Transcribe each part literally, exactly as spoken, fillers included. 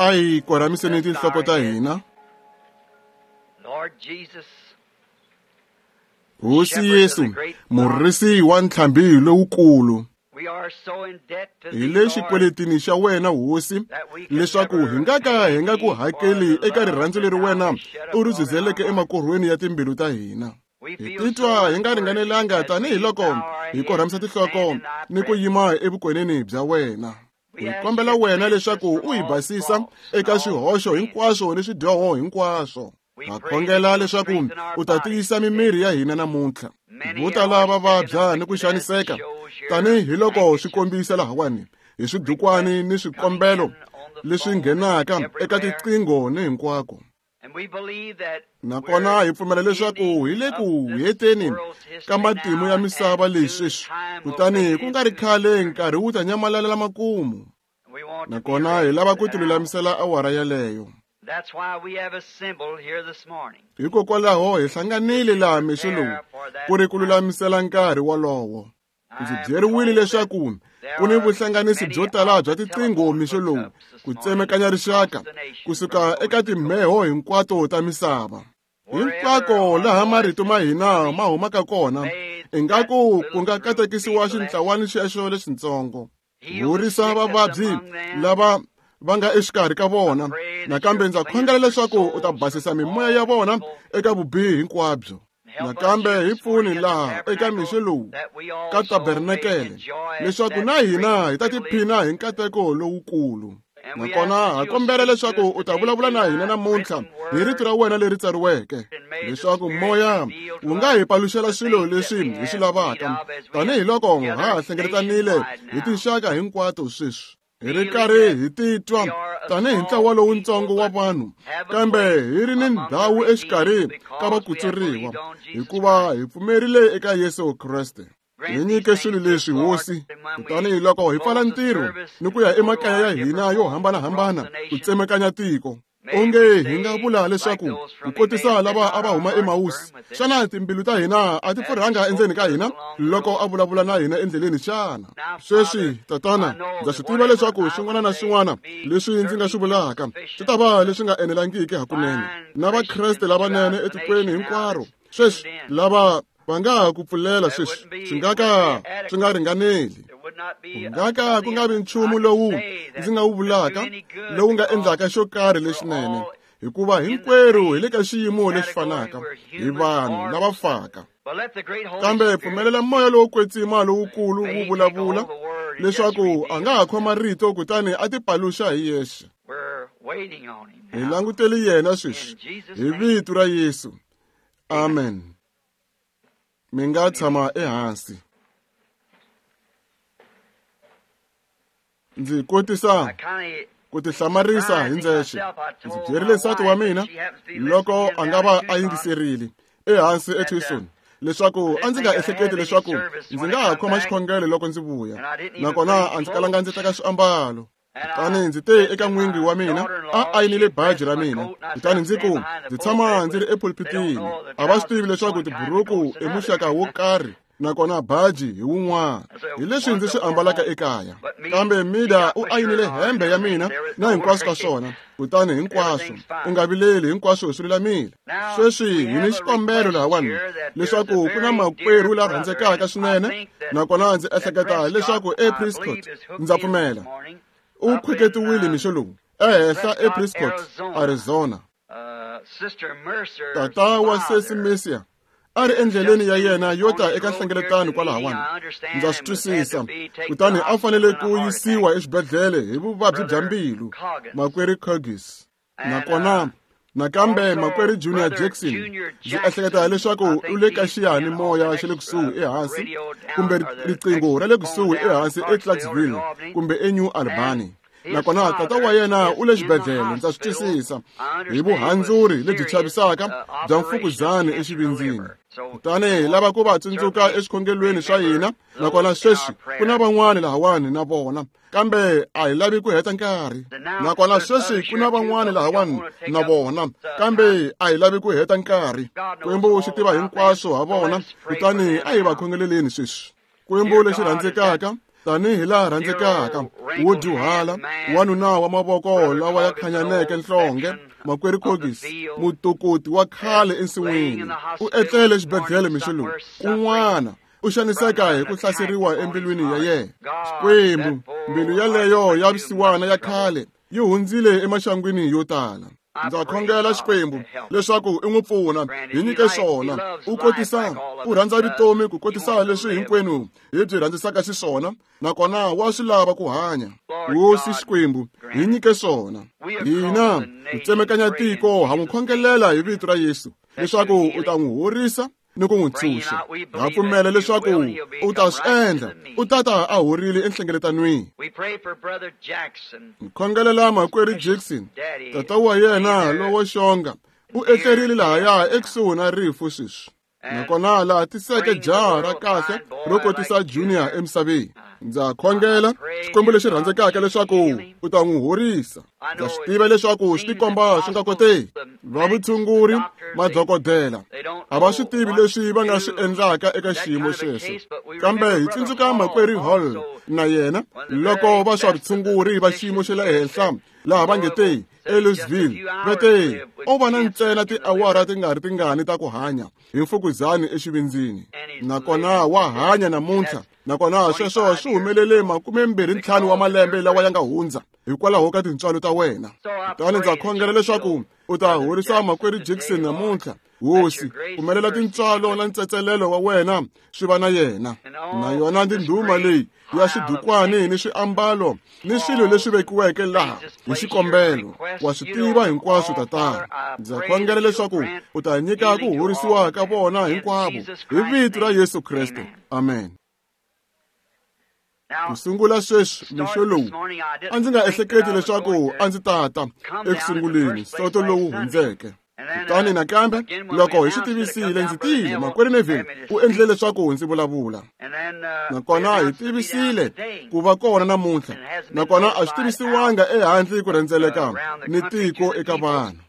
A hi korhamiseni tinhloko ta hina. Hosi Yesu, murisi wa ntlhambi lowukulu, hi le xikweletini xa wena Hosi, leswaku hi nga ka hi nga ku hakeli eka rirhandzu leri wena u ri zuzeleke emakorhweni ya timbilu ta hina. Hi titwa hi nga ringanelanga tanihiloko hi korhamisa tinhloko ni ku yima evukweneni bya wena. Hi kombela wena leswaku u hi basisa eka swihoxo hinkwaswo ni swidyoho hinkwaswo. Ha khongela leswaku u ta tiyisa mimiri ya hina namuntlha. Vo tala va vabya ni ku xaniseka tanihiloko swi kombisa lahawani hi swidukwani ni swikombelo leswi nghenaka eka tiqingho ni hinkwako. Nakona hi pfumela leswaku hi le ku heteni ka matimu ya misava leyi sweswi, kutani ku nga ri khale nkarhi wu ta nyamalalela makumu. Nakona hi lava ku tilulamisela awara yeleyo. Hikokwalaho hi hlanganile laha mixo lowu ku ri ku lulamisela nkarhi wolowo. Ndzi byeriwile leswaku ku ni vuhlanganisi byo tala bya tiqingho mixo lowu ku tsemekanya rixaka kusuka eka timheho hinkwato ta misava. Hinkwako laha marito ma hina ma humaka kona, ingaku ku nga katekisiwa xintlawani xexo lexitsongo. Horisa vavabyi lava va nga exikarhi ka vona. Nakambe ndza khongela leswaku u ta basisa mimoya ya vona eka vubihi hinkwabyo. Nakambe hi pfuni laha eka mixo lowu ka tabernakele leswaku na hina hi ta tiphina hi nkateko lowukulu. Nakona ha kombela leswaku u ta vulavula na hina namuntlha hi rito ra wena leri tsariweke, leswaku moya wu nga hi paluxela swilo leswi hi swi lavaka tanihiloko ha ha hlengeletanile hi tinxaka hinkwato sweswi. Hi ri karhi hi titwa tanihi ntlawa lowutsongo wa vanhu, kambe hi ri ni ndhawu exikarhi ka vakutsuriwa, hikuva hi pfumerile eka Yesu Kreste. Hi nyike swilo leswi Hosi, kutani loko hi pfala ntirho ni ku ya emakaya ya hina yo hambanahambana ku tsemekanya tiko, onge hi nga vula leswaku ku kotisa lava a va huma eMausi, xana timbilu ta hina a ti pfurhanga endzeni ka hina loko a vulavula na hina endleleni xana? Sweswi, Tatana, ndza swi tiva leswaku swin'wana na swin'wana leswi ndzi nga swi vulaka swi ta va leswi nga enelangiki hakunene na Vakreste lavanene etikweni hinkwaro sweswi lava va nga ha ku pfulela sweswi swi nga ka swi nga ringaneli. Ku nga ka ku nga vi nchumu lowu ndzi nga wu vulaka lowu nga endlaka xo karhi lexinene, hikuva hinkwerhu hi le ka xiyimo lexi fanaka, hi vanhu lava faka. Kambe pfumelela moya lowo kwetsima lowukulu wu vulavula leswaku a nga ha khoma rito kutani a tipaluxa hi yexe. Hi langutele yena sweswi hi vito ra Yesu. Amen. Mi nga tshama ehansi. Ndzi kotisa ku tihlamarisa hi ndzexe. Ndzi byerile nsati wa mina loko a nga va a yingiserile ehansi eTucson leswaku a ndzi nga ehleketi leswaku ndzi nga ha khoma xikhongelo loko ndzi vuya, nakona a ndzi kalanga ndzi teka swiambalo. Kutani ndzi te eka n'wingi wa mina, a ayinile baji ra mina, kutani ndzi ku ndzi tshama ndzi ri epulpitini. A va swi tivi leswaku tiburuku i muxaka wo karhi nakona baji hi wun'wana, hi leswi ndzi swi ambalaka ekaya. Kambe Mida u ayinile hembe ya mina na hinkwaswo ka swona, kutani hinkwaswo u nga vileli, hinkwaswo swi lulamile. Sweswi hi ni xikombelo lahawani leswaku ku na makwerhu la rhandzekaka swinene, nakona ndzi ehleketa leswaku ePrescott, ndza pfumela u khweketiwile mixo lowu ehenhla ePrescott, Arizona. Tata wa Sesi Mercier a ri endleleni ya yena yo ta eka nhlengeletano kwalahawani, ndza swi twisisa, kutani a fanele ku yisiwa exibedhlele hi vuvabyi bya mbilu, makwerhu Curgis. Nakona nakambe makwerhu Junior Jackson, ndzi ehleketa leswaku u le ka xiyanimoya xa le kusuhi ehansi, kumbe riqingho ra le kusuhi ehansi eClarksville kumbe eNew Albany. Nakona tata wa yena u le xibedhlele, ndza swi twisisa, hi vuhandzuri lebyi chavisaka bya mfukuzani exivindzini. Kutani hi lava ku va tsundzuka eswikhongelweni swa hina, nakona sweswi ku na van'wani lahawani na vona, kambe a hi lavi ku heta nkarhi. Nakona sweswi ku na van'wani lahawani na vona, kambe a hi lavi ku heta nkarhi. Xikwembu xi tiva hinkwaswo ha vona, kutani a hi va khongeleleni sweswi. Xikwembu lexi rhandzekaka, tanihi laha rhandzekaka wo dyuhala wanuna wa mavoko lawa ya khanyaneke nhlonge makwerhu Kogis mutokoti wa khale ensin'wini u etlele exibedhlele mixo lowu kun'wana u xaniseka hi ku hlaseriwa embilwini ya yena. Xikwembu, mbilu yaleyo ya vusiwana ya khale yi hundzile emaxangwini yo tala. Ndza khongela Xikwembu leswaku i n'wi pfuna hi nyike swona u kotisa u rhandza vutomi ku kotisa leswi hinkwenu hi byi rhandzisaka xiswona nakona wa swi lava ku hanya. Hosi Xikwembu hi nyike swona. Hina ku tsemekanya tiko ha n'wi khongelela hi vito ra Yesu leswaku u ta n'wi horisa ni ku n'wi ntshunxa. Ha pfumela leswaku u ta swi endla u tata a horile enhlengeletanweni. Khongelela makwerhu Jackson, tata wa yena lowo xonga u etlerile lahaya ekusuhi na rifu sweswi nakona laha tiseke jaha ra kahle ro kotisa Junior emisaveni. Ndza khongela Xikwembu lexi rhandzekaka leswaku u ta n'wi horisa. Ndza swi tiva leswaku swi tikomba swi nga koteki. Va vutshunguri madokodela a va swi tivi leswi va nga swi endlaka eka xiyimo xexo, kambe hi tsundzuka makwerhu Hall na yena loko va swa vutshunguri va xiyimo xa le henhla laha va nge te eLouisville va te o va na ntsena tiawara ti nga ri tingani ta ku hanya hi mfukuzani exivindzini, nakona wa hanya namuntlha. Nakona sweswo swi humelele makume mbirhi ntlhanu wa malembe lawa ya nga hundza hikwalaho ka tintswalo ta wena. Kutani ndza khongela leswaku u ta horisa makwerhu Jackson namuntlha. Hosi, pfumelela tintswalo na ntsetselelo wa wena swi va na yena. Na yona ndhuma leyi ya swidukwani ni swiambalo ni swilo leswi vekiweke laha hi xikombelo. Wa swi tiva hinkwaswo Tatana. Ndza khongela leswaku u ta nyika ku horisiwa ka vona hinkwavo hi vito ra Yesu Kreste. Amen. Ku sungula sweswi mixo lowu a ndzi nga ehleketi leswaku a ndzi tata ekusunguleni soto lowu hundzeke. Kutani nakambe loko hi swi tivisile ndzi tile makwerhu Neville u endlile leswaku ndzi vulavula. Nakona hi tivisile ku va kona namuntlha, nakona a swi tivisiwanga ehandle ku rhendzeleka ni tiko eka vanhu.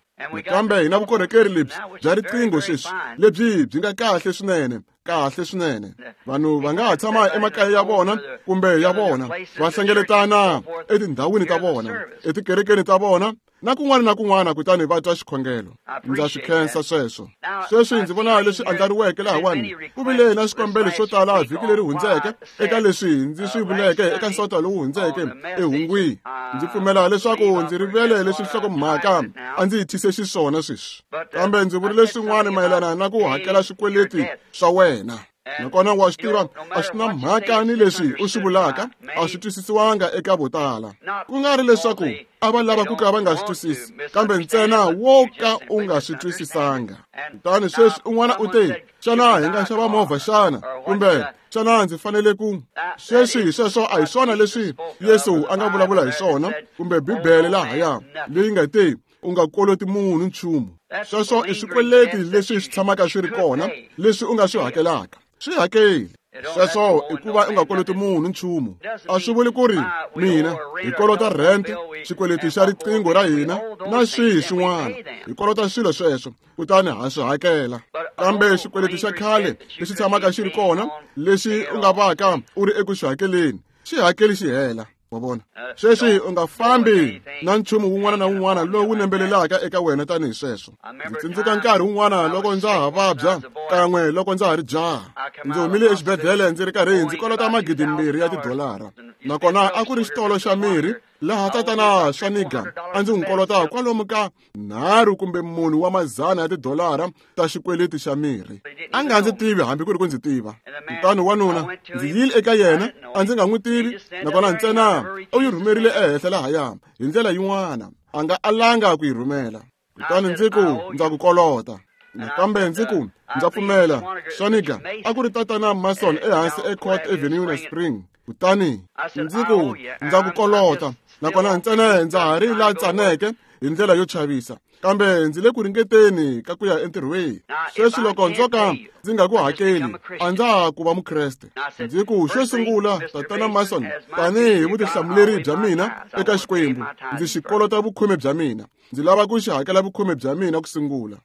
Kambe hi na vukorhokeri lebyi bya riqingho sweswi lebyi byi nga kahle swinene kahle swinene. Vanhu va nga ha tshama emakaya ya vona kumbe ya vona va hlengeletana etindhawini ta vona etikerekeni ta vona na kun'wana na kun'wana kutani va twa xikhongelo. Ndza swi khensa sweswo. Sweswi ndzi vona leswi andlariweke lahawani. Ku vile na swikombelo swo tala vhiki leri hundzeke eka leswi ndzi swi vuleke eka nsota lowu hundzeke ehungwini. Ndzi pfumela leswaku ndzi rivele leswi nhlokomhaka a ndzi yi thyise xiswona sweswi, kambe ndzi vurile swin'wana mayelana na ku hakela swikweleti swa wena. Nakona wa swi tiva a swi na mhaka ni leswi u swi vulaka a swi twisisiwanga eka vo tala. Ku nga ri leswaku a va lava ku ka va nga swi twisisi, kambe ntsena wo ka u nga swi twisisanga. Kutani sweswi un'wana u te, xana hi nga xava movha xana? Kumbe xana ndzi fanele ku? Sweswi sweswo a hi swona leswi Yesu a nga vulavula hi swona, kumbe Bibele lahaya leyi nga te u nga koloti munhu nchumu. Sweswo i swikweleti leswi swi tshamaka swi ri kona leswi u nga swi hakelaka. Swi hakeli. Sweswo i ku va u nga koloti munhu nchumu. A swi vuli ku ri mina hi kolota rent, xikweleti xa riqingho ra hina na swihi swin'wana. Hi kolota swilo sweswo kutani ha swi hakela. Kambe xikweleti xa khale lexi tshamaka xi ri kona lexi u nga vaka u ri eku xi hakeleni, xi hakeli xi hela. Wa vona? Sweswi u nga fambi na nchumu wun'wana na wun'wana lowu nembelelaka eka wena tanihi sweswo. Ndzi tsundzuka nkarhi wun'wana loko ndza ha vabya kan'we loko ndza ha ri jaha. Ndzi humile exibedhlele ndzi ri karhi ndzi kolota magidi mbirhi ya tidolara. Nakona a ku ri xitolo xa mirhi laha tatana Swaniga a ndzi n'wi kolota kwalomu ka nharhu kumbe munhu wa mazana ya tidolara ta xikweleti xa mirhi. A nga ndzi tivi hambi ku ri ku ndzi tiva. Kutani wanuna ndzi yile eka yena a ndzi nga n'wi tivi, nakona ntsena u yi rhumerile ehenhla lahaya hi ndlela yin'wana a nga alanga ku yi rhumela. Kutani ndzi ku ndza ku kolota. Nakambe ndzi ku ndza pfumela Swaniga a ku ri tatana Mason ehansi eCourt Avenue na Spring. Kutani ndzi ku ndza ku kolota, nakona ntsena ndza ha ri la tsaneke hi ndlela yo chavisa, kambe ndzi le ku ringeteni ka ku ya entirhweni. Sweswi loko ndzo ka ndzi nga ku hakeli a ndza ha ku va Mukreste. Ndzi ku xo sungula tatana Mason, tanihi vutihlamuleri bya mina eka Xikwembu, ndzi xi kolota vukhume bya mina. Ndzi lava ku xi hakela vukhume bya mina ku sungula.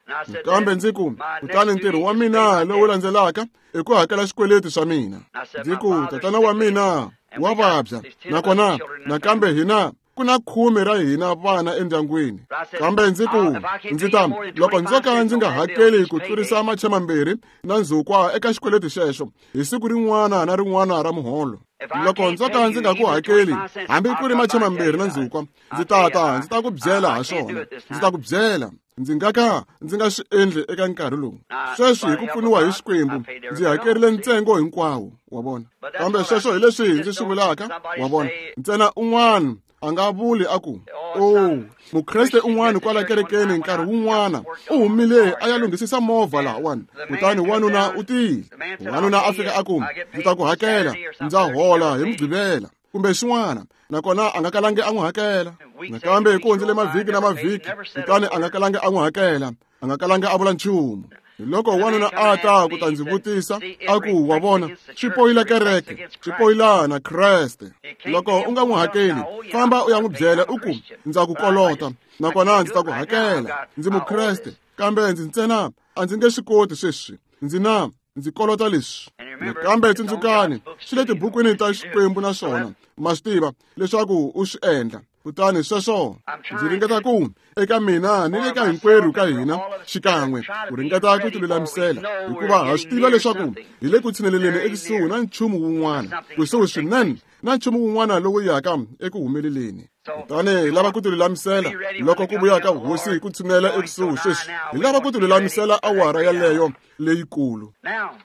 Kambe ndzi ku kutani ntirho wa mina lowu landzelaka i ku hakela xikweleti swa mina. Ndzi ku tatana wa mina Wa vabya. Nakona nakambe hina ku na khume ra hina vana endyangwini. Kambe ndzi ku ndzi ta loko ndzo ka ndzi nga hakeli ku tlurisa machema mambirhi na ndzhukwa eka xikweleti xexo hi siku rin'wana na rin'wana ra muholo. Loko ndzo ka ndzi nga ku hakeli hambi ku ri machema mambirhi na ndzhukwa, ndzi ta ta ndzi ta ku byela ha swona. Ndzi ta ku byela. Ndzi nga ka ndzi nga swi endli eka nkarhi lowu. Sweswi hi ku pfuniwa hi Xikwembu ndzi hakerile ntsengo hinkwawo, wa vona. Kambe sweswo hi leswi ndzi swi vulaka, wa vona. Ntsena un'wana a nga vuli a ku, "Oh, mukreste un'wana kwala kerekeni nkarhi wun'wana u humile a ya lunghisisa movha lahawani, kutani wanuna u tile. Wanuna a fika a ku, ndzi ta ku hakela, ndza hola hi Mugqivela kumbe xin'wana." Nakona a nga kalangi a n'wi hakela. Nakambe ku hundzile mavhiki na mavhiki, kutani a nga kalangi a n'wi hakela, a nga kalangi a vula nchumu. Loko wanuna a ta ku ta ndzi vutisa a ku, "Wa vona, swi poyila kereke, swi poyila na Kreste. Loko u nga n'wi hakeli, famba u ya n'wi byela u ku, ndza ku kolota, nakona ndzi ta ku hakela. Ndzi mukreste, kambe ndzi ntsena a ndzi nge swi koti sweswi. Ndzi na ndzi kolota leswi." Nakambe tsundzukani, swi le tibukwini ta Xikwembu naswona ma swi tiva leswaku u swi endla. Kutani sweswo ndzi ringeta ku eka mina ni le ka hinkwerhu ka hina xikan'we ku ringeta ku tilulamisela, hikuva ha swi tiva leswaku hi le ku tshineleleni ekusuhi na nchumu wun'wana, kusuhi swinene na nchumu wun'wana lowu yaka eku humeleleni. Kutani hi lava ku tilulamisela loko ku vuya ka hosi ku tshinela ekusuhi sweswi. Hi lava ku tilulamisela awara yaleyo leyikulu.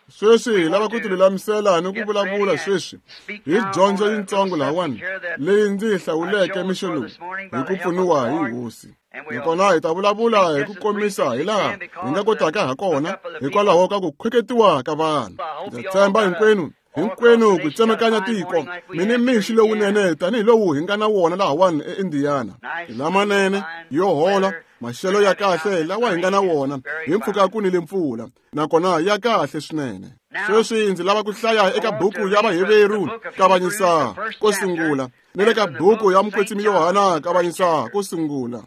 Sweswi hi lava ku tilulamisela ni ku vulavula sweswi hi dyondzo yintsongo lahawani leyi ndzi yi hlawuleke mixo lowu hi ku pfuniwa hi hosi. Nakona hi ta vulavula hi ku komisa hi laha hi nga kotaka ha kona hikwalaho ka ku khweketiwa ka vanhu. Ndza tshemba hinkwenu hinkwenu ku tsemakanya tiko mi ni mixi lowunene tanihi lowu hi nga na wona lahawani eIndiana. Lamanene yo hola, maxelo ya kahle lawa hi nga na wona hi mpfhuka ku nile mpfula, nakona ya kahle swinene. Sweswi ndzi lava ku hlaya eka buku ya Vaheveru kavanyisa ko sungula ni le ka buku ya Mukwetsimi Yohana kavanyisa ko sungula.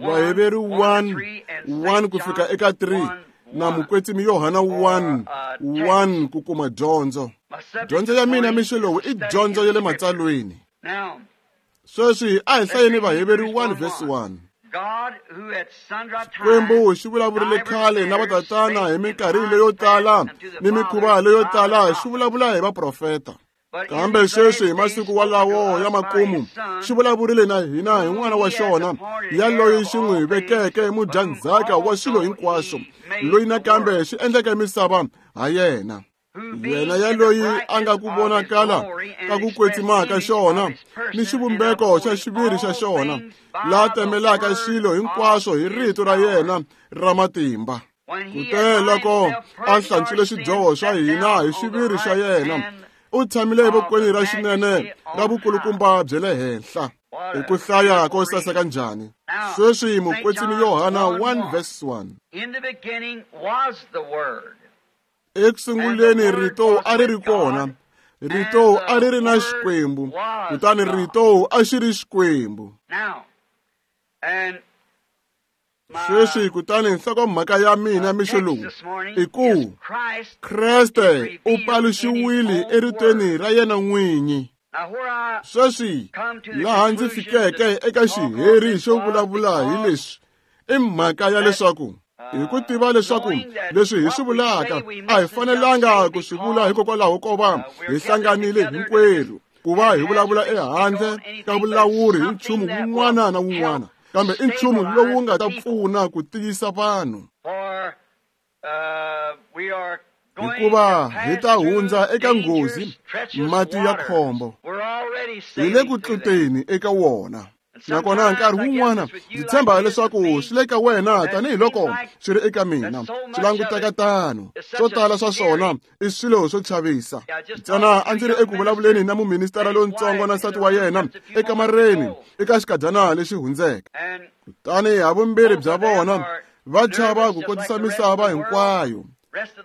Vaheveru one one ku fika eka three na Mukwetsimi Yohana one one ku kuma dyondzo. Dyondzo ya mina mixo lowu i dyondzo ya le matsalweni. Sweswi a hi hlayeni Vaheveru one verse one. Xikwembu xi vulavurile khale na vatatana hi minkarhi leyo tala ni mikhuva leyo tala, xi vulavula hi vaprofeta. Kambe sweswi hi masiku walawo ya makumu xi vulavurile na hina hi n'wana wa xona, yaloyi xi n'wi vekeke mudyandzhaka wa swilo hinkwaswo, loyi nakambe xi endleke misava ha yena. Yena yaloyi a nga ku vonakala ka ku kwetsima ka xona ni xivumbeko xa xiviri xa xona, la temelaka swilo hinkwaswo hi rito ra yena ra matimba. Kute loko a hlantswile swidyoho swa hina hi xiviri xa yena, u tshamile evokweni ra xinene ra vukulukumba bya le henhla. I ku hlaya ko saseka njhani. Sweswi Mukwetsimi Yohana one verse one. Ekusunguleni rito a ri ri kona, rito a ri ri na Xikwembu, kutani rito a xi ri Xikwembu. Sweswi kutani nhlokomhaka ya mina mixo lowu i ku Kreste u paluxiwile eritweni ra yena n'winyi. Sweswi laha ndzi fikeke eka xiheri xo vulavula hi leswi i mhaka ya leswaku hi ku tiva leswaku leswi hi swi vulaka a hi fanelanga ku swi vula hikokwalaho ko va hi hlanganile hinkwerhu ku va hi vulavula ehandle ka vulawuri hi nchumu wun'wana na wun'wana, kambe i nchumu lowu nga ta pfuna ku tiyisa vanhu. Hikuva hi ta hundza eka nghozi mati ya khombo, hi le ku tluteni eka wona. Nakona nkarhi wun'wana ndzi tshemba leswaku swi le ka wena tanihiloko swi ri eka mina, swi languteka tano. Swo tala swa swona i swilo swo chavisa. Ntsena a ndzi ri eku vulavuleni na muministara lontsongo na nsati wa yena ekamareni eka xikadyana lexi hundzeke. Kutani havumbirhi bya vona va chava ku kotisa misava hinkwayo,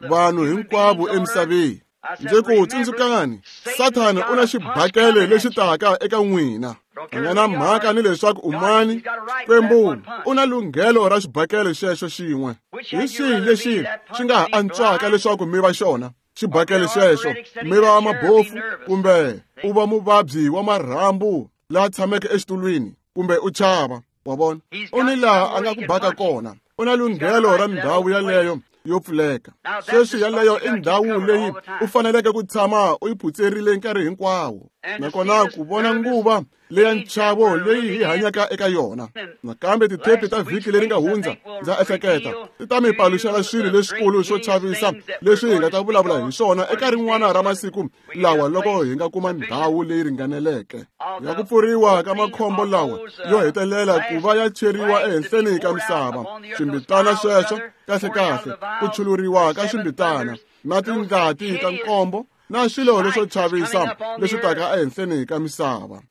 vanhu hinkwavo emisaveni. Ndzi ku tsundzukani, Sathana u na xibakele lexi taka eka n'wina. A nga na mhaka ni leswaku u mani, Xikwembu u na lunghelo ra xibakele xexo xin'we. Hi xihi lexi xi nga ha antswaka leswaku mi va xona? xibakele xexo mi va mabofu kumbe u va muvabyi wa marhambu laha tshameke exitulwini kumbe u chava wa vona u ni laha a nga ku baka kona u na lunghelo ra ndhawu yaleyo yo pfuleka sweswi yaleyo i ndhawu leyi u faneleke ku tshama u yi phutserile nkarhi hinkwawo nakona ku vona nguva leya nchavo leyi hi hanyaka eka yona nakambe tithepi ta vhiki leri nga hundza ndza ehleketa ti ta mi paluxela swilo leswikulu swo chavisa leswi hi nga ta vulavula hi swona eka rin'wana ra masiku lawa loko hi nga kuma ndhawu leyi ringaneleke ya ku pfuriwa ka makhombo lawa yo hetelela ku va ya cheriwa ehenhleni ka misava swimbitana sweswo kahlekahle ku chuluriwa ka swimbitana na tindlati ta nkombo na swilo leswo chavisa leswi taka ehenhleni ka misava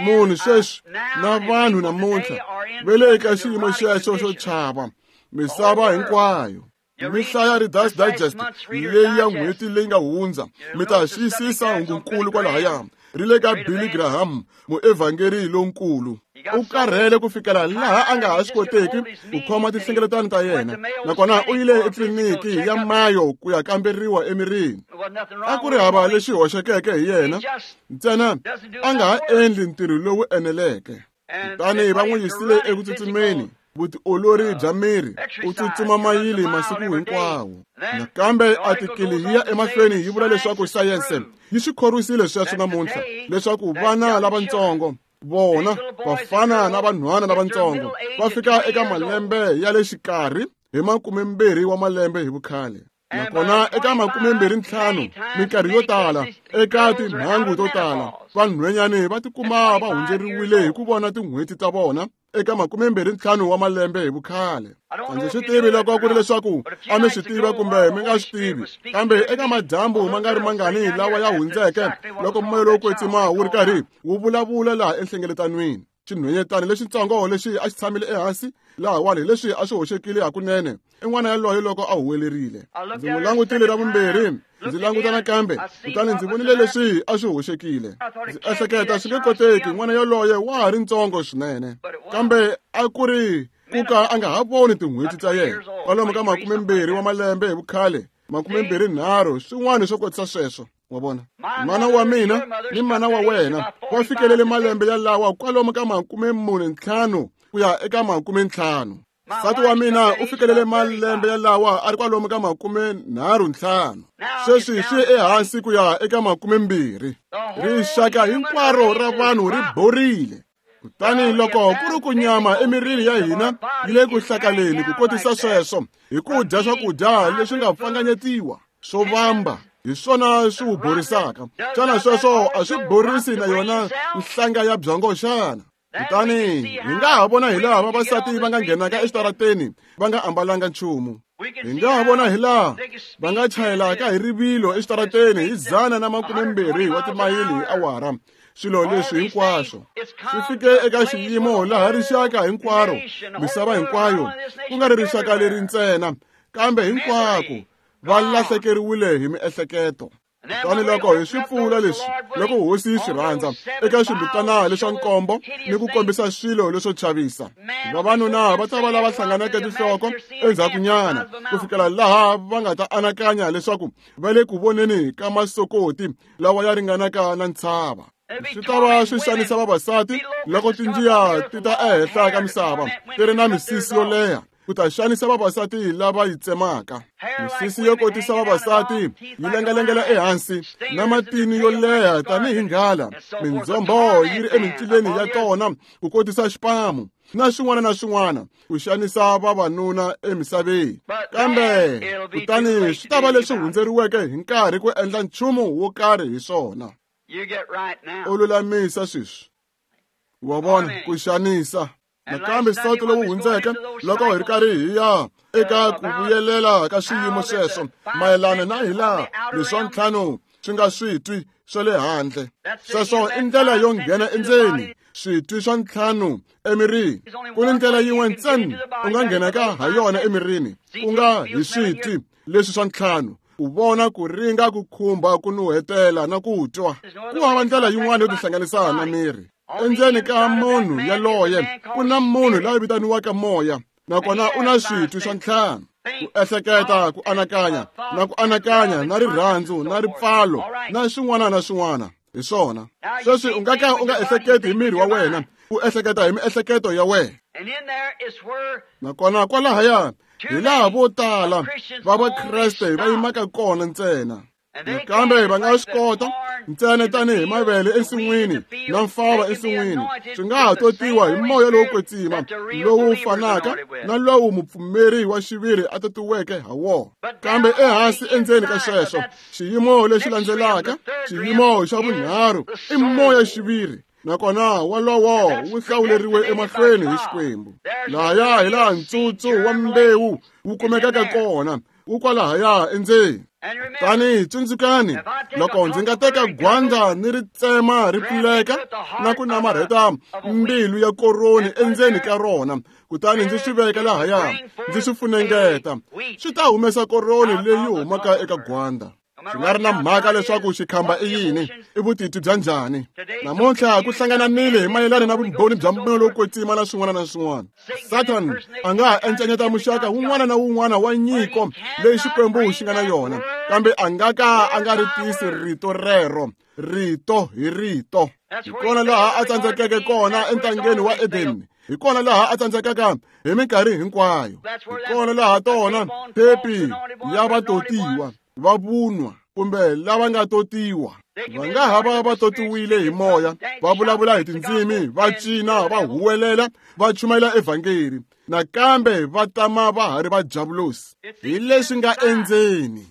munhu sweswi na vanhu namuntlha va le ka xiyimo xexo xo chava misava hinkwayo mi hlaya Reader's Digest leyi ya n'hweti leyi nga hundza mi ta xiyisisa hungunkulu kwalahaya ri le ka Billy Graham muevhangeri lonkulu u karhele ku fikela laha a nga ha swi koteki ku khoma tinhlengeletano ta yena nakona u yile etliliniki ya Mayo ku ya kamberiwa emirini a ku ri hava lexi hoxekeke hi yena ntsena a nga ha endli ntirho lowu eneleke kutani va n'wi yisile eku tsutsumeni vutiolori bya miri u tsutsuma mayili masiku hinkwawo nakambe atikili yi ya emahlweni yi vula leswaku sayense yi swi khorwisile sweswo namuntlha leswaku vana lavatsongo vona vafana na vanhwana lavatsongo va fika eka malembe ya le xikarhi hi makumembirhi wa malembe hi vukhale nakona eka makumembirhi ntlhanu minkarhi yo tala eka timhangu to tala vanhwenyani va tikuma va hundzeriwile hi ku vona tin'hweti ta vona eka makumembirhi ntlhanu wa malembe hi vukhale a ndzi swi tivi loko ku ri leswaku a mi swi tiva kumbe mi nga swi tivi kambe eka madyambu ma nga ri mangani lawa ya hundzeke loko moya lowo kwetsima wu ri karhi wu vulavula laha enhlengeletanweni xinhwenyetana lexitsongo lexi a xi tshamile ehansi lahawani hi leswi a swi hoxekile hakunene i n'wana yaloye loko a huwelerile ndzi n'wi langutile ra vumbirhi ndzi languta nakambe kutani ndzi vonile leswi a swi hoxekile ndzi ehleketa swi nge koteki n'wana yaloye wa ha ri ntsongo swinene kambe a ku ri ku ka a nga ha voni tin'hweti ta yena kwalomu ka makumembirhi wa malembe hi vukhale makumembirhi nharhu swin'wana swo kotisa sweswo wa vona mana wa mina ni mana wa wena va fikelele malembe yalawa kwalomu ka makumemune ntlhanu ku ya eka makumentlhanu nsati wa mina u fikelele malembe yalawa a ri kwalomu ka makumenharhu ntlhanu sweswi swi ehansi ku ya eka makumembirhi rixaka hinkwaro ra vanhu ri borile kutani loko ku ri ku nyama emirini ya hina yi le ku hlakaleni ku kotisa sweswo hi ku dya swakudya leswi nga pfanganyetiwa swo vamba hi swona swi wu borisaka xana sweswo a swi borisi na yona nhlanga ya byongo xana kutani hi nga ha vona hi laha vavasati va nga nghenaka exitarateni va nga ambalanga nchumu hi nga ha vona hi laha va nga chayelaka hi rivilo exitarateni hi dzana na makumembirhi wa timayili hi awara swilo leswi hinkwaswo swi fike eka xiyimo laha rixaka hinkwaro misava hinkwayo ku nga ri rixaka leri ntsena kambe hinkwako va lahlekeriwile hi miehleketo kutani loko hi swi pfula leswi loko hosi yi swi rhandza eka swimbitana leswa nkombo ni ku kombisa swilo leswo chavisa vavanuna va ta va lava hlanganeke tinhloko endzhakunyana ku fikela laha va nga ta anakanya leswaku va le ku voneni ka masokoti lawa ya ringanaka na ntshava swi ta va swi xanisa vavasati loko tinjiya ti ta ehenhla ka misava ti ri na misisi yo leha ku ta xanisa vavasati lava yi tsemaka misisi yo kotisa vavasati yi lengalengela ehansi na matini yo leha tanihi nghala mindzhombo yi ri emincileni ya tona ku kotisa xipamu na swin'wana na swin'wana ku xanisa vavanuna emisaveni kambe kutani swi ta va leswi hundzeriweke hi nkarhi ku endla nchumu wo karhi hi swona u lulamisa sweswi wa vona ku xanisa nakambe sonto lowu hundzeke loko hi ri karhi hi ya eka ku vuyelela ka swiyimo sweswo mayelana na hilaha leswa ntlhanu swi nga switwi swa le handle sweswo i ndlela yo nghena endzeni switwi swa ntlhanu emirini ku ni ndlela yin'we ntsena u nga nghenaka ha yona emirini ku nga hi switwi leswi swa ntlhanu ku vona ku ringa ku khumba ku nuhetela na ku twa ku hava ndlela yin'wana yo tihlanganisa na miri endzeni ka munhu yaloye ku na munhu la vitaniwaka moya nakona u na switwi swa ntlhanu Ku ehleketa, ku anakanya, na ku anakanya, na rirhandzu, na ripfalo, na swin'wana na swin'wana. Hi swona. Sweswi u nga ka u nga ehleketi hi miri wa wena, u ehleketa hi miehleketo ya wena. Nakona kwalahaya hi laha vo tala va Vakreste va yimaka kona ntsena. Nakambe va nga swi kota ntsena tanihi mavele ensin'wini na mfava ensin'wini, swi nga ha totiwa hi moya lowo kwetsima lowu fanaka na lowu mupfumeri wa xiviri a totiweke ha wona. Kambe ehansi endzeni ka sweswo, xiyimo lexi landzelaka, xiyimo xa vunharhu, i moya xiviri. Nakona wolowo wu hlawuleriwe emahlweni hi Xikwembu. Lahaya hi laha ntsutsu wa mbewu wu kumekaka kona, wu kwalahaya endzeni. Tani tsundzukani, loko ndzi nga teka gwanda ni ri tsema ri pfuleka na ku namarheta mbilu ya koroni endzeni ka rona, kutani ndzi swi veka lahaya, ndzi swi funengeta, swi ta humesa koroni leyi humaka eka gwanda. Swi nga ri na mhaka leswaku xikhamba i yini, i vutiti bya njhani. Namuntlha ku hlangananile hi mayelana na vumbhoni bya moya lowo kwetsima na swin'wana na swin'wana. Satan a nga ha encenyeta muxaka wun'wana na wun'wana wa nyiko leyi Xikwembu xi nga na yona, kambe a nga ka a nga ri tisi rito rero, rito hi rito. Hi kona laha a tsandzekeke kona entangeni wa Edeni. Hi kona laha a tsandzekaka hi minkarhi hinkwayo. Hi kona laha tona thepi ya vatotiwa va vunwa kumbe lava nga totiwa. Va nga ha va va totiwile hi moya, va vulavula hi tindzimi, va cina, va huwelela, va chumayela evhangeli, nakambe va tama va ha ri va javulosi. Hi leswi nga endzeni.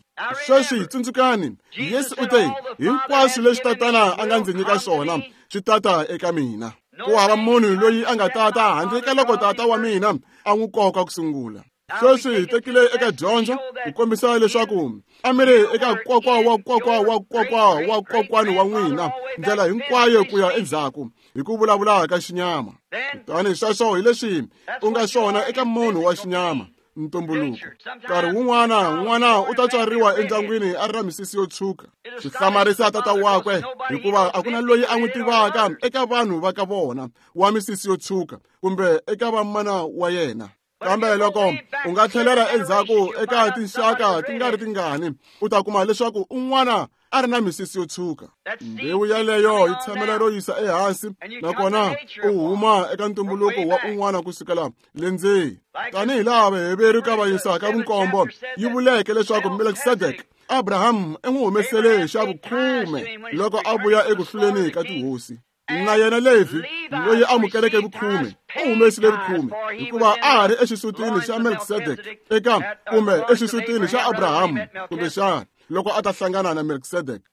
Sweswi tsundzukani, Yesu u te, hinkwaswo leswi Tatana a nga ndzi nyika swona swi tata eka mina. Ku hava munhu loyi a nga tata handle ka loko Tata wa mina a n'wi koka ku sungula. Sweswi hi tekile eka dyondzo ku kombisa leswaku a mi ri eka kokwa wa kokwa wa kokwa wa kokwani wa n'wina ndlela hinkwayo ku ya endzhaku hi ku vulavula ka xinyama. Kutani sweswo hi leswi u nga swona eka munhu wa xinyama, ntumbuluko. Nkarhi wun'wana n'wana u ta tswariwa endyangwini a ri na misisi yo tshuka. Swi hlamarisa tata wakwe hikuva a ku na loyi a n'wi tivaka eka vanhu va ka vona wa misisi yo tshuka kumbe eka vamana wa yena. Kambe loko u nga tlhelela endzhaku eka tinxaka ti nga ri tingani, u ta kuma leswaku un'wana a ri na misisi yo tshuka. Mbewu yaleyo yi tshamela ro yisa ehansi, nakona u huma eka ntumbuluko wa un'wana kusukela le ndzeni. Tanihi laha Vaheveru ka va yisaka vunkombo yi vuleke leswaku Melkisedeke, Abraham i n'wi humesele xa vukhume loko a vuya eku hluleni ka tihosi. Na yena Levi, loyi amukeleke vukhume, u humesile vukhume hikuva a ha ri exisutini xa Melkisedeke eka kumbe exisutini xa Abraham kumbexana loko a ta hlangana na Melkisedeke.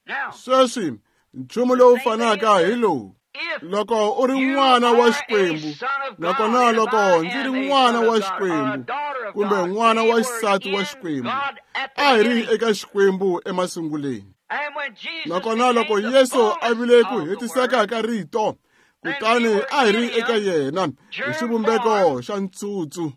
Sweswi nchumu lowu fanaka hi lowu. Loko u ri n'wana wa Xikwembu, nakona loko ndzi ri n'wana wa Xikwembu kumbe n'wana wa xisati wa Xikwembu, a hi ri eka Xikwembu emasunguleni. Nakona loko Yesu a vile ku hetiseka ka rito, kutani a hi ri eka yena hi xivumbeko xa ntsutsu.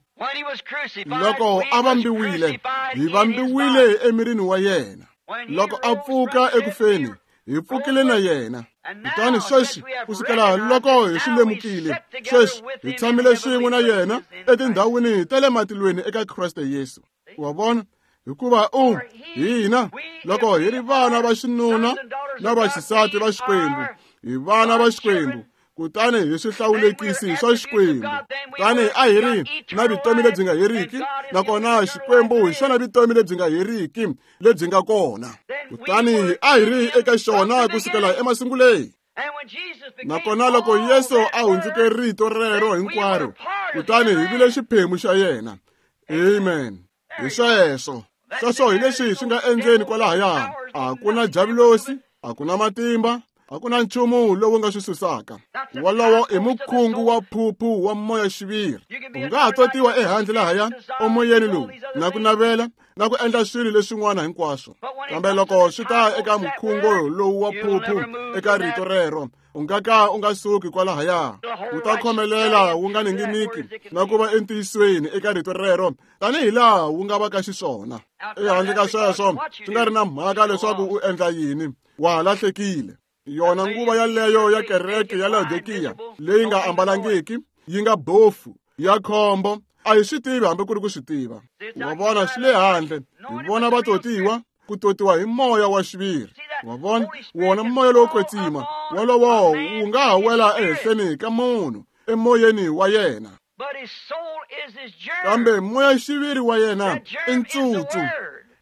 Loko a vambiwile, hi vambiwile emirini wa yena. Loko a pfuka ekufeni, hi pfukile na yena. Kutani sweswi kusukela loko hi swi lemukile, sweswi hi tshamile swin'we na yena etindhawini ta le matilweni eka Kreste Yesu. Wa vona? Hikuva u hina loko hi ri vana va xinuna na va xisati va Xikwembu, hi vana va Xikwembu, kutani hi swihlawulekisi swa Xikwembu. Kutani a hi ri na vutomi lebyi nga heriki, nakona Xikwembu hi xona vutomi lebyi nga heriki lebyi nga kona. Kutani a hi ri eka xona kusukela emasunguleni. Nakona loko Yesu a hundzuke rito rero hinkwaro, kutani hi vile xiphemu xa yena. Amen. Hi sweswo. Sweswo hi leswi swi nga endzeni kwalahaya. A ku na javulosi, a ku na matimba, a ku na nchumu lowu nga swi susaka. Wolowo i mukhungu wa phuphu wa moya xiviri. U nga ha totiwa ehandle lahaya emoyeni lowu na ku navela na ku endla swilo leswin'wana hinkwaswo. Kambe loko swi ta eka mukhungu lowu wa phuphu eka rito rero, u nga ka u nga suki kwalahaya. Wu ta khomelela wu nga ninginiki na ku va entiyisweni eka rito rero tanihi laha wu nga va ka xiswona. Ehandle ka sweswo, swi nga ri na mhaka leswaku u endla yini, wa ha lahlekile. Yona nguva yaleyo ya kereke ya Laodikiya leyi nga ambalangiki, yi nga bofu, ya khombo, A hi swi tivi hambi ku ri ku swi tiva. Wa vona, swi le handle. Hi vona va totiwa, ku totiwa hi moya wa xiviri. Wa vona, wona moya lowo kwetsima wolowo wu nga ha wela ehenhleni ka munhu emoyeni wa yena. Kambe moya xiviri wa yena i ntsutsu.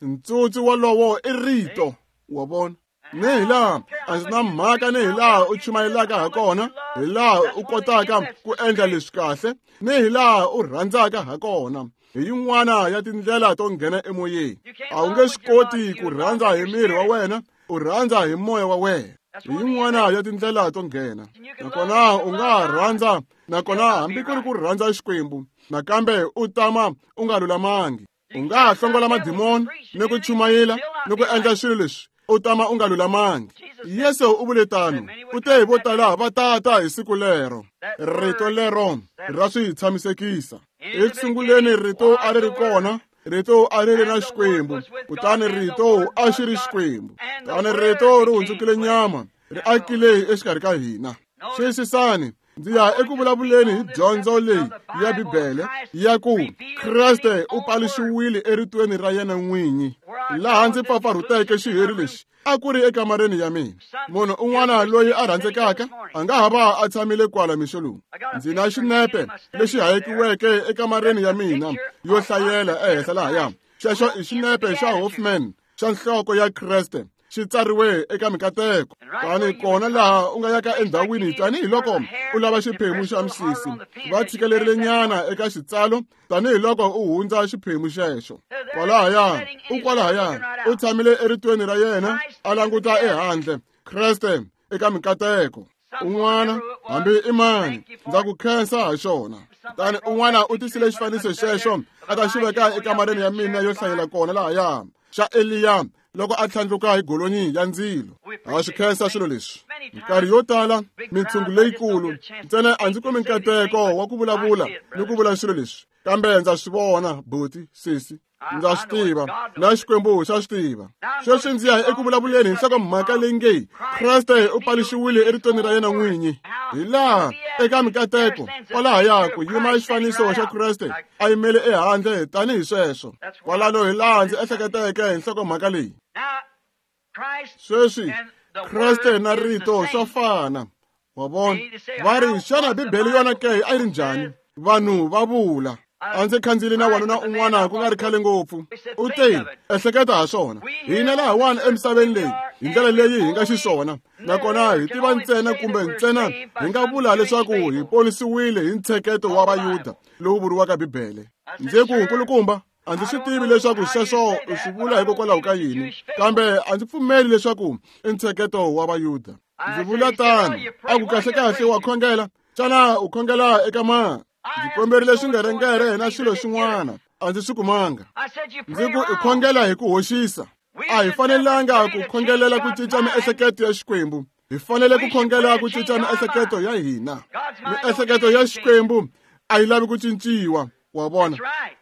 Ntsutsu wolowo i rito. Wa vona? Ni hi laha a ndzi na mhaka ni hi laha u chumayelaka ha kona, hi laha u kotaka ku endla leswi kahle, ni hi laha u rhandzaka ha kona. Hi yin'wana ya tindlela to nghena emoyeni. A wu nge swi koti ku rhandza hi miri wa wena, u rhandza hi moya wa wena. Hi yin'wana ya tindlela to nghena. Nakona u nga rhandza, nakona hambi ku ri ku rhandza Xikwembu, nakambe u tama u nga lulamangi. U nga hlongola madimoni ni ku chumayela ni ku endla swilo leswi, u tama u nga lulamangi. Yesu u vule tano, u te vo tala va tata hi siku lero. Rito lero ra swi tshamisekisa. Eku sunguleni rito a ri ri kona, rito a ri ri na Xikwembu, kutani rito a xi ri Xikwembu. Kutani rito ri hundzukile nyama, ri akile exikarhi ka hina. Xiyisisani, ndzi ya eku vulavuleni hi dyondzo leyi ya Bibele ya ku Kreste u paluxiwile eritweni ra yena n'winyi. Laha ndzi pfapfarhuteke xiheri lexi a ku ri ekamareni ya mina. Munhu un'wana loyi a rhandzekaka a nga ha va a tshamile kwala mixo lowu. Ndzi na xinepe lexi hayekiweke ekamareni ya mina yo hlayela ehenhla lahaya. Xexo i xinepe xa Hoffman xa nhloko ya Kreste, xi tsariwe eka mikateko. Tani kona laha u nga yaka endhawini tanihiloko u lava xiphemu xa misisi, va tshikelerile nyana eka xitsalo tanihiloko u hundza xiphemu xexo. Kwalahaya, u kwalahaya, u tshamile eritweni ra yena, a languta ehandle, Kreste eka mikateko. Un'wana, hambi i mani, ndza ku khensa ha xona. Kutani un'wana u tisile xifaniso xexo a ta xi veka ekamareni ya mina yo hlayela kona lahaya, xa Eliya loko a tlhandluka hi golonyi ya ndzilo. Ha swi khensa swilo leswi. Minkarhi yo tala mintshungu leyikulu ntsena a ndzi kumi nkateko wa ku vulavula ni ku vula swilo leswi, kambe ndza swi vona, buti, sesi, ndza swi tiva, na Xikwembu xa swi tiva. Sweswi ndzi ya eku vulavuleni hi nhlokomhaka leyi nge Kreste u paluxiwile eritweni ra yena n'winyi. Hi laha eka mikateko kwalahaya ku yima xifaniso xa Kreste a yimele ehandle tanihi sweswo. Kwalano hi laha ndzi ehleketeke hi nhlokomhaka leyi. Sweswi Kreste na rito swa fana. Wa vona? Va ri, xana Bibele yona ke a yi ri njhani? Vanhu va vula. A ndzi khandziyile na wanuna un'wana ku nga ri khale ngopfu. U te, ehleketa ha swona. Hina lahawani emisaveni leyi, hi ndlela leyi hi nga xiswona, nakona hi tiva ntsena kumbe ntsena hi nga vula leswaku hi ponisiwile hi ntsheketo wa Vayuda lowu vuriwaka Bibele. Ndzi ku, nkulukumba, a ndzi swi tivi leswaku sweswo u swi vula hikokwalaho ka yini, kambe a ndzi pfumeli leswaku i ntsheketo wa Vayuda. Ndzi vula tano. A ku kahlekahle wa khongela, xana u khongela eka mani? Ndzi komberile swingerengere na swilo swin'wana, a ndzi swi kumanga. Ndzi ku i khongela hi ku hoxisa. A hi fanelanga ku khongelela ku cinca miehleketo ya Xikwembu, hi fanele ku khongela ku cinca miehleketo ya hina. Miehleketo ya Xikwembu a yi lavi ku cinciwa. Wa vona?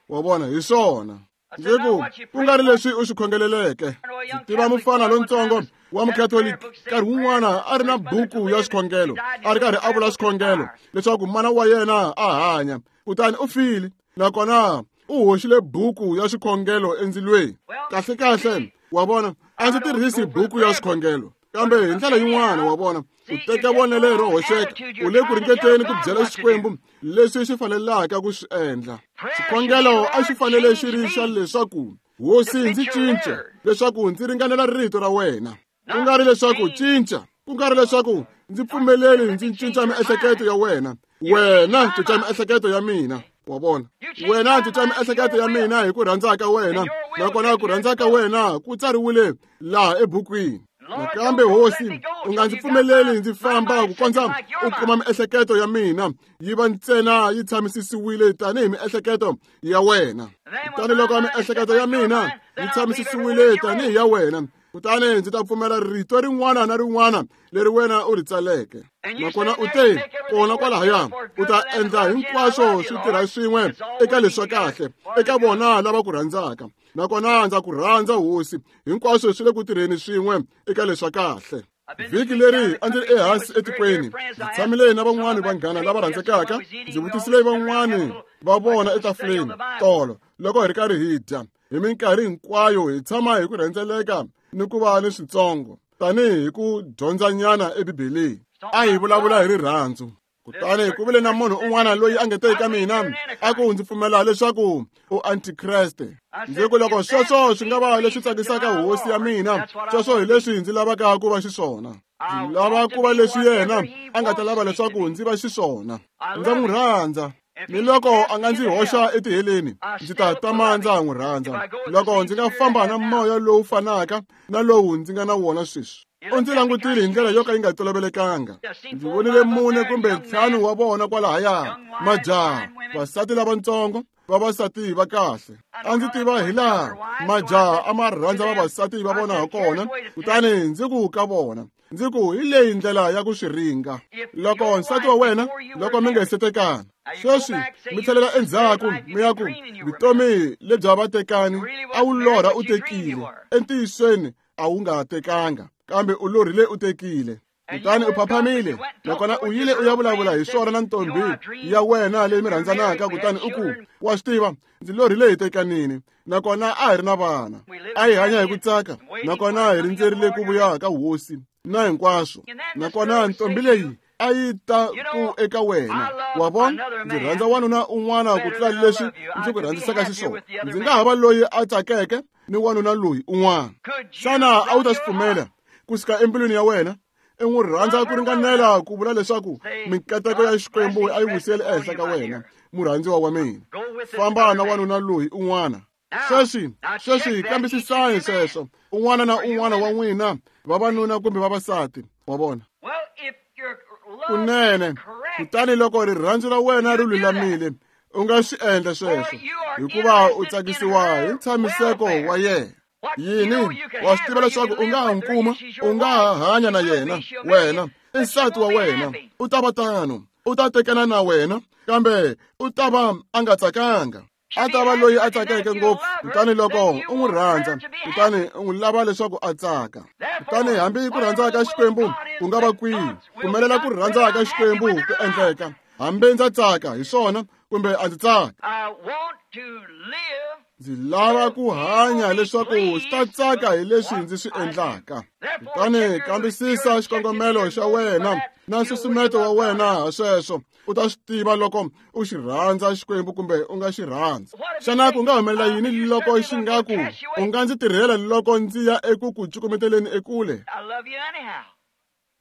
Wa vona, hi swona. Ndzi ku, ku nga ri leswi u swi khongeleleke. Ndzi tiva mufana lontsongo wa Mukhatoliki, nkarhi wun'wana a ri na buku ya swikhongelo, a ri karhi a vula swikhongelo leswaku mana wa yena a hanya, kutani u file, nakona u hoxile buku ya swikhongelo endzilweni. Kahlekahle, wa vona, a ndzi tirhisi buku ya swikhongelo, kambe hi ndlela yin'wana, wa vona, u teka vonelo ro hoxeka, u le ku ringeteni ku byela Xikwembu leswi xi fanelaka ku swi endla. Xikhongelo a xi fanele xi ri xa leswaku, Hosi, ndzi cince leswaku ndzi ringanela rito ra wena. Ku nga ri leswaku cinca, ku nga ri leswaku ndzi pfumeleli ndzi cinca miehleketo ya wena. Wena cinca miehleketo ya mina. Wa vona? Wena cinca miehleketo ya mina hi ku rhandza ka wena, nakona ku rhandza ka wena ku tsariwile laha ebukwini. Nakambe Hosi, u nga ndzi pfumeleli ndzi famba ku kondza u kuma miehleketo ya mina yi va ntsena yi tshamisisiwile tanihi miehleketo ya wena. Kutani loko miehleketo ya mina yi tshamisisiwile tanihi ya wena, kutani ndzi ta pfumela rito rin'wana na rin'wana leri wena u ri tsaleke. Nakona u te, kona kwalahaya, u ta endla hinkwaswo swi tirha swin'we eka leswa kahle, eka vona lava ku rhandzaka. Nakona ndza ku rhandza, Hosi, hinkwaswo swi le ku tirheni swin'we eka leswa kahle. Vhiki leri a ndzi ri ehansi etikweni, ndzi tshamile na van'wani vanghana lava rhandzekaka. Ndzi vutisile van'wani va vona etafuleni tolo loko hi ri karhi hi dya. Hi minkarhi hinkwayo hi tshama hi ku rhendzeleka ni ku va ni switsongo tanihi hi ku dyondzanyana eBibeleni. A hi vulavula hi rirhandzu. Kutani ku vile na munhu un'wana loyi a nge te eka mina a ku ndzi pfumela leswaku u antikreste. Ndzi ku loko sweswo swi nga va leswi tsakisaka hosi ya mina, sweswo hi leswi ndzi lavaka ku va xiswona. Ndzi lava ku va leswi yena a nga ta lava leswaku ndzi va xiswona. Ndza n'wi rhandza. Ni loko a nga ndzi hoxa etiheleni, ndzi ta tama ndza n'wi rhandza. Loko ndzi nga famba na moya lowu fanaka na lowu ndzi nga na wona sweswi. U ndzi langutile hi ndlela yo ka yi nga tolovelekanga. Ndzi vonile mune kumbe ntlhanu wa vona kwalahaya, majaha, vasati lavatsongo, vavasati va kahle. A ndzi tiva hi laha majaha a ma rhandza vavasati va vona hakona, kutani ndzi ku ka vona, ndzi ku hi leyi ndlela ya ku swi ringa. Loko nsati wa wena, loko mi nga se tekana, sweswi mi tlhelela endzhaku mi ya ku vutomi lebya vatekani a wu lorha u tekile, entiyisweni a wu nga tekanga, kambe u lorhile u tekile. Kutani u phaphamile, nakona u yile u ya vulavula hi swona na ntombi ya wena leyi mi rhandzanaka, kutani u ku, wa swi tiva, ndzi lorhile hi tekanini, nakona a hi ri na vana, a hi hanya hi ku tsaka, nakona hi rindzerile ku vuya ka hosi na hinkwaswo. Nakona ntombi leyi a yi ta ku eka wena, wa vona, ndzi rhandza wanuna un'wana ku tlula leswi ndzi ku rhandzisaka xiswona. Ndzi nga ha va loyi a tsakeke ni wanuna loyi un'wana. Xana a wu ta swi pfumela kusuka embilwini ya wena? I n'wi rhandza ku ringanela ku vula leswaku mikateko ya Xikwembu a yi wisele ehenhla ka wena, murhandziwa wa mina. Famba na wanuna loyi un'wana. Sweswi, sweswi kambisisani sweswo. Un'wana na un'wana wa n'wina, vavanuna kumbe vavasati, wa vona. Kunene, kutani loko rirhandzu ra wena ri lulamile, u nga swi endla sweswo, hikuva u tsakisiwa hi ntshamiseko wa yena. Yini, wa swi tiva leswaku u nga ha n'wi kuma, u nga ha hanya na yena, wena i nsati wa wena, u ta va tano, u ta tekana na wena, kambe u ta va a nga tsakanga. A ta va loyi a tsakeke ngopfu. Kutani loko u n'wi rhandza, kutani u n'wi lava leswaku a tsaka. Kutani hambi ku rhandza ka Xikwembu ku nga va kwihi, pfumelela ku rhandza ka Xikwembu ku endleka. Hambi ndza tsaka hi swona kumbe a ndzi tsaka, ndzi lava ku hanya leswaku swi ta tsaka hi leswi ndzi swi endlaka. Kutani kambisisa xikongomelo xa wena na nsusumeto wa wena ha sweswo. U ta swi tiva loko u xi rhandza Xikwembu kumbe u nga xi rhandza. Xana ku nga humelela yini loko xi nga ku u nga ndzi tirhela loko ndzi ya eku ku cukumeteleni ekule?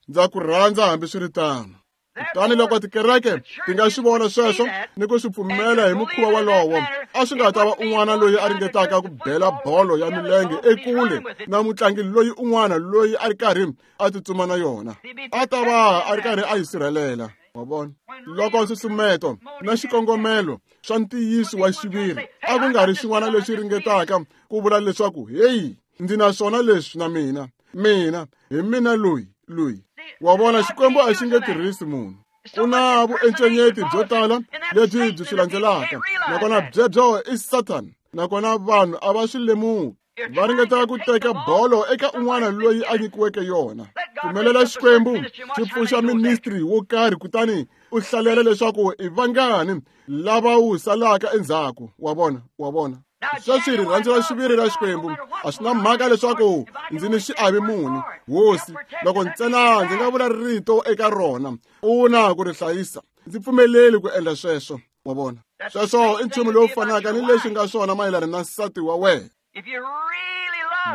Ndza ku rhandza hambiswiritano. Kutani loko tikereke ti nga swi vona sweswo ni ku swi pfumela hi mukhuva wolowo, a swi nga ta va un'wana loyi a ringetaka ku bela bolo ya milenge ekule na mutlangi loyi un'wana loyi a ri karhi a tsutsuma na yona. A ta va a ri karhi a yi sirhelela. Wa vona? Loko nsusumeto na xikongomelo swa ntiyiso wa xiviri a ku nga ri xin'wana lexi ringetaka ku vula leswaku, heyi, ndzi na swona leswi na mina, mina hi mina loyi loyi. Wa vona, Xikwembu a xi nge tirhisi munhu. Ku na vuencenyeti byo tala lebyi byi swi landzelaka, nakona byebyo i Satan, nakona vanhu a va swi lemuki. Va ringeta ku teka bolo eka un'wana loyi a nyikiweke yona. Pfumelela Xikwembu xi pfuxa ministry wo karhi, kutani u hlalela leswaku i vangani lava wu salaka endzhaku. Wa vona, wa vona. Sweswi rirhandzu ra xiviri ra Xikwembu a swi na mhaka leswaku ndzi ni xiave muni, hosi, loko ntsena ndzi nga vula rito eka rona, u na ku ri hlayisa. Ndzi pfumeleli ku endla sweswo. Wa vona? Sweswo i nchumu lowu fanaka ni leswi nga swona mayelana na nsati wa wena.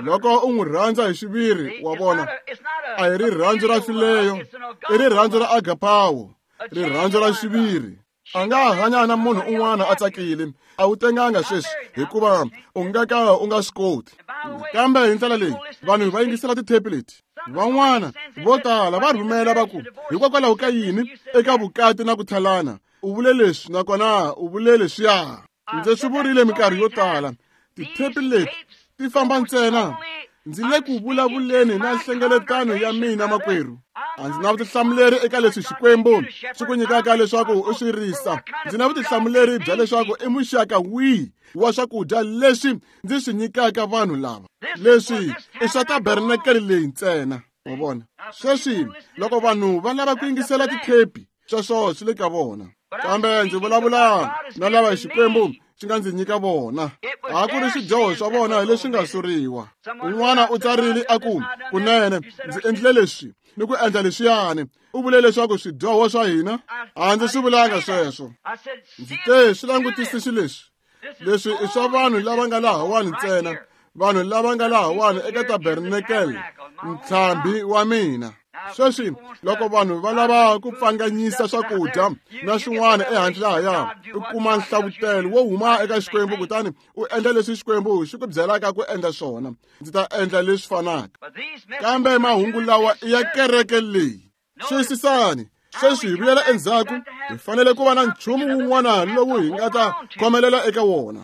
Loko u n'wi rhandza hi xiviri, wa vona, a hi rirhandzu ra fileyo, i rirhandzu ra agapawo, rirhandzu ra xiviri. A nga hanya na munhu un'wana a tsakile, a wu tenganga sweswi hikuva u nga ka u nga swi koti. Kambe hi ndlela leyi vanhu va yingisela tithepi leti, van'wana vo tala va rhumela va ku, hikokwalaho ka yini eka vukati na ku tlhalana u vule leswi nakona u vule leswiya. Ndzi swi vurile minkarhi yo tala, tithepi leti ti famba ntsena. Ndzi le ku vulavuleni na nhlengeletano ya mina makwerhu. A ndzi na vutihlamuleri eka leswi Xikwembu xi ku nyikaka leswaku u swi risa. Ndzi na vutihlamuleri bya leswaku i muxaka wihi wa swakudya leswi ndzi swi nyikaka vanhu lava. Leswi i swa tabernakele leyi ntsena. Wa vona? Sweswi loko vanhu va lava ku yingisela tithepi, sweswo swi le ka vona. Kambe ndzi vulavula na lava Xikwembu xi nga ndzi nyika vona. A ku ri swidyoho swa vona leswi nga suriwa. Un'wana u tsarile a ku, kunene ndzi endlile leswi ni ku endla leswiyani. U vule leswaku swidyoho swa hina a ndzi swi vulanga sweswo. Ndzi te swi langutisi xileswi. Leswi i swa vanhu lava nga lahawani ntsena, vanhu lava nga lahawani eka tabernacle, ntlhambi wa mina. Sweswi loko vanhu va lava ku pfanganyisa swakudya na swin'wana ehandle lahaya, u kuma nhlavutelo wo huma eka Xikwembu kutani u endla leswi Xikwembu xi ku byelaka ku endla swona. Ndzi ta endla leswi fanaka. Kambe mahungu lawa i ya kereke leyi. Xiyisisani, sweswi hi vuyela endzhaku, hi fanele ku va na nchumu wun'wana lowu hi nga ta khomelela eka wona.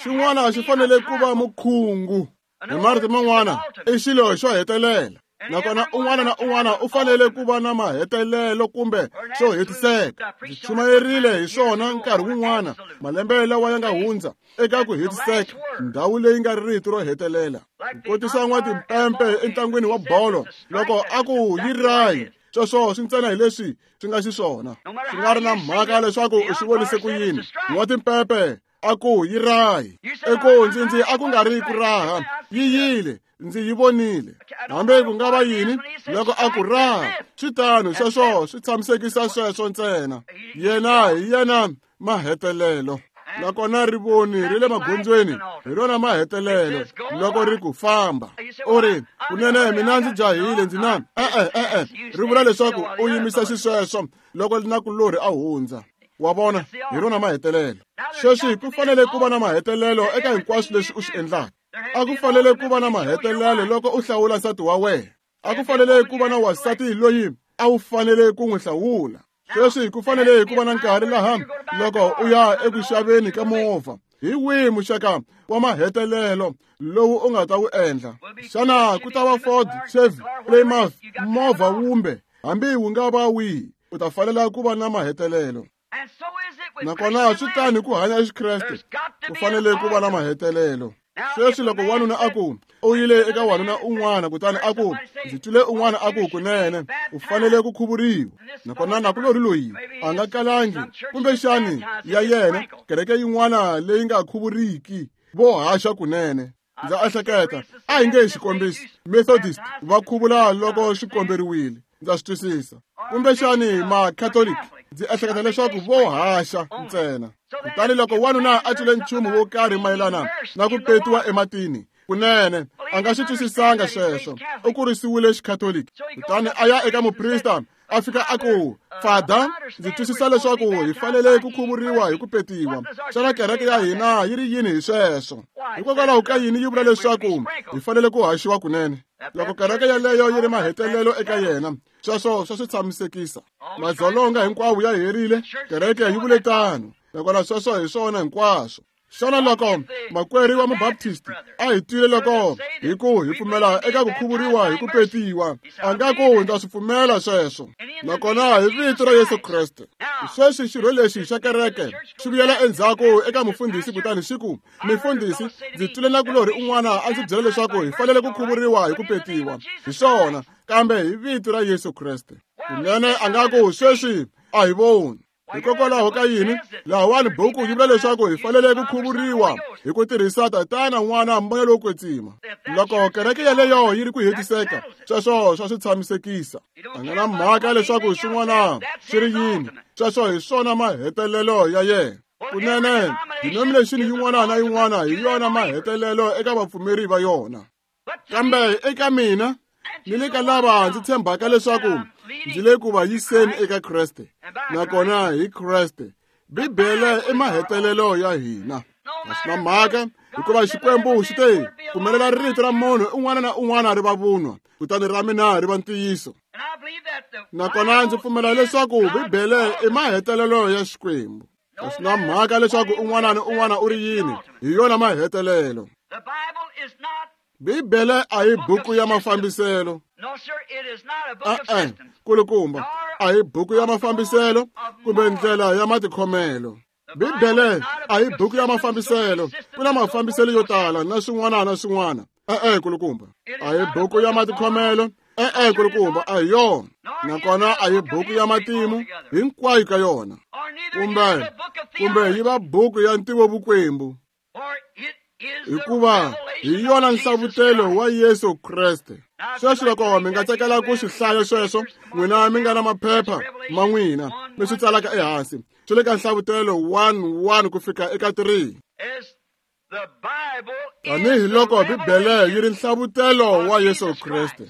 Xin'wana xi fanele ku va mukhungu. Hi marito man'wana, i xilo xo hetelela. Nakona un'wana na un'wana u fanele ku va na mahetelelo kumbe xo hetiseka. Ndzi chumayerile hi swona nkarhi wun'wana malembe lawa ya nga hundza eka ku hetiseka, ndhawu leyi nga rito ro hetelela. Ku kotisa n'watimpempe entlangwini wa bolo loko a ku yi rayi, sweswo swi ntsena hi leswi swi nga xiswona. Swi nga ri na mhaka leswaku u swi vonise ku yini. N'watimpempe a ku yi rayi. Eku ndzi ndzi a ku nga ri ku raha, yi yile. Ndzi yi vonile. Hambi ku nga va yini loko a ku raha, swi tano sweswo swi tshamisekisa sweswo ntsena. Yena hi yena mahetelelo. Nakona rivoni ri le magondzweni hi rona mahetelelo loko ri ku famba. U ri, kunene mina ndzi jahile ndzi na e-e e-e. Ri vula leswaku u yimisa xisweswo loko nakulorhi a hundza. Wa vona, hi rona mahetelelo. Sweswi ku fanele ku va na mahetelelo eka hinkwaswo leswi u swi endlaka. A ku fanele ku va na mahetelelo loko u hlawula nsati wa wena. A ku fanele ku va na wansati loyi a wu fanele ku n'wi hlawula. Sweswi ku fanele ku va na nkarhi laha loko u ya eku xaveni ka movha. Hi wihi muxaka wa mahetelelo lowu u nga ta wu endla? Xana ku ta va Ford, Chevy, Plymouth, movha wumbe, hambi wu nga va wihi, u ta fanela ku va na mahetelelo. Nakona swi tani ku hanya xikreste, ku fanele ku va na mahetelelo. Sweswi loko wanuna a ku u yile eka wanuna un'wana kutani a ku ndzi twile un'wana a ku kunene u fanele ku khuvuriwa, nakona nakulorhi loyi a nga kalangi kumbexani ya yena kereke yin'wana leyi nga khuvuriki vo haxa kunene. Ndza ehleketa a hi nge xikombiso Methodist va khuvula loko swi komberiwile, ndza swi twisisa, kumbexani ma-Catholic ndzi ehleketa leswaku vo haxa ntsena. Kutani loko wanuna a twile nchumu wo karhi mayelana na ku petiwa ematini, kunene a nga swi twisisanga sweswo, u kurisiwile xikatholiki. Kutani a ya eka muprista a fika a ku, Fada, ndzi twisisa leswaku hi fanele ku khuvuriwa hi ku petiwa. Xana kereke ya hina yi ri yini hi sweswo? Hikokwalaho ka yini yi vula leswaku hi fanele ku haxiwa kunene? Loko kereke yaleyo yi ri mahetelelo eka yena, sweswo swa swi tshamisekisa. Madzolonga hinkwawo ya herile, kereke yi vule tano. Nakona sweswo hi swona hinkwaswo. Xana loko makwerhu wa mubaptist a hi twile loko hi ku hi pfumela eka ku khuvuriwa hi ku petiwa, a nga ku ndza swi pfumela sweswo. Nakona hi vito ra Yesu Kreste. Sweswi xirho lexi xa kereke xi vuyela endzhaku eka mufundhisi kutani xi ku, mifundhisi, ndzi twile nakulorhi un'wana a ndzi byela leswaku hi fanele ku khuvuriwa hi ku petiwa. Hi swona, kambe hi vito ra Yesu Kreste. Kunene a nga ku sweswi a hi voni. Hikokwalaho ka yini lahawani buku yi vula leswaku hi fanele ku khuvuriwa hi ku tirhisa Tatana, N'wana, Moya lowo Kwetsima. Loko kereke yaleyo yi ri ku hetiseka, sweswo swa swi tshamisekisa. A nga na mhaka leswaku swin'wana swi ri yini, sweswo hi swona mahetelelo ya yena. Kunene denomination yin'wana na yin'wana hi yona mahetelelo eka vapfumeri va yona. Kambe eka mina ni le ka lava ndzi tshembaka leswaku ndzi le ku va yiseni eka Kreste, nakona hi Kreste. Bibele i mahetelelo ya hina. A swi na mhaka hikuva Xikwembu xi te pfumelela rito ra munhu un'wana na un'wana ri va vunwa, kutani ra mina ri va ntiyiso. Nakona ndzi pfumela leswaku Bibele i mahetelelo ya Xikwembu. A swi na mhaka leswaku un'wana ni un'wana u ri yini, hi yona mahetelelo. Bibele a hi buku ya mafambiselo. E-e, kulukumba, a hi buku ya mafambiselo kumbe ndlela ya matikhomelo. Bibele a hi buku ya mafambiselo, ku na mafambiselo yo tala na swin'wana na swin'wana. E-e, kulukumba, a hi buku ya matikhomelo. E-e, kulukumba, a hi yona. Nakona a hi buku ya matimu hinkwayo ka yona. Kumbe kumbe yi va buku ya ntivovukwembu. Hikuva hi yona nhlavutelo wa Yesu Kreste. Sweswi loko mi nga tsakela ku swi hlaya sweswo, n'wina mi nga na maphepha ma n'wina mi swi tsalaka ehansi. Swi le ka nhlavutelo one one ku fika eka three. Tanihi loko Bibele yi ri nhlavutelo wa Yesu Kreste.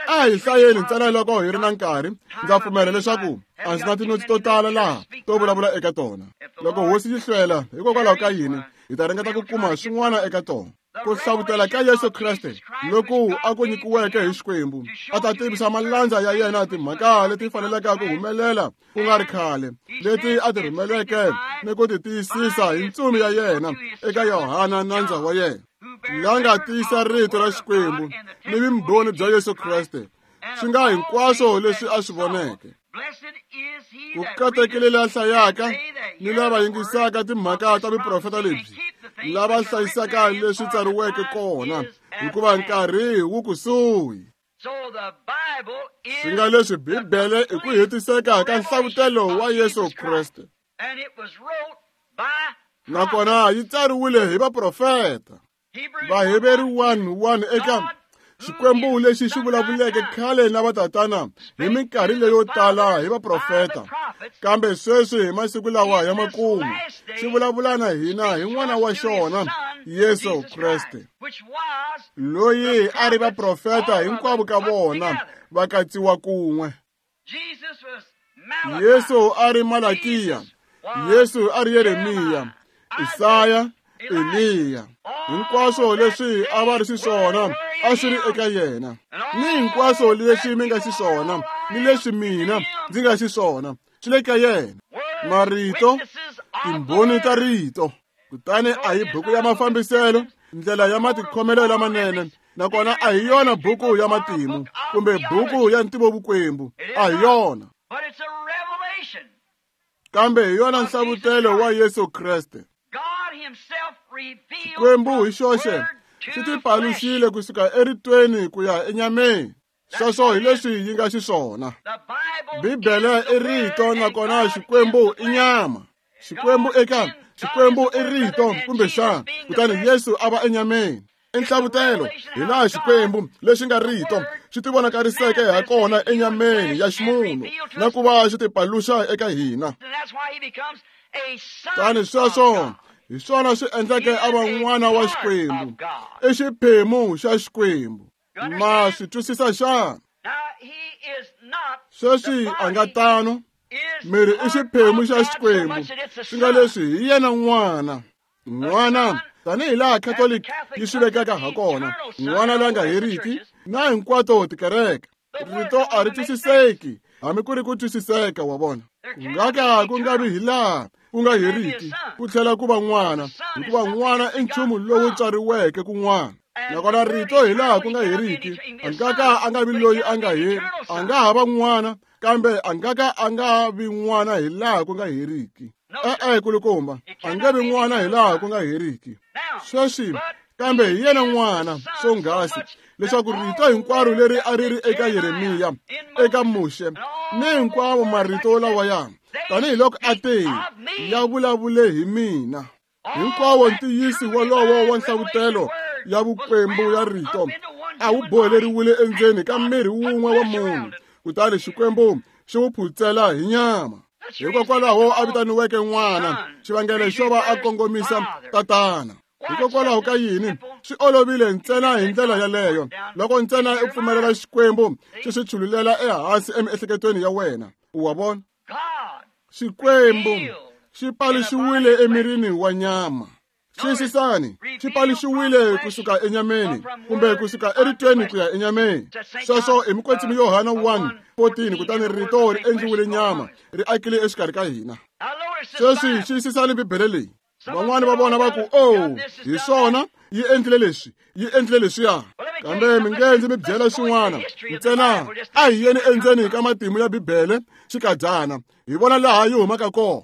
A hi hlayeni ntsena loko hi ri na nkarhi. Ndza pfumela leswaku a ndzi na tinotsi to tala laha to vulavula eka tona. Loko hosi yi hlwela, hikokwalaho ka yini, hi ta ringeta ku kuma swin'wana eka tona. Ku hlavutela ka Yesu Kreste loku a ku nyikiweke hi Xikwembu, a ta tivisa malandza ya yena timhaka leti faneleke ku humelela ku nga ri khale, leti a ti rhumeleke ni ku ti tiyisisa hi ntsumi ya yena eka Yohana nandza wa yena, la nga tiyisa rito ra Xikwembu ni vumbhoni bya Yesu Kreste, swi nga hinkwaswo leswi a swi voneke. Ku katekile la hlayaka ni lava yingisaka timhaka ta vuprofeta lebyi, lava hlayisaka leswi tsariweke kona, hikuva nkarhi wu kusuhi. Swi nga leswi Bibele i ku hetiseka ka nhlavutelo wa Yesu Kreste, nakona yi tsariwile hi vaprofeta. Vaheveru one one eka Xikwembu lexi xi vulavuleke khale na vatatana hi minkarhi leyo tala hi vaprofeta, kambe sweswi hi masiku lawa ya makumu xi vulavula na hina hi n'wana wa xona Yesu Kreste, loyi a ri vaprofeta hinkwavo ka vona va katsiwa kun'we. Yesu a ri Malakiya, Yesu a ri Yeremiya, Isaya, Eliya. Hinkwaswo leswi a va ri xiswona a swi ri eka yena, ni hinkwaswo leswi mi nga xiswona ni leswi mina ndzi nga xiswona swi le ka yena. Marito, timbhoni ta rito. Kutani a hi buku ya mafambiselo, ndlela ya matikhomelo lamanene, nakona a hi yona buku ya matimu kumbe buku ya ntivovukwembu, a hi yona, kambe hi yona nhlavutelo wa Yesu Kreste. Xikwembu hi xoxe xi tipaluxile kusuka eritweni ku ya enyameni. Sweswo hi leswi yi nga xiswona. Bibele i rito, nakona Xikwembu i nyama. Xikwembu eka Xikwembu i rito kumbexana, kutani Yesu a va enyameni. I nhlavutelo hi laha Xikwembu lexi nga rito xi tivonakariseke ha kona enyameni ya ximunhu na ku va xi tipaluxa eka hina. Tani sweswo hi swona swi endleke a va n'wana wa Xikwembu, i xiphemu xa Xikwembu. Ma swi twisisa xana? Sweswi a nga tano, miri i xiphemu xa Xikwembu, swi nga leswi hi yena n'wana. N'wana tanihi laha Catholic yi swi vekaka ha kona, n'wana la nga heriki na hinkwato tikereke. Rito a ri twisiseki, hambi ku ri ku twisiseka, wa vona. Ku nga ka ku nga vi hi laha ku nga heriki ku tlhela ku va n'wana, hikuva n'wana i nchumu lowu tswariweke kun'wana. Nakona rito hi laha ku nga heriki, a nga ka a nga vi loyi a nga heri, a nga ha va n'wana, kambe a nga ka a nga vi n'wana hi laha ku nga heriki. E-e, kulukumba, a nga vi n'wana hi laha ku nga heriki. Sweswi, kambe hi yena n'wana swonghasi, leswaku rito hinkwaro leri a ri ri eka Yeremiya, eka Muxe, ni hinkwavo marito lawaya, tanihiloko a te, ya vulavule hi mina. Hinkwawo ntiyiso wolowo wa nhlavutelo ya vukwembu ya rito a wu boheleriwile endzeni ka miri wun'we wa munhu, kutani Xikwembu xi wu phutsela hi nyama. Hikokwalaho a vitaniweke n'wana, xivangelo xo va a kongomisa tatana. Hikokwalaho ka yini swi olovile ntsena hi ndlela yaleyo, loko ntsena u pfumelela Xikwembu xi swi chululela ehansi emiehleketweni ya wena. Wa vona? Xikwembu xi paluxiwile emirini wa nyama. Xiyisisani, xi paluxiwile kusuka enyameni kumbe kusuka eritweni ku ya enyameni. Sweswo i Mukwetsimi Yohana one fourteen, kutani rito ri endliwile nyama, ri akile exikarhi ka hina. Sweswi xiyisisani Bibele leyi. Van'wani va vona va ku, oh, hi swona, yi endlile leswi, yi endlile leswiya. Kambe mi nge ndzi mi byela xin'wana ntsena, a hi yeni endzeni ka matimu ya Bibele xikadyana, hi vona laha yi humaka kona.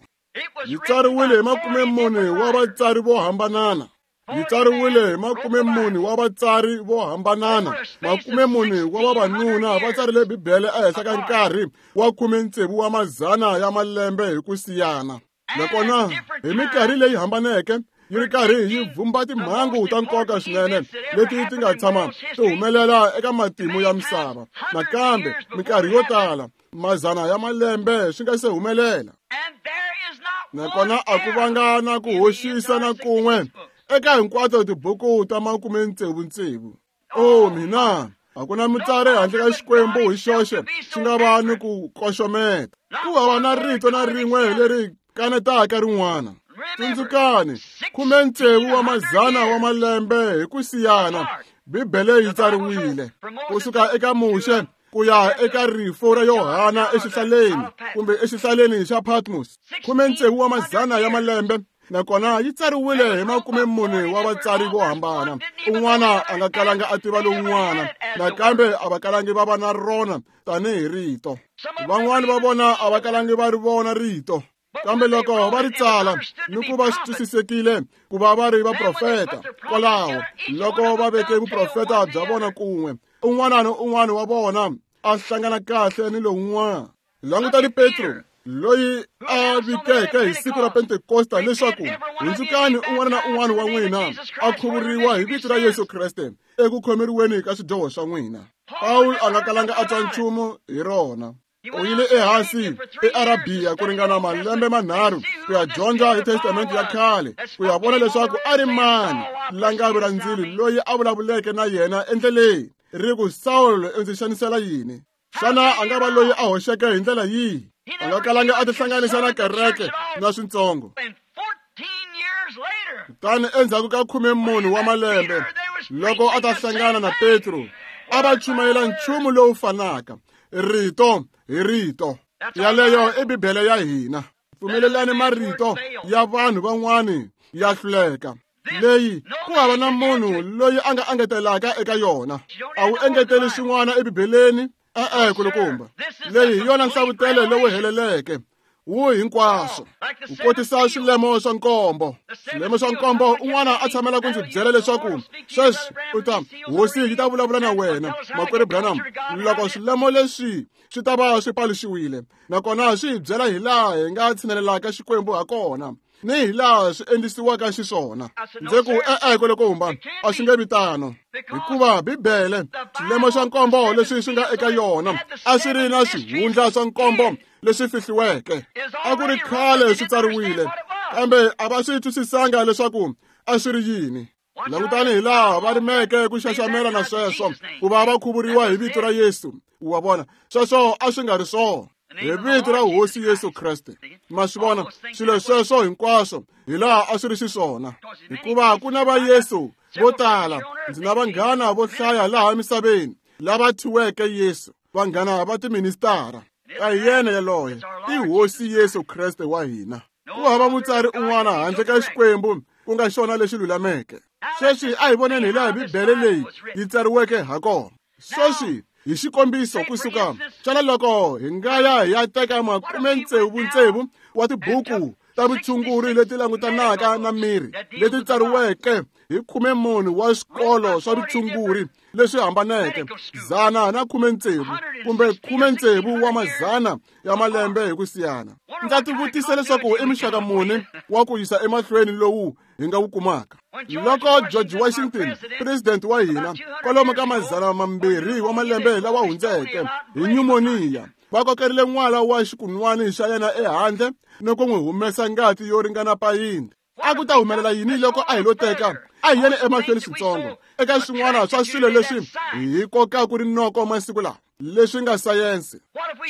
Yi tsariwile hi makume mune wa vatsari vo hambanana. Yi tsariwile hi makumemune wa vatsari vo hambanana. Makumemune wa vavanuna va tsarile Bibele ehenhla ka nkarhi wa khumetsevu wa mazana ya malembe hi ku siyana. Nakona hi minkarhi leyi hambaneke yi ri karhi yi vumba timhangu ta nkoka swinene leti ti nga tshama ti humelela eka matimu ya misava. Nakambe minkarhi yo tala mazana ya malembe swi nga se humelela. Nakona a ku vanga na ku hoxisa na kun'we eka hinkwato tibuku ta makumetsevu-tsevu. Oh mina, a ku na mutsari handle ka Xikwembu hi xoxe xi nga va ni ku koxometa. Ku hava na rito na rin'we leri kanetaka rin'wana. Tsundzukani, khumetsevu wa mazana wa malembe hi ku siyana Bibele yi tsariwile kusuka eka Muxe ku ya eka rifu ra Yohana exihlaleni kumbe exihlaleni xa Patmos. Khumetsevu wa mazana ya malembe, nakona yi tsariwile hi makumemune wa vatsari vo hambana. Un'wana a nga kalanga a tiva lowun'wana, nakambe a va kalangi va va na rona tanihi rito. Van'wani va vona a va kalangi va ri vona rito, kambe loko va ri tsala ni ku va swi twisisekile ku va va ri vaprofeta. Kwalaho loko va veke vuprofeta bya vona kun'we, un'wana ni un'wana wa vona a hlangana kahle ni lowun'wana. Langutani Petro loyi a vikeke hi siku ra Pentekosta leswaku hundzukani un'wana na un'wana wa n'wina a khuvuriwa hi vito ra Yesu Kreste eku khomeriweni ka swidyoho swa n'wina. Pawulo a nga kalanga a twa nchumu hi rona. U yile ehansi eArabiya ku ringana malembe manharhu ku ya dyondza hi Testamente ya khale, ku ya vona leswaku a ri mani langavi ra ndzilo loyi a vulavuleke na yena endleleni ri ku, Sawulo, u ndzi xanisela yini? Xana a nga va loyi a hoxeke hi ndlela yihi? A nga kalanga a tihlanganisa na kereke na swintsongo. Kutani endzhaku ka khumemune wa malembe, loko a ta hlangana na Petro, a va chumayela nchumu lowu fanaka, rito hi rito. Yaleyo i Bibele ya hina. Pfumelelani marito ya vanhu van'wani ya hluleka. Leyi ku hava na munhu loyi a nga engetelaka eka yona. A wu engeteli swin'wana eBibeleni, e-e kulukumba. Leyi hi yona nhlavutelo lowu heleleke wu hinkwaswo. Ku kotisa swilemo swa nkombo. Swilemo swa nkombo, un'wana a tshamela ku ndzi byela leswaku sweswi u ta hosi yi ta vulavula na wena, makwerhu Branham, loko swilemo leswi swi ta va swi paluxiwile, nakona swi hi byela hi laha hi nga tshinelelaka Xikwembu ha kona ni hi laha swi endlisiwaka xiswona. Ndzi ku e-e kulukumba, a swi nge vi tano, hikuva Bibele swilemo swa nkombo leswi swi nga eka yona a swi ri na swihundla swa nkombo leswi fihliweke. A ku ri khale swi tsariwile, kambe a va swi twisisanga leswaku a swi ri yini. Langutani hi laha va rimeke ku xaxamela na sweswo ku va va khuvuriwa hi vito ra Yesu. Wa vona, sweswo a swi nga ri swona. Hi vito ra Hosi Yesu Kreste. Ma swi vona swilo sweswo hinkwaswo hi laha a swi ri xiswona, hikuva ku na va Yesu vo tala. Ndzi na vanghana vo hlaya laha emisaveni lava thyiweke Yesu, vanghana va tiministara. A hi yena yaloye, i Hosi Yesu Kreste wa hina. Ku hava mutsari un'wana handle ka Xikwembu ku nga xona lexi lulameke. Sweswi a hi voneni hi laha Bibele leyi yi tsariweke ha kona. Sweswi hi xikombiso kusuka xana loko hi nga ya hi ya teka makumetsevu-tsevu wa tibuku ta vutshunguri leti langutanaka na miri leti tsariweke hi khumemune wa swikolo swa vutshunguri leswi hambaneke, zana na khumetsevu kumbe khumetsevu wa mazana ya malembe hi ku siyana. Ndza tivutisa leswaku i muxaka muni wa ku yisa emahlweni lowu hi nga wu kumaka. Loko George Washington, president wa hina, kwalomu ka mazana mambirhi wa malembe lawa hundzeke hi nyumoniya, va kokerile n'wala wa xikunwani xa yena ehandle ni ku n'wi humesa ngati yo ringana payindi. A ku ta humelela yini loko a hi lo teka a hi yeni emahlweni switsongo eka swin'wana swa swilo leswi hi kokaka rinoko masiku lawa leswi nga sayense?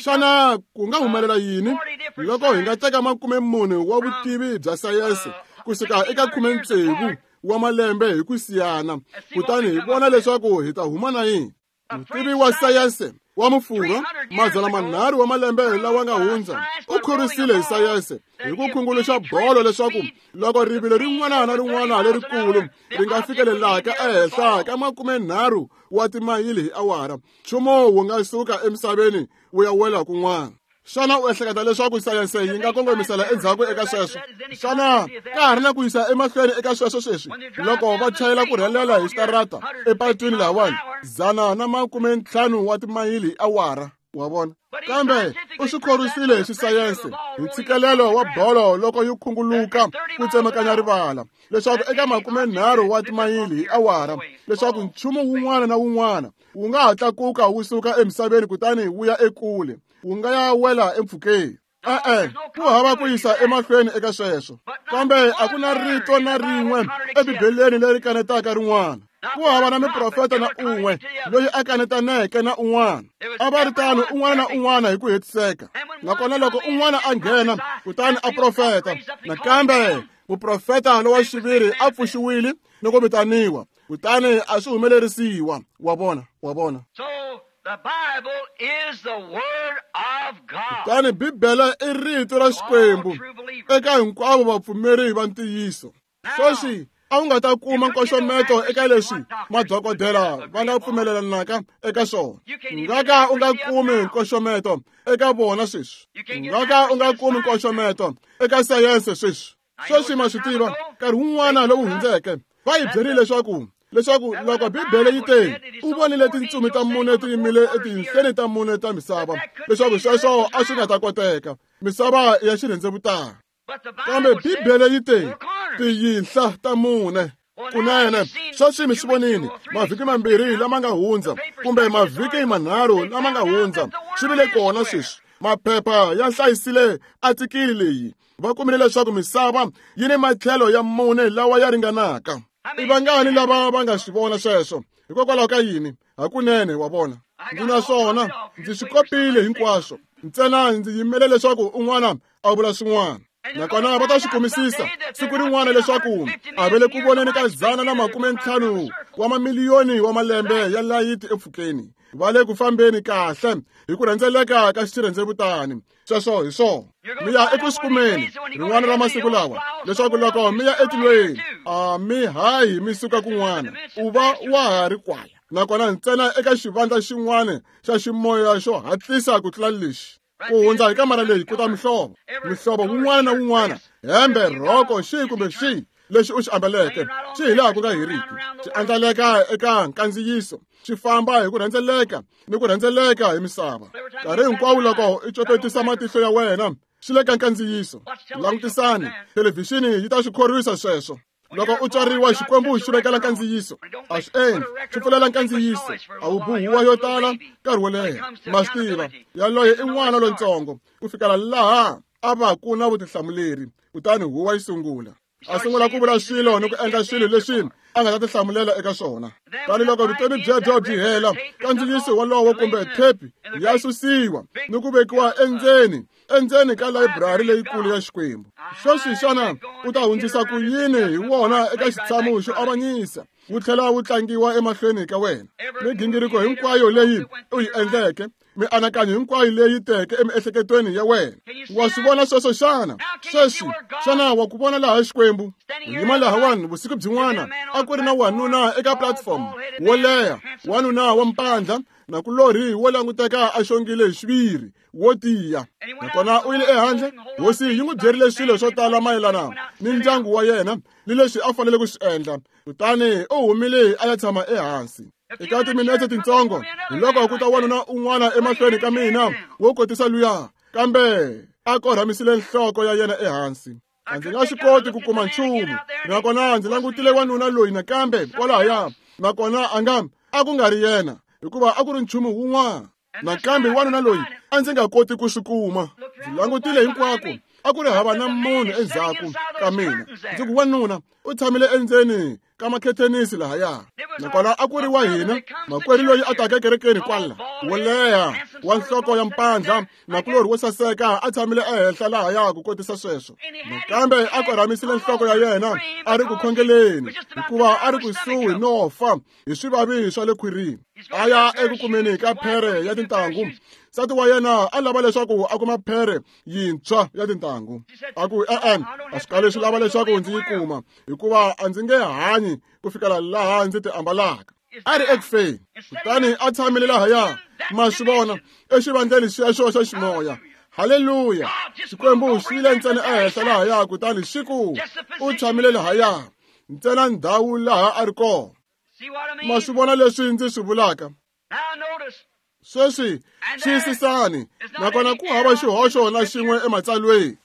Xana ku nga humelela yini loko hi nga teka makumemune wa vutivi bya sayense kusuka eka khumetsevu wa malembe hi ku siyana, kutani hi vona leswaku hi ta huma na yini? Mutivi wa sayense wa Mufurwa mazana manharhu wa malembe lawa nga hundza u khorwisile hi sayense hi ku khunguluxa bolo leswaku loko rivilo rin'wana na rin'wana lerikulu ri nga fikelelaka ehenhla ka makumenharhu wa timayili hi awara, nchumu wu nga suka emisaveni wu ya wela kun'wana. Xana u ehleketa leswaku sayense yi nga kongomisela endzhaku eka sweswo? Xana ka ha ri na ku yisa emahlweni eka sweswo sweswi? Loko va chayela ku rhelela hi xitarata epatwini lahawani, dzana na makume ntlhanu wa timayili hi awara, wa vona. Kambe u swi khorwisile hi xisayense hi ntshikelelo wa bolo loko yi khunguluka ku tsemakanya rivala, leswaku eka makume nharhu wa timayili hi awara, leswaku nchumu wun'wana na wun'wana wu nga ha tlakuka wu suka emisaveni kutani wu ya ekule, wu nga ya wela empfhukeni. E-e, ku hava ku yisa emahlweni eka sweswo. Kambe a ku na rito na rin'we eBibeleni leri kanetaka rin'wana. Ku hava na miprofeta na un'we loyi a kanetaneke na un'wana. A va ri tano un'wana na un'wana hi ku hetiseka. Nakona loko un'wana a nghena kutani a profeta, nakambe muprofeta lowa xiviri a pfuxiwile ni ku vitaniwa, kutani a swi humelerisiwa. Wa vona, wa vona. The Bible is the Word of God. Kutani Bibele i rito ra Xikwembu eka hinkwavo vapfumeri va ntiyiso. Sweswi a wu nga ta kuma nkoxometo eka leswi madokodela va nga pfumelelanaka eka swona. U nga ka u nga kumi nkoxometo eka vona sweswi. U nga ka u nga kumi nkoxometo eka sayense sweswi. Sweswi ma swi tiva, nkarhi wun'wana lowu hundzeke va hi byerile leswaku leswaku loko Bibele yi te u vonile tintsumi ta mune ti yimile etinhleni ta mune ta misava, leswaku sweswo a swi nga ta koteka, misava ya xirhendzevutana. Kambe Bibele yi te tiyinhla ta mune. Kunene sweswi mi swi vonile mavhiki mambirhi lama nga hundza, kumbe mavhiki manharhu lama nga hundza, swi vile kona sweswi. Maphepha ya hlayisile atikili leyi, va kumile leswaku misava yi ni matlhelo ya mune lawa ya ringanaka. I vangani lava va nga swi vona sweswo? Hikokwalaho ka yini? Hakunene wa vona. Ndzi na swona, ndzi swi kopile hinkwaswo. Ntsena ndzi yimele leswaku un'wana a vula swin'wana. Nakona va ta swi kumisisa siku rin'wana leswaku a va le ku voneni ka dzana na makume ntlhanu wa mamiliyoni wa malembe ya layiti empfhukeni. Va le ku fambeni kahle hi ku rhendzeleka ka xirhendzevutani. Sweswo hi swona. Mi ya eku swi kumeni rin'wana ra masiku lawa, leswaku loko mi ya etilweni a mi hayi mi suka kun'wana, u va wa ha ri kwala. Nakona ntsena eka xivandla xin'wana xa ximoya xo hatlisa ku tlula lexi. Ku hundza hi kamara leyi ku ta mihlovo, mihlovo wun'wana na wun'wana, hembe, rhoko, xihi kumbe xihi lexi u xi ambaleke, xi hi laha ku nga heriki, xi andlaleka eka nkandziyiso, xi famba hi ku rhendzeleka ni ku rhendzeleka hi misava. Nkarhi hinkwawo loko i copetisa matihlo ya wena, xi le ka nkandziyiso. Langutisani, thelevhixini yi ta swi khorwisa sweswo. Loko u tswariwa, Xikwembu xi vekela nkandziyiso. A swi endli, xi pfulela nkandziyiso. A wu buhuwa yo tala nkarhi wo leha. Ma swi tiva, yaloye i n'wana lontsongo ku fikela laha a va ku na vutihlamuleri, kutani huwa yi sungula. A sungula ku vula swilo ni ku endla swilo leswi a nga ta tihlamulela eka swona. Tani loko vutomi byebyo byi hela, nkandziyiso wolowo kumbe thepi ya susiwa ni ku vekiwa endzeni endzeni ka layiburari leyikulu ya Xikwembu. Sweswi xana u ta hundzisa ku yini hi wona eka xitshamo xo avanyisa, wu tlhela wu tlangiwa emahlweni ka wena? Migingiriko hinkwayo leyi u yi endleke, mianakanyo hinkwayo leyi teke emiehleketweni ya wena, wa swi vona sweswo xana? Sweswi xana wa ku vona laha Xikwembu? U yima lahawani vusiku byin'wana, a ku ri na wanuna eka platform wo leha, wanuna wa mpandla nakulorhi wo languteka a xongile hi xiviri, wo tiya. Nakona u yile ehandle, hosi yi n'wi byerile swilo swo tala mayelana ni ndyangu wa yena ni leswi a fanele ku swi endla. Kutani u humile a ya tshama ehansi. Eka timinete tintsongo, hi loko ku ta wanuna un'wana emahlweni ka mina wo kotisa luya, kambe a korhamisile nhloko ya yena ehansi. A ndzi nga swi koti ku kuma nchumu. Nakona ndzi langutile wanuna loyi nakambe kwalahaya, nakona a nga a ku nga ri yena, hikuva a ku ri nchumu wun'wana. Nakambe wanuna loyi a ndzi nga koti ku swi kuma. Ndzi langutile hinkwako, a ku ri hava na munhu endzhaku ka mina. Ndzi ku wanuna u tshamile endzeni ka makhethenisi lahaya. Nakona a ku ri wa hina makwerhu loyi a taka ekerekeni kwala, wo leha, wa nhloko ya mpandla, nakulorhi wo saseka, a tshamile ehenhla lahaya ku kotisa sweswo. Nakambe a korhamisile nhloko ya yena a ri ku khongeleni, hikuva a ri kusuhi no fa hi swivavi swa le khwirini. A ya eku kumeni ka phere ya tintangu. Nsati wa yena a lava leswaku a kuma phere yintshwa ya tintangu. A ku e-e, a swi kali swi lava leswaku ndzi yi kuma, hikuva a ndzi nge hanyi ku fikela laha ndzi ti ambalaka. A ri ekufeni, kutani a tshamile lahaya, ma swi vona, exivandleni xexo xa ximoya. Haleluya! Xikwembu xi yile ntsena ehenhla lahaya kutani xi ku u tshamile lahaya ntsena ndhawu laha a ri kona. Ma swi vona leswi ndzi swi vulaka? Sweswi xiyisisani, nakona ku hava xihoxo na xin'we ematsalweni.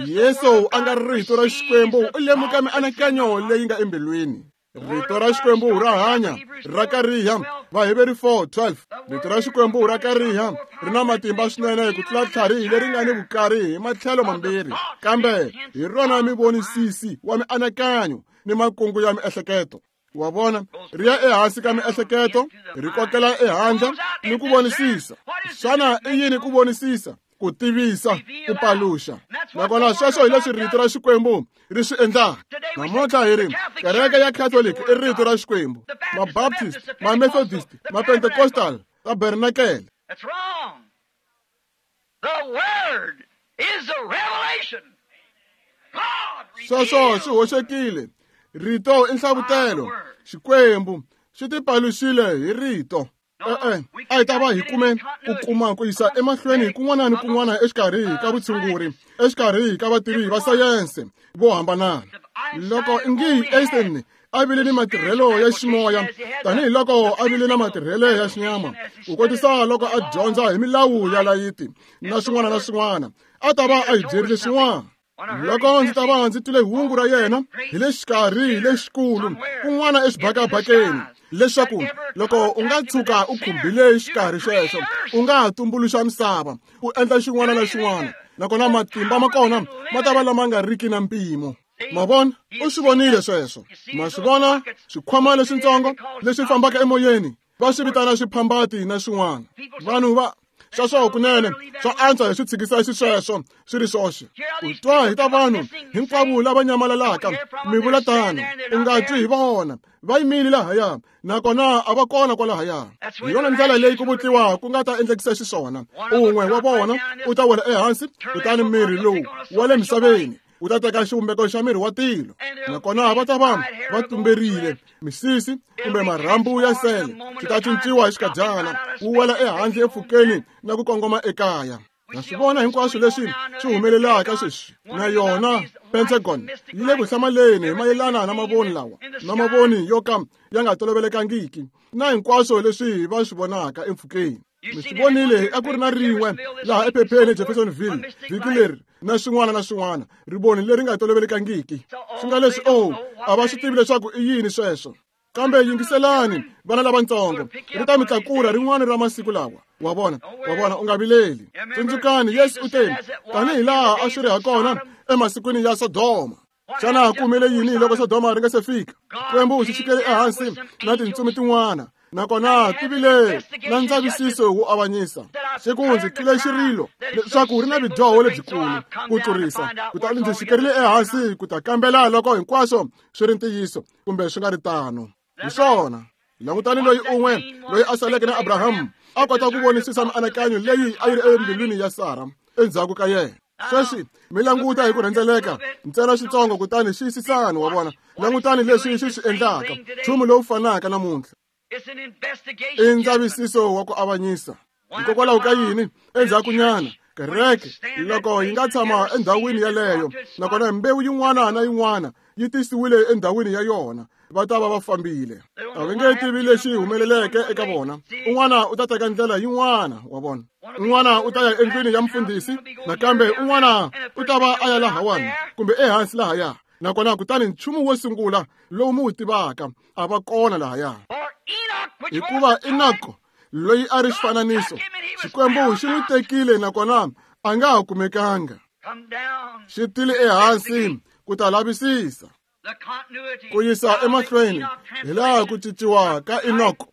Yesu a nga ri rito ra Xikwembu u lemuka mianakanyo leyi nga embilwini. Rito ra Xikwembu ra hanya, ra kariha, Vaheveri four twelve. Rito ra Xikwembu ra kariha, ri na matimba swinene ku tlula tlhari leri nga ni vukari hi matlhelo mambirhi, kambe hi rona mivonisisi wa mianakanyo ni makungu ya miehleketo. Wa vona, ri ya ehansi ka miehleketo, ri kokela ehandle ni ku vonisisa. Xana i yini ku vonisisa? Ku tivisa, ku paluxa. Nakona sweswo hi leswi rito ra Xikwembu ri swi endlaka. Namuntlha hi ri kereke ya Catholic i rito ra Xikwembu, ma-Baptist, ma-Methodist, ma-Pentecostal, tabernakele. That's wrong. The word is a revelation. God Sweswo swi hoxekile. Rito i nhlavutelo. Xikwembu xi tipaluxile hi rito. E-e, a hi ta va hi kume ku kuma ku yisa emahlweni kun'wana ni kun'wana exikarhi ka vutshunguri, exikarhi ka vativi va sayense vo hambanana. Loko ingi Einstein a vile ni matirhelo ya ximoya tanihiloko a vile na matirhelo ya xinyama, ku kotisa loko a dyondza hi milawu ya layiti na swin'wana na swin'wana, a ta va a hi byerile swin'wana. Loko ndzi ta va ndzi twile hungu ra yena hi le xikarhi lexikulu kun'wana exibakabakeni, leswaku loko u nga tshuka u khumbile xikarhi xexo, u nga ha tumbuluxa misava, u endla xin'wana na xin'wana, nakona matimba ma kona ma ta va lama nga riki na mpimo. Ma vona, u swi vonile sweswo. Ma swi vona swikhwama leswitsongo leswi fambaka emoyeni, va swi vitana swiphambati na swin'wana. Vanhu va sweswo kunene swa antswa hi swi tshikisa xisweswo swi ri swoxe. U twa hi ta vanhu hinkwavo lava nyamalalaka, mi vula tano, u nga twi hi vona, va yimile lahaya, nakona a va kona kwalahaya. Hi yona ndlela leyi ku vutliwa ku nga ta endlekisa xiswona. Un'we wa vona u ta wela ehansi, kutani miri lowu wa le misaveni u ta teka xivumbeko xa miri wa tilo, nakona va ta va va tumberile misisi kumbe marhambu ya sele swi ta cinciwa hi xikadyana, wu wela ehandle empfhukeni na ku kongoma ekaya. Na swi vona hinkwaswo leswi swi humelelaka sweswi. Na yona Pentagon yi le ku hlamaleni hi mayelana na mavoni lawa, na mavoni yo ka ya nga tolovelekangiki, na hinkwaswo leswi va swi vonaka empfhukeni. Mi swi vonile a ku ri na rin'we laha ephepheni eJeffersonville vhiki leri, na swin'wana na swin'wana, rivoni leri nga tolovelekangiki. Swi nga leswi, oh, a va swi tivi leswaku i yini sweswo. Kambe yingiselani, vana lavatsongo, ri ta mi tlakula rin'wana ra masiku lawa. Wa vona, wa vona, u nga vileli. Tsundzukani, Yesu u te, tanihi laha a swi ri hakona emasikwini ya Sodoma. Xana ku humele yini loko Sodoma ri nga se fika? Xikwembu xi xikele ehansi na tintsumi tin'wana, nakona ti vile na ndzavisiso wo avanyisa. Xi ku ndzi twile xirilo leswaku ri na vudyoho lebyikulu ku tlurisa, kutani ndzi xikerile ehansi ku ta kambela loko hinkwaswo swi ri ntiyiso kumbe swi nga ri tano. Hi swona, langutani loyi un'we loyi a saleke na Abrahamu a kota ku vonisisa mianakanyo leyi a yi ri embilwini ya Sara endzhaku ka yena. Sweswi mi languta hi ku rhendzeleka ntsena xitsongo, kutani xiyisisani, wa vona, langutani leswi xi swi endlaka, nchumu lowu fanaka namuntlha. I ndzavisiso wa ku avanyisa. Hikokwalaho ka yini endzhakunyana kereke loko yi nga tshama endhawini yaleyo, nakona mbewu yin'wana na yin'wana yi tisiwile endhawini ya yona, va ta va va fambile. A va nge tivi lexi humeleleke eka vona. Un'wana u ta teka ndlela yin'wana, wa vona. Un'wana u ta ya endlwini ya mfundhisi, nakambe un'wana u ta va a ya lahawani kumbe ehansi lahaya. Nakona kutani nchumu wo sungula lowu mi wu tivaka a va kona lahaya. Hikuva Enoko loyi a ri xifananiso, Xikwembu xi n'wi tekile nakona a nga ha kumekanga. Xi tile ehansi ku ta lavisisa, ku yisa emahlweni hi laha ku cinciwa ka Enoko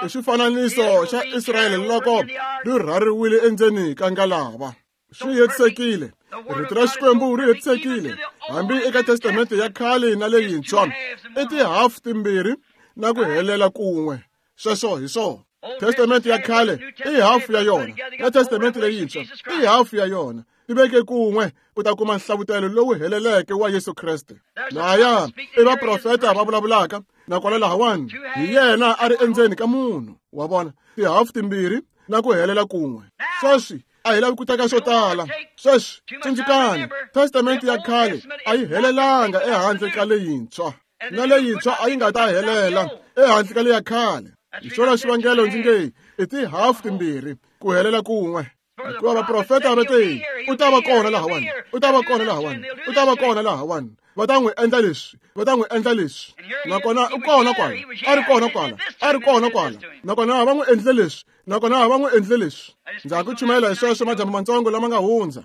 i xifananiso xa Israyele loko ri rhariwile endzeni ka ngalava. Swi hetisekile. Rito ra Xikwembu ri hetisekile hambi eka Testamente ya khale na leyintshwa, i tihafu timbirhi na ku helela kun'we. Sweswo hi swona. Testamente ya khale i hafu ya yona, na Testamente leyintshwa i hafu ya yona. Ti veke kun'we u ta kuma nhlavutelo lowu heleleke wa Yesu Kreste. Lahaya i vaprofeta va vulavulaka, nakona lahawani hi yena a ri endzeni ka munhu. Wa vona, tihafu timbirhi na ku helela kun'we. Sweswi A hi lavi ku teka swo tala. Sweswi, tsundzukani, Testamente ya khale a yi helelanga ehandle ka leyintshwa, na leyintshwa a yi nga ta helela ehandle ka leya khale. Hi xona xivangelo ndzi nge i tihafu timbirhi ku helela kun'we. Hikuva vaprofeta va te, u ta va kona lahawani, u ta va kona lahawani, u ta va kona lahawani. Va ta n'wi endla leswi, va ta n'wi endla leswi. Nakona u kona kwala, a ri kona kwala, a ri kona kwala. Nakona va n'wi endlile leswi, nakona va n'wi endlile leswi. Ndza ha ku chumayela hi sweswo madyambu matsongo lama nga hundza.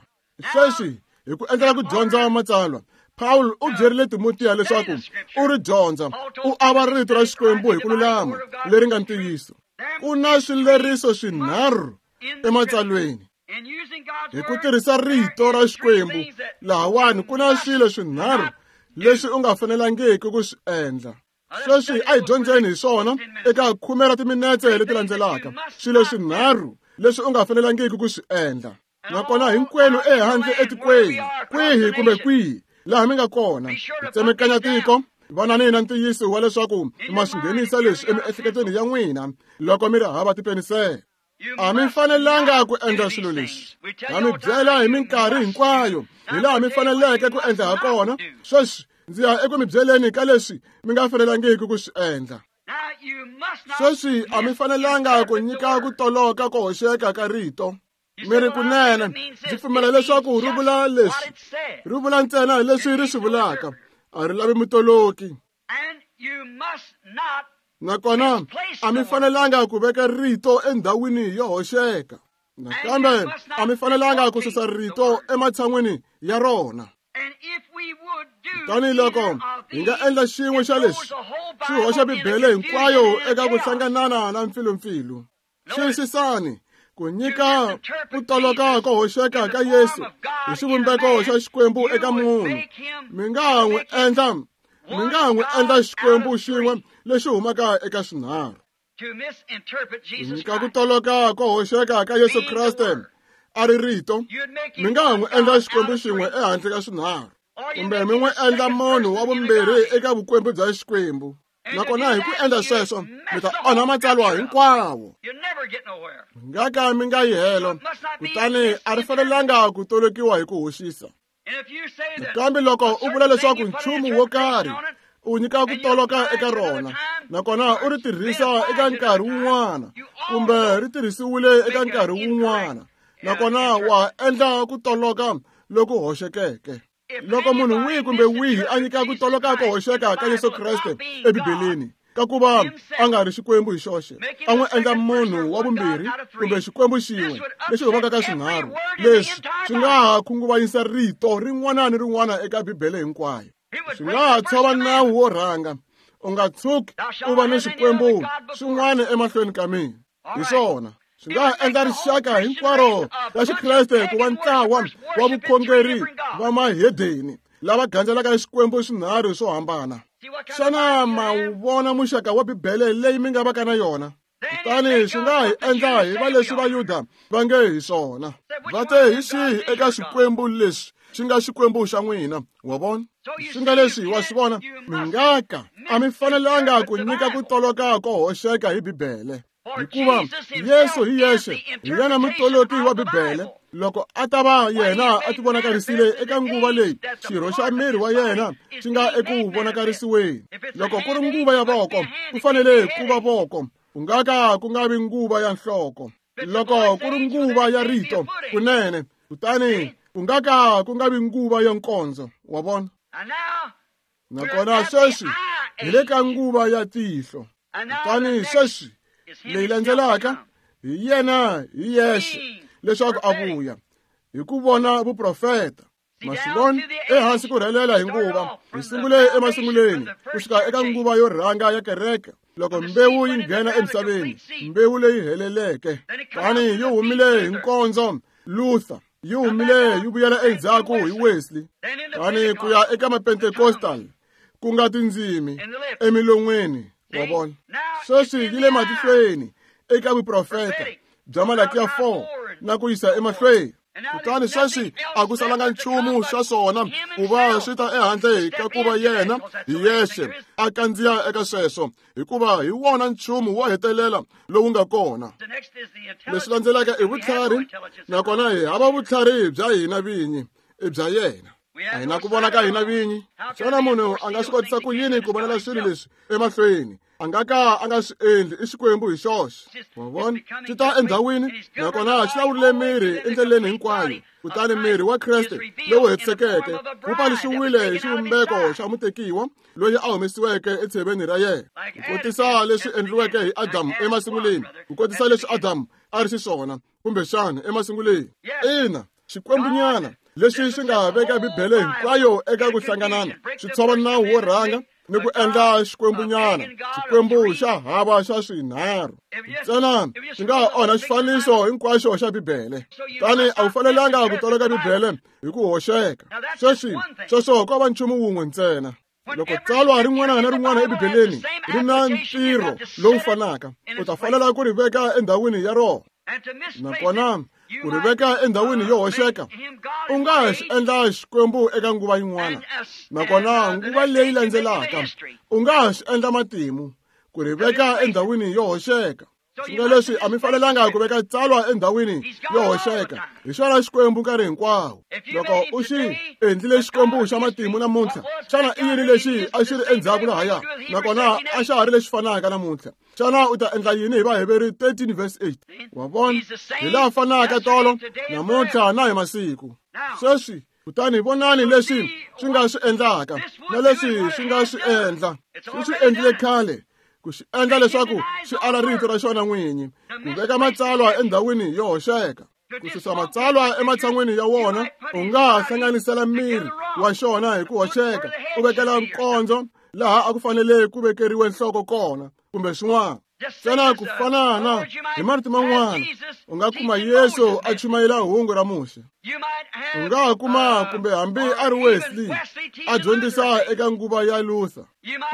Sweswi hi ku endlela ku dyondza matsalwa, Paul u byerile Timotiya leswaku u ri dyondza, u ava rito ra Xikwembu hi ku lulama leri nga ntiyiso. Ku na swileriso swinharhu ematsalweni. Hi ku tirhisa rito ra Xikwembu lahawani ku na swilo swinharhu leswi u nga fanelangiki ku swi endla. Sweswi a hi dyondzeni hi swona eka khume ra timinetse leti landzelaka. Swilo swinharhu leswi u nga fanelangiki ku swi endla. Nakona hinkwenu ehandle etikweni, kwihi kumbe kwihi laha mi nga kona, hi tsemekanya tiko, vonani na ntiyiso wa leswaku ma swi nghenisa leswi emiehleketweni ya n'wina loko mi ri hava tipenisele. A mi fanelanga ku endla swilo leswi. Ha mi byela hi minkarhi hinkwayo hi laha mi faneleke ku endla ha kona. Sweswi ndzi ya eku mi byeleni ka leswi mi nga fanelangiki ku swi endla. Sweswi a mi fanelanga ku nyika ku toloka ko hoxeka ka rito. Mi ri kunene, ndzi pfumela leswaku ri vula leswi, ri vula ntsena leswi ri swi vulaka, a ri lavi mutoloki. Nakona a mi fanelanga ku veka rito endhawini yo hoxeka. Nakambe a mi fanelanga ku susa rito ematshan'wini ya rona. Kutani loko hi nga endla xin'we xa leswi, swi hoxa Bibele hinkwayo eka ku hlanganana na mpfilumpfilu. Xiyisisani, ku nyika ku toloka ko hoxeka ka Yesu hi xivumbeko xa Xikwembu eka munhu, mi nga n'wi endla mi nga n'wi endla Xikwembu xin'we lexi humaka eka swinharhu. Ku nyika ku toloka ko hoxeka ka Yesu Kreste a ri rito, mi nga n'wi endla Xikwembu xin'we ehandle ka swinharhu, kumbe mi n'wi endla munhu wa vumbirhi eka vukwembu bya Xikwembu. Nakona hi ku endla sweswo mi ta onha matsalwa hinkwawo. Mi nga ka mi nga yi helo, kutani a ri fanelanga ku tolokiwa hi ku hoxisa. Kambe loko u vula leswaku nchumu wo karhi u nyika ku toloka eka rona, nakona u ri tirhisa eka nkarhi wun'wana kumbe ri tirhisiwile eka nkarhi wun'wana, nakona wa endla ku toloka loku hoxekeke. Loko munhu wihi kumbe wihi a nyika ku toloka ko hoxeka ka Yesu Kreste eBibeleni, ka ku va a nga ri Xikwembu hi xoxe, a n'wi endla munhu wa vumbirhi kumbe Xikwembu xin'we lexi humaka ka swinharhu, leswi swi nga ha khunguvanyisa rito rin'wana ni rin'wana eka Bibele hinkwayo. Swi nga ha tshova nawu wo rhanga, u nga tshuki u va ni swikwembu swin'wana emahlweni ka mina. Hi swona swi nga ha endla rixaka hinkwaro ra Xikreste ku va ntlawa wa vukhongeri va mahedeni lava gandzelaka Xikwembu swinharhu swo hambana. Xana ma wu vona muxaka wa Bibele leyi mi nga vaka na yona? Kutani swi nga hi endla hi va leswi Vayuda va nge hi swona. Va te hi xihi eka Xikwembu leswi xi nga Xikwembu xa n'wina, wa vona? Swi nga leswi wa swi vona, mi nga ka a mi fanelanga ku nyika ku toloka ko hoxeka hi Bibele. Hikuva Yesu hi yexe hi yena mutoloki wa Bibele. Loko a ta va yena a tivonakarisile eka nguva leyi xirho xa miri wa yena xi nga eku vonakarisiweni. Loko ku ri nguva ya voko, ku fanele ku va voko, ku nga ka ku nga vi nguva ya nhloko. Loko ku ri nguva ya rito kunene, kutani ku nga ka ku nga vi nguva ya nkondzo, wa vona? Nakona sweswi hi le ka nguva ya tihlo. Kutani sweswi leyi landzelaka hi yena hi yexe leswaku a vuya hi ku vona vuprofeta. Maswivona ehansi ku rhelela hi nguva, hi sungule emasunguleni ku fika eka nguva yo rhanga ya kereke, loko mbewu yi nghena emisaveni, mbewu leyi heleleke. Tani yi humile hi nkondzo Luther, yi humile yi vuyela endzhaku hi Wesley, tani ku ya eka Mapentecostal, ku nga tindzimi emilon'weni, wa vona? Sweswi yi le matihlweni eka vuprofeta bya Malakiya four na ku yisa emahlweni. Kutani sweswi a ku salanga nchumu xa swona ku va swi ta ehandle ka ku va yena hi yexe a kandziya eka sweswo, hikuva hi wona nchumu wo hetelela lowu nga kona. Leswi landzelaka i vutlhari, nakona hi hava vutlhari bya hina vinyi, i bya yena. A hi na ku vona ka hina vinyi. Xana munhu a nga swi kotisa ku yini ku vonela swilo leswi emahlweni? A nga ka a nga swi endli, i Xikwembu hi xoxe. Wa vona? Xi ta endhawini, nakona xi lawurile miri endleleni hinkwayo. Kutani miri wa Kreste lowu hetisekeke wu paluxiwile hi xivumbeko xa mutekiwa loyi a humesiweke etsheveni ra yena. Ku kotisa leswi endliweke hi Adamu emasunguleni, ku kotisa leswi Adamu a ri xiswona kumbexana emasunguleni. Ina, Xikwembunyana lexi xi nga veka Bibele hinkwayo eka ku hlanganana, xi tshova nawu wo rhanga ni ku endla Xikwembunyana, Xikwembu xa hava xa swinharhu. Ntsena xi nga onha xifaniso hinkwaxo xa Bibele. Tani a wu fanelanga ku toloka Bibele hi ku hoxeka. Sweswi sweswo ko va nchumu wun'we ntsena. Loko tsalwa rin'wana na rin'wana eBibeleni ri na ntirho lowu fanaka, u ta fanela ku ri veka endhawini ya rona. Nakona ku ri veka endhawini yo hoxeka, u nga xi endla Xikwembu eka nguva yin'wana, nakona nguva leyi landzelaka u nga xi endla matimu, ku ri veka endhawini yo hoxeka. Swi nga leswi a mi fanelanga ku veka tsalwa endhawini yo hoxeka. Hi xona Xikwembu nkarhi hinkwawo. Loko u xi endlile Xikwembu xa matimu namuntlha, xana i yini lexi a xi ri endzhaku lahaya, nakona a xa ha ri lexi fanaka namuntlha? Xana u ta endla yini hi Vaheveri thirteen verse eight? Wa vona? Hi laha fanaka tolo, namuntlha na hi masiku. Sweswi kutani vonani leswi swi nga swi endlaka na leswi swi nga swi endla. Swi swi endlile khale ku xi endla leswaku xi ala rito ra xona n'winyi, ku veka matsalwa endhawini yo hoxeka, ku susa matsalwa ematshan'wini ya wona. U nga hlanganisela miri wa xona hi ku hoxeka, u vekela nkondzo laha a ku fanele ku vekeriwe nhloko kona kumbe swin'wana. Ntsena ku fanana hi marito man'wana, u nga kuma Yesu a chumayela hungu ra Muxe. U nga kuma kumbe hambi a ri Wesley a dyondzisa eka nguva ya Luther.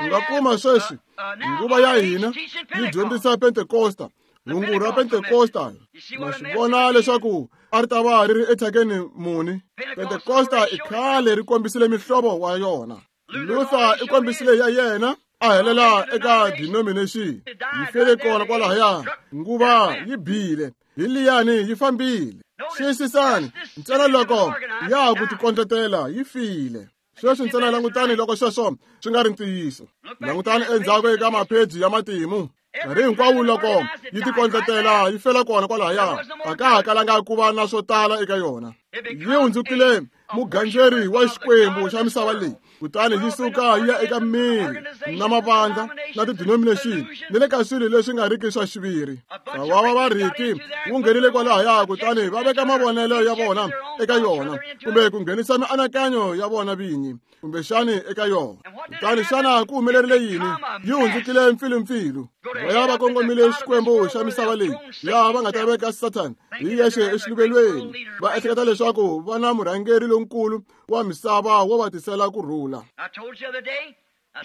U nga kuma sweswi nguva ya hina yi dyondzisa Pentekosta, hungu ra Pentekosta. Ma swi vona leswaku a ri ta va ri ri ethyakeni muni? Pentekosta i khale ri kombisile mihlovo wa yona. Luther i kombisile ya yena, a helela eka denomination. Yi fele kona kwalahaya, nguva yi bile, hi liyani yi fambile. Xiyisisani, ntsena loko ya ku tikondletela yi file. Sweswi ntsena langutani loko sweswo swi nga ri ntiyiso. Langutani endzhaku eka mapheji ya matimu. Nkarhi hinkwawo loko yi tikondletela yi fela kona kwalahaya, a ka ha kalanga ku va na swo tala eka yona. Yi hundzukile mugandzeri wa Xikwembu xa misava leyi, kutani yi suka yi ya eka miri na mavandla na ti-denomination ni le ka swilo leswi nga riki swa xiviri. Ntlawa wa varhiki wu nghenile kwalahaya, kutani va veka mavonelo ya vona eka yona, kumbe ku nghenisa mianakanyo ya vona vinyi kumbexani eka yona. Kutani xana ku humelerile yini? Yi hundzukile mpfilumpfilu. Va ya va kongomile Xikwembu xa misava leyi, laha va nga ta veka Satan hi yexe exiluvelweni, va ehleketa leswaku va na murhangeri lonkulu wa misava wo va tisela ku rhula.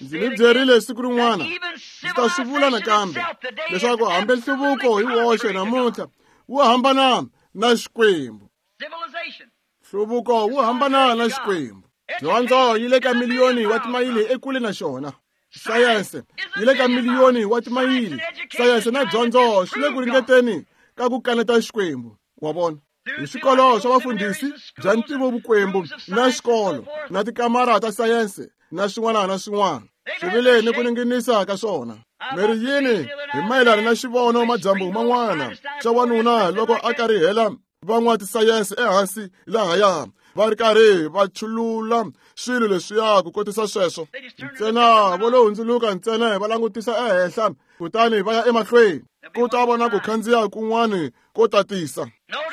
Ndzi mi byerile siku rin'wana, ndzi ta swi vula nakambe, leswaku hambi nhluvuko hi woxe namuntlha wu hambana na Xikwembu. Nhluvuko wu hambana na Xikwembu. Dyondzo yi le ka miliyoni wa timayili ekule na xona. Sayense yi le ka miliyoni wa timayili. Sayense na dyondzo swi le ku ringeteni ka ku kaneta Xikwembu. Wa vona? Hi swikolo swa vafundhisi bya ntivovukwembu na xikolo na tikamara ta sayense na swin'wana na swin'wana swi vile ni ku ninginisa ka swona. Mi ri yini hi mayelana na xivono madyambu man'wana xa wanuna loko a karihela van'watisayense ehansi lahaya va ri karhi va chulula swilo leswiya ku kotisa sweswo? Ntsena vo lo hundzuluka ntsena va langutisa ehenhla, kutani va ya emahlweni ku ta vona ku khandziya kun'wana ko tatisa.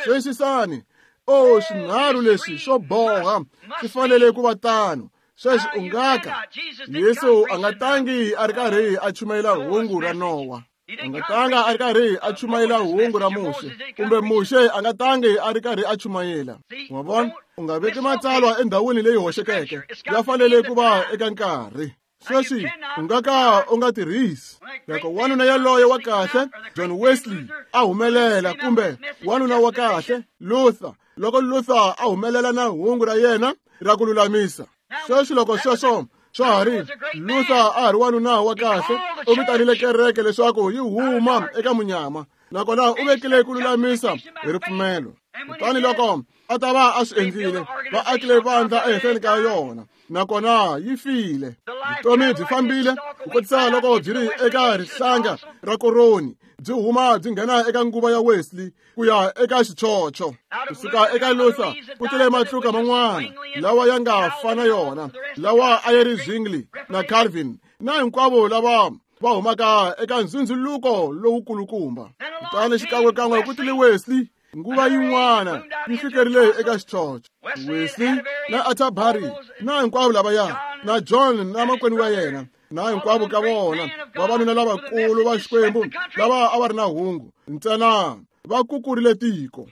Xiyisisani, o swinharhu leswi swo boha swi fanele ku va tano. Sweswi u nga ka Yesu a nga tangi a ri karhi a chumayela hungu ra Nowa, a nga tanga a ri karhi a chumayela hungu ra Muxe, kumbe Muxe a nga tangi a ri karhi a chumayela. Wa vona? U nga veki matsalwa endhawini leyi hoxekeke, ya fanele ku va eka nkarhi. Sweswi u nga ka u nga tirhisi. Loko wanuna yaloye wa kahle John Wesley a humelela, kumbe wanuna wa kahle Luther loko Luther a humelela na hungu ra yena ra ku lulamisa. Sweswi loko sweswo swa ha ri Luther a ha ri wanuna wa kahle, u vitanile kereke leswaku yi huma eka munyama, nakona u vekile ku lulamisa hi ripfumelo. Kutani loko a ta va a swi endlile, va akile vandla ehenhleni ka yona, nakona yi file. Vutomi byi fambile ku kotisa loko byi ri eka rihlanga ra koroni, byi huma byi nghena eka nguva ya Wesley ku ya eka xichocho. Kusuka eka Luther ku tile matluka man'wana lawa ya nga fana yona, lawa a yi ri Zwingli na Calvin na hinkwavo lava va humaka eka ndzundzuluko lowukulukumba. Kutani xikan'wekan'we ku tile Wesley, nguva yin'wana yi fikerile eka xichocho. Wesley na Atterbury na hinkwavo lavaya, na John na makwenu wa yena, na hinkwavo ka vona vavanuna lavakulu va Xikwembu lava a va ri na hungu, ntsena va kukurile tiko,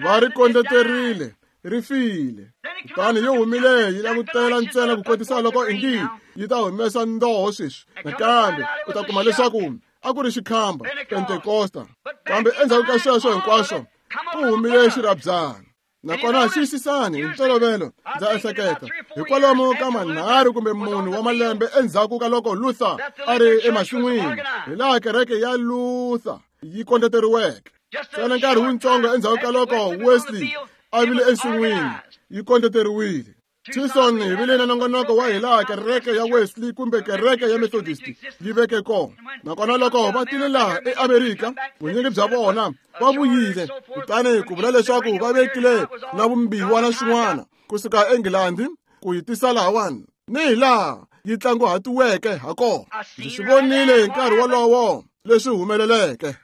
va ri kondleterile, ri file. Kutani yi humile yi langutela ntsena ku kotisa loko ingi yi ta humesa ndoho sweswi. Nakambe u ta kuma leswaku a ku ri xikhamba Pentekosta. Kambe endzhaku ka sweswo hinkwaswo ku humile xirhabyana. Nakona xiyisisani hi ntolovelo ndza ehleketa hi kwalomu ka manharhu kumbe mune wa malembe endzhaku ka loko Luther a ri emasin'wini, hi laha kereke ya Luther yi kondleteriweke. Ntsena nkarhi wutsongo endzhaku ka loko Wesley a vile ensin'wini, yi kondleteriwile. Tucson hi vile na nongonoko wa hi laha kereke ya Wesley kumbe kereke ya Methodist yi veke kona. Nakona loko va tile laha eAmerika, vunyingi bya vona va vuyile, kutani ku vula leswaku va vekile na vumbiwa na swin'wana kusuka eNgilandi ku yi tisa lahawani, ni hi laha yi tlanguhatiweke ha kona. Ndzi swi vonile hi nkarhi wolowo leswi humeleleke.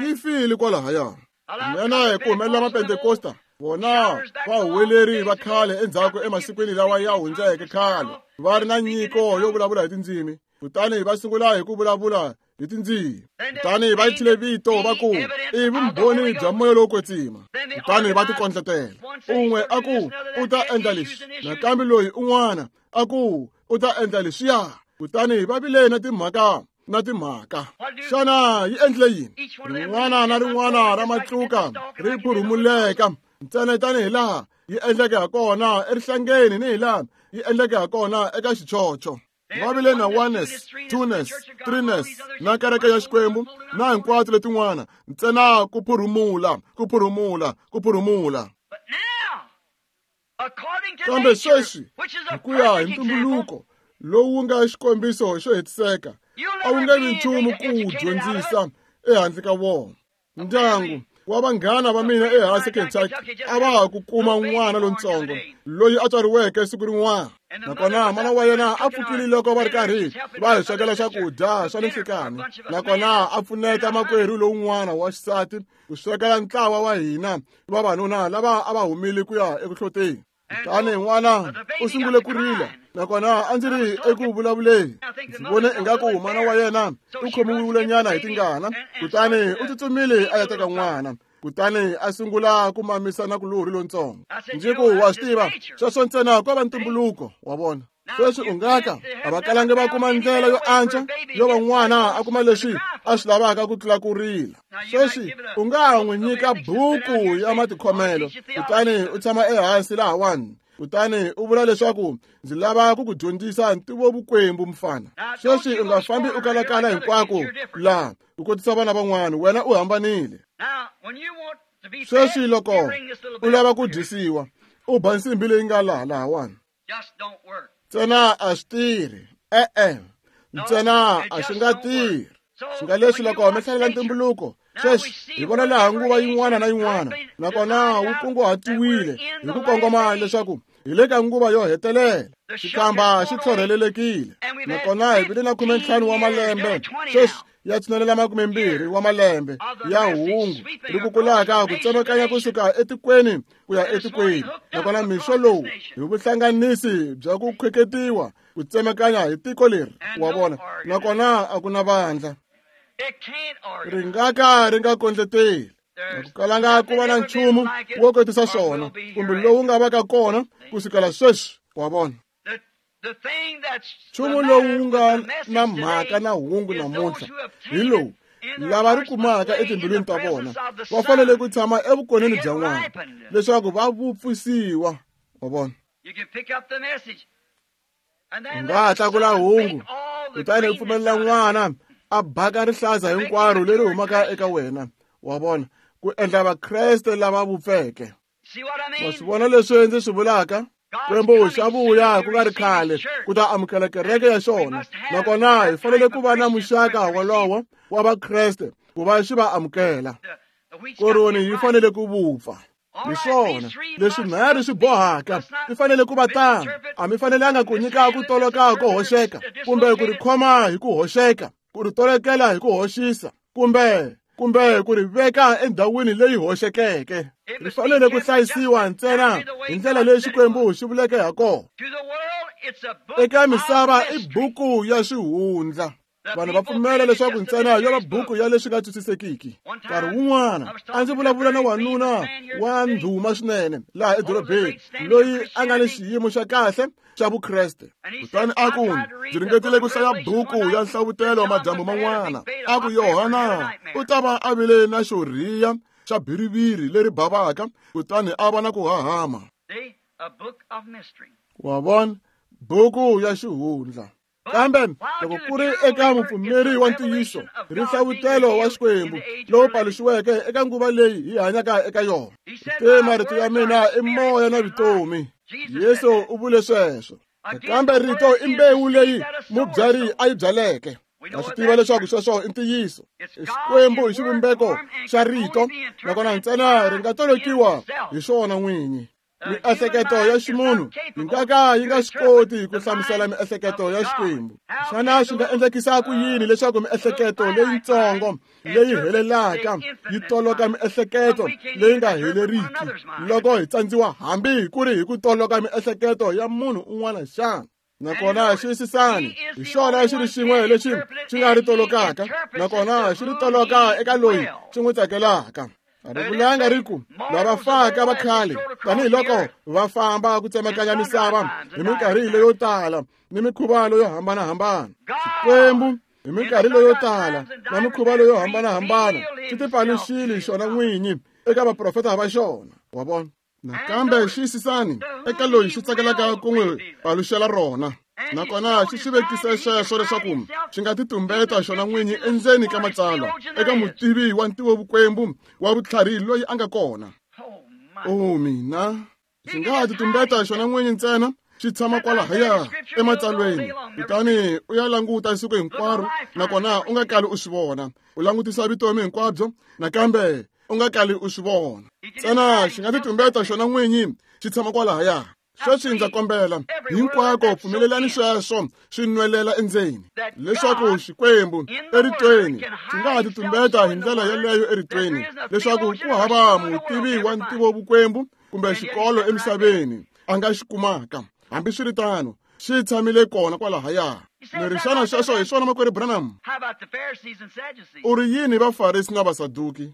Yi file kwalahaya. Nena hi ku humelela Mapentekosta, vona vahuweleri va khale endzhaku emasikwini lawa ya hundzeke khale va ri na nyiko yo vulavula hi tindzimi, kutani va sungula hi ku vulavula hi tindzimi. Kutani va thyile vito va ku i vumbhoni bya moya lowo kwetsima. Kutani va tikondletela, un'we a ku u ta endla leswi, nakambe loyi un'wana a ku u ta endla leswiya. Kutani va vile na timhaka na timhaka. Xana yi endlile yini? Rin'wana na rin'wana ra matluka ri phurumuleka ntsena tanihi laha yi endleke ha kona erihlangeni ni hi laha yi endleke ha kona eka xichocho. Va vile na oneness, twoness, threeness na kereke ya Xikwembu na hinkwato letin'wana, ntsena ku phurumula, ku phurumula, ku phurumula. Kambe sweswi hi ku ya hi ntumbuluko lowu nga xikombiso xo hetiseka, a wu nge vi nchumu ku wu dyondzisa ehandle ka wona. Ndyangu wa vanghana va mina ehansi Kentucky a va ha ku kuma n'wana lontsongo loyi a tswariweke siku rin'wana, nakona mana wa yena a pfukile loko va ri karhi va hi swekela swakudya swa ninhlikani, nakona a pfuneta makwerhu lowun'wana wa xisati ku swekela ntlawa wa hina vavanuna lava a va humile ku ya eku hloteni. Kutani n'wana u sungule ku rila, nakona a ndzi ri eku vulavuleni. Ndzi vone ingaku mana wa yena u khomiwile nyana hi tingana, kutani u tsutsumile a ya teka n'wana, kutani a sungula ku mamisa na kulorhi lontsongo. Ndzi ku wa swi tiva sweswo ntsena ko va ntumbuluko wa vona. Sweswi u nga ka a va kalangi va kuma ndlela yo antswa yo va n'wana a kuma leswi a swi lavaka ku tlula ku rila. Sweswi u nga n'wi nyika buku ya matikhomelo, kutani u tshama ehansi lahawani, kutani u vula leswaku ndzi lava ku ku dyondzisa ntivovukwembu mfana. Sweswi u nga fambi u kalakala hinkwako laha u kotisa vana van'wana, wena u hambanile. Sweswi loko u lava ku dyisiwa, u ba nsimbi leyi nga laha lahawani. Ntsena a swi tirhi, e-e, ntsena a swi nga tirhi. Swi nga leswi loko mi hlalela ntumbuluko, sweswi hi vona laha nguva yin'wana na yin'wana, nakona wu kunguhatiwile hi ku kongoma leswaku hi le ka nguva yo hetelela. Xikamba xi tlhorhelelekile, nakona hi vile na khumentlhanu wa malembe sweswi ya tshinelela makumembirhi wa malembe ya hungu ri kukulaka ku tsemakanya kusuka etikweni ku ya etikweni. Nakona mixo lowu hi vuhlanganisi bya ku khweketiwa ku tsemakanya hi tiko leri wa vona, nakona a ku na vandla ri nga ka ri nga kondleteli. A ku kalanga ku va na nchumu wo kotisa swona kumbe lowu nga va ka kona ku sukela sweswi wa vona. Nchumu lowu nga na mhaka na hungu namuntlha hi lowu Lava ri kumaka etimbilwini ta vona va fanele ku tshama evukoneni bya n'wana leswaku va vupfisiwa. Wa vona? U nga ha tlakula hungu kutani u pfumelela n'wana a baka rihlaza hinkwaro leri humaka eka wena. Wa vona? Ku endla vakreste lava vupfeke. Wa swi vona leswi ndzi swi vulaka? Xikwembu xa vuya ku nga ri khale ku ta amukela kereke ya xona, nakona hi fanele ku va na muxaka wolowo wa vakreste ku va xi va amukela. Koroni yi fanele ku vupfa. Hi swona leswi nharhu swi bohaka, mi fanele ku va tano. A mi fanelanga ku nyika ku toloka ko hoxeka, kumbe ku ri khoma hi ku hoxeka, ku ri tolokela hi ku hoxisa, kumbe kumbe ku ri veka endhawini leyi hoxekeke. Ri fanele ku hlayisiwa ntsena hi ndlela leyi Xikwembu xi vuleke ha kona. Eka misava i buku ya xihundla. Vanhu va pfumela leswaku ntsena yo va buku ya leswi nga twisisekiki. Nkarhi wun'wana a ndzi vulavula na wanuna wa ndhuma swinene laha edorobeni loyi a nga ni xiyimo xa kahle xa Vukreste. Kutani a ku, ndzi ringetile ku hlaya buku ya nhlavutelo madyambu man'wana. A ku Yohana u ta va a vile na xo rhiya xa biriviri leri bavaka, kutani a va na ku hahama. Wa vona? Buku ya xihundla. Kambe loko ku ri eka mupfumeri wa ntiyiso, ri nhlavutelo wa Xikwembu lowu paluxiweke eka nguva leyi hi hanyaka eka yona. Te marito ya mina i moya na vutomi. Yesu u vule sweswo. Kambe rito i mbewu leyi mubyari a yi byaleke. Ha swi tiva leswaku sweswo i ntiyiso. Xikwembu hi xivumbeko xa rito, nakona ntsena ri nga tolokiwa hi xona n'winyi. Miehleketo ya ximunhu yi nga ka yi nga swi koti ku hlamusela miehleketo ya Xikwembu. Xana swi nga endlekisa ku yini leswaku miehleketo leyitsongo leyi helelaka yi toloka miehleketo leyi nga heleriki loko hi tsandziwa hambi ku ri hi ku toloka miehleketo ya munhu un'wana xana? Nakona xiyisisani, hi xona xi ri xin'we lexi xi nga ri tolokaka, nakona xi ri toloka eka loyi xi n'wi tsakelaka. A ri vulanga ri ku lava faka va khale tanihiloko va famba ku tsemakanya misava hi minkarhi leyo tala ni mikhuva leyo hambanahambana. Xikwembu hi minkarhi leyo tala na mikhuva leyo hambanahambana xi tipaluxile xona n'winyi eka vaprofeta va xona. Wa vona? Nakambe xiyisisani eka loyi xi tsakelaka ku n'wi paluxela rona. Nakona xi swi vekise sweswo leswaku xi nga titumbeta xona n'winyi endzeni ka matsalwa eka mutivi wa ntivovukwembu wa vutlhari loyi a nga kona. O mina, xi nga titumbeta xona n'winyi ntsena xi tshama kwalahaya ematsalweni, kutani u ya languta siku hinkwaro, nakona u nga kali u swi vona. U langutisa vutomi hinkwabyo, nakambe u nga kali u swi vona. Ntsena xi nga titumbeta xona n'winyi xi tshama kwalahaya. Sweswi ndza kombela hinkwako pfumelelani sweswo swi nwelela endzeni leswaku Xikwembu eritweni xi nga ha titumbeta hi ndlela yeleyo eritweni leswaku ku hava mutivi wa ntivovukwembu kumbe xikolo emisaveni a nga xi kumaka. Hambiswiritano xi tshamile kona kwalahaya. Ni ri xana sweswo hi swona makwerhu Branham? U ri yini Vafarisi na Vasaduki?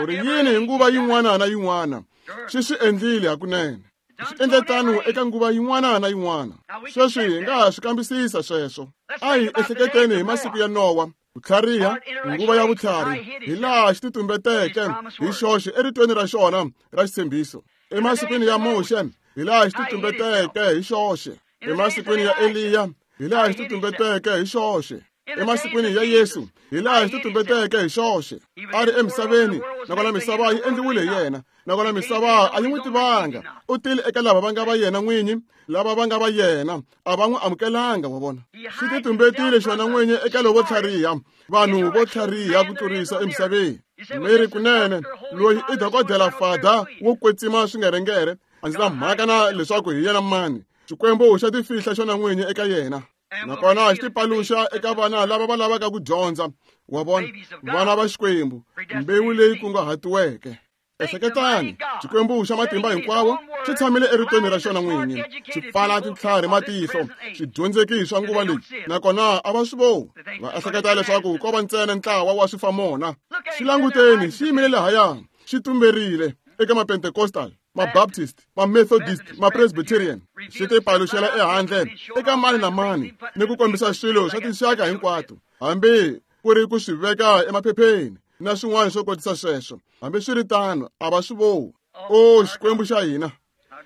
U ri yini hi nguva yin'wana na yin'wana? Xi swi endlile hakunene. Swi endle tano eka nguva yin'wana na yin'wana. Sweswi hi nga ha swi kambisisa sweswo. A hi ehleketeni hi masiku ya Nowa, ku tlhariha, nguva ya vutlhari, hi laha xi titumbeteke hi xoxe eritweni ra xona ra xitshembiso. Emasikwini ya Muxe, hi laha xi titumbeteke hi xoxe. Emasikwini ya Eliya, hi laha xi titumbeteke hi xoxe. Emasikwini ya Yesu, hi laha xi titumbeteke hi xoxe. A ri emisaveni, nakona misava yi endliwile hi yena, nakona misava a yi n'wi tivanga. U tile eka lava va nga va yena n'winyi, lava va nga va yena a va n'wi amukelanga. Wa vona? Xi titumbetile xona n'winyi eka lovo tlhariha, vanhu vo tlhariha ku tlurisa emisaveni. Mi ri kunene loyi i dokodela fada wo kwetsima swingerengere, a ndzi na mhaka na leswaku hi yena mani. Xikwembu xa tifihla xona n'winyi eka yena, nakona xi tipaluxa eka vana lava va lavaka ku dyondza. Wa vona? Vana va Xikwembu, mbewu leyi kunguhatiweke. Ehleketani, Xikwembu xa matimba hinkwawo xi tshamile eritweni ra xona n'winyi, xi pfala tintlhari matihlo, swidyondzeki swa nguva leyi, nakona a va swi voni. Va ehleketa leswaku ko va ntsena ntlawa wa swifamona. Xi languteni, xi yimile lahaya, xi tumberile eka ma-Pentecostal, ma-Baptist, ma-Methodist, ma-Presbyterian. Xi tipaluxela ehandle eka mani na mani ni ku kombisa swilo swa tinxaka hinkwato, hambi ku ri ku swi veka emaphepheni na swin'wana swo kotisa sweswo. Hambiswiritano a va swi voni. O Xikwembu xa hina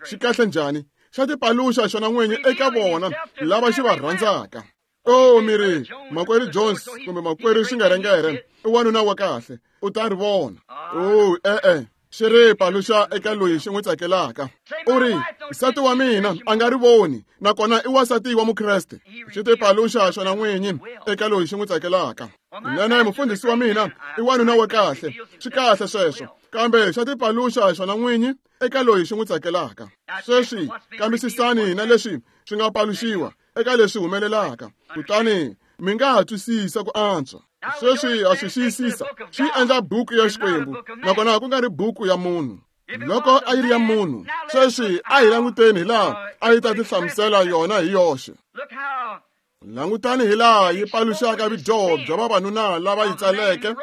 xi kahle njhani, xa tipaluxa xona n'winyi eka vona lava xi va rhandzaka. O mi ri makwerhu Jones kumbe makwerhu Xingerengere i wanuna wa kahle, u ta ri vona. O e-e, xi ri paluxa eka loyi xi n'wi tsakelaka. U ri nsati wa mina a nga ri voni, nakona i wansati wa Mukreste. Xi ti paluxa xona n'winyi eka loyi xi n'wi tsakelaka. Nene mufundhisi wa mina i wanuna wa kahle, swi kahle sweswo, kambe xa ti paluxa xona n'winyi eka loyi xi n'wi tsakelaka. Sweswi kambisisani na leswi swi nga paluxiwa eka leswi humelelaka, kutani mi nga ha twisisa ku antswa. Sweswi ha swi xiyisisa, swi endla buku ya Xikwembu, nakona ku nga ri buku ya munhu. Loko a yi ri ya munhu, sweswi a hi languteni hi laha a yi ta ti hlamusela yona hi yoxe. Langutani hi laha yi paluxaka vudyoho bya vavanuna lava yi tsaleke.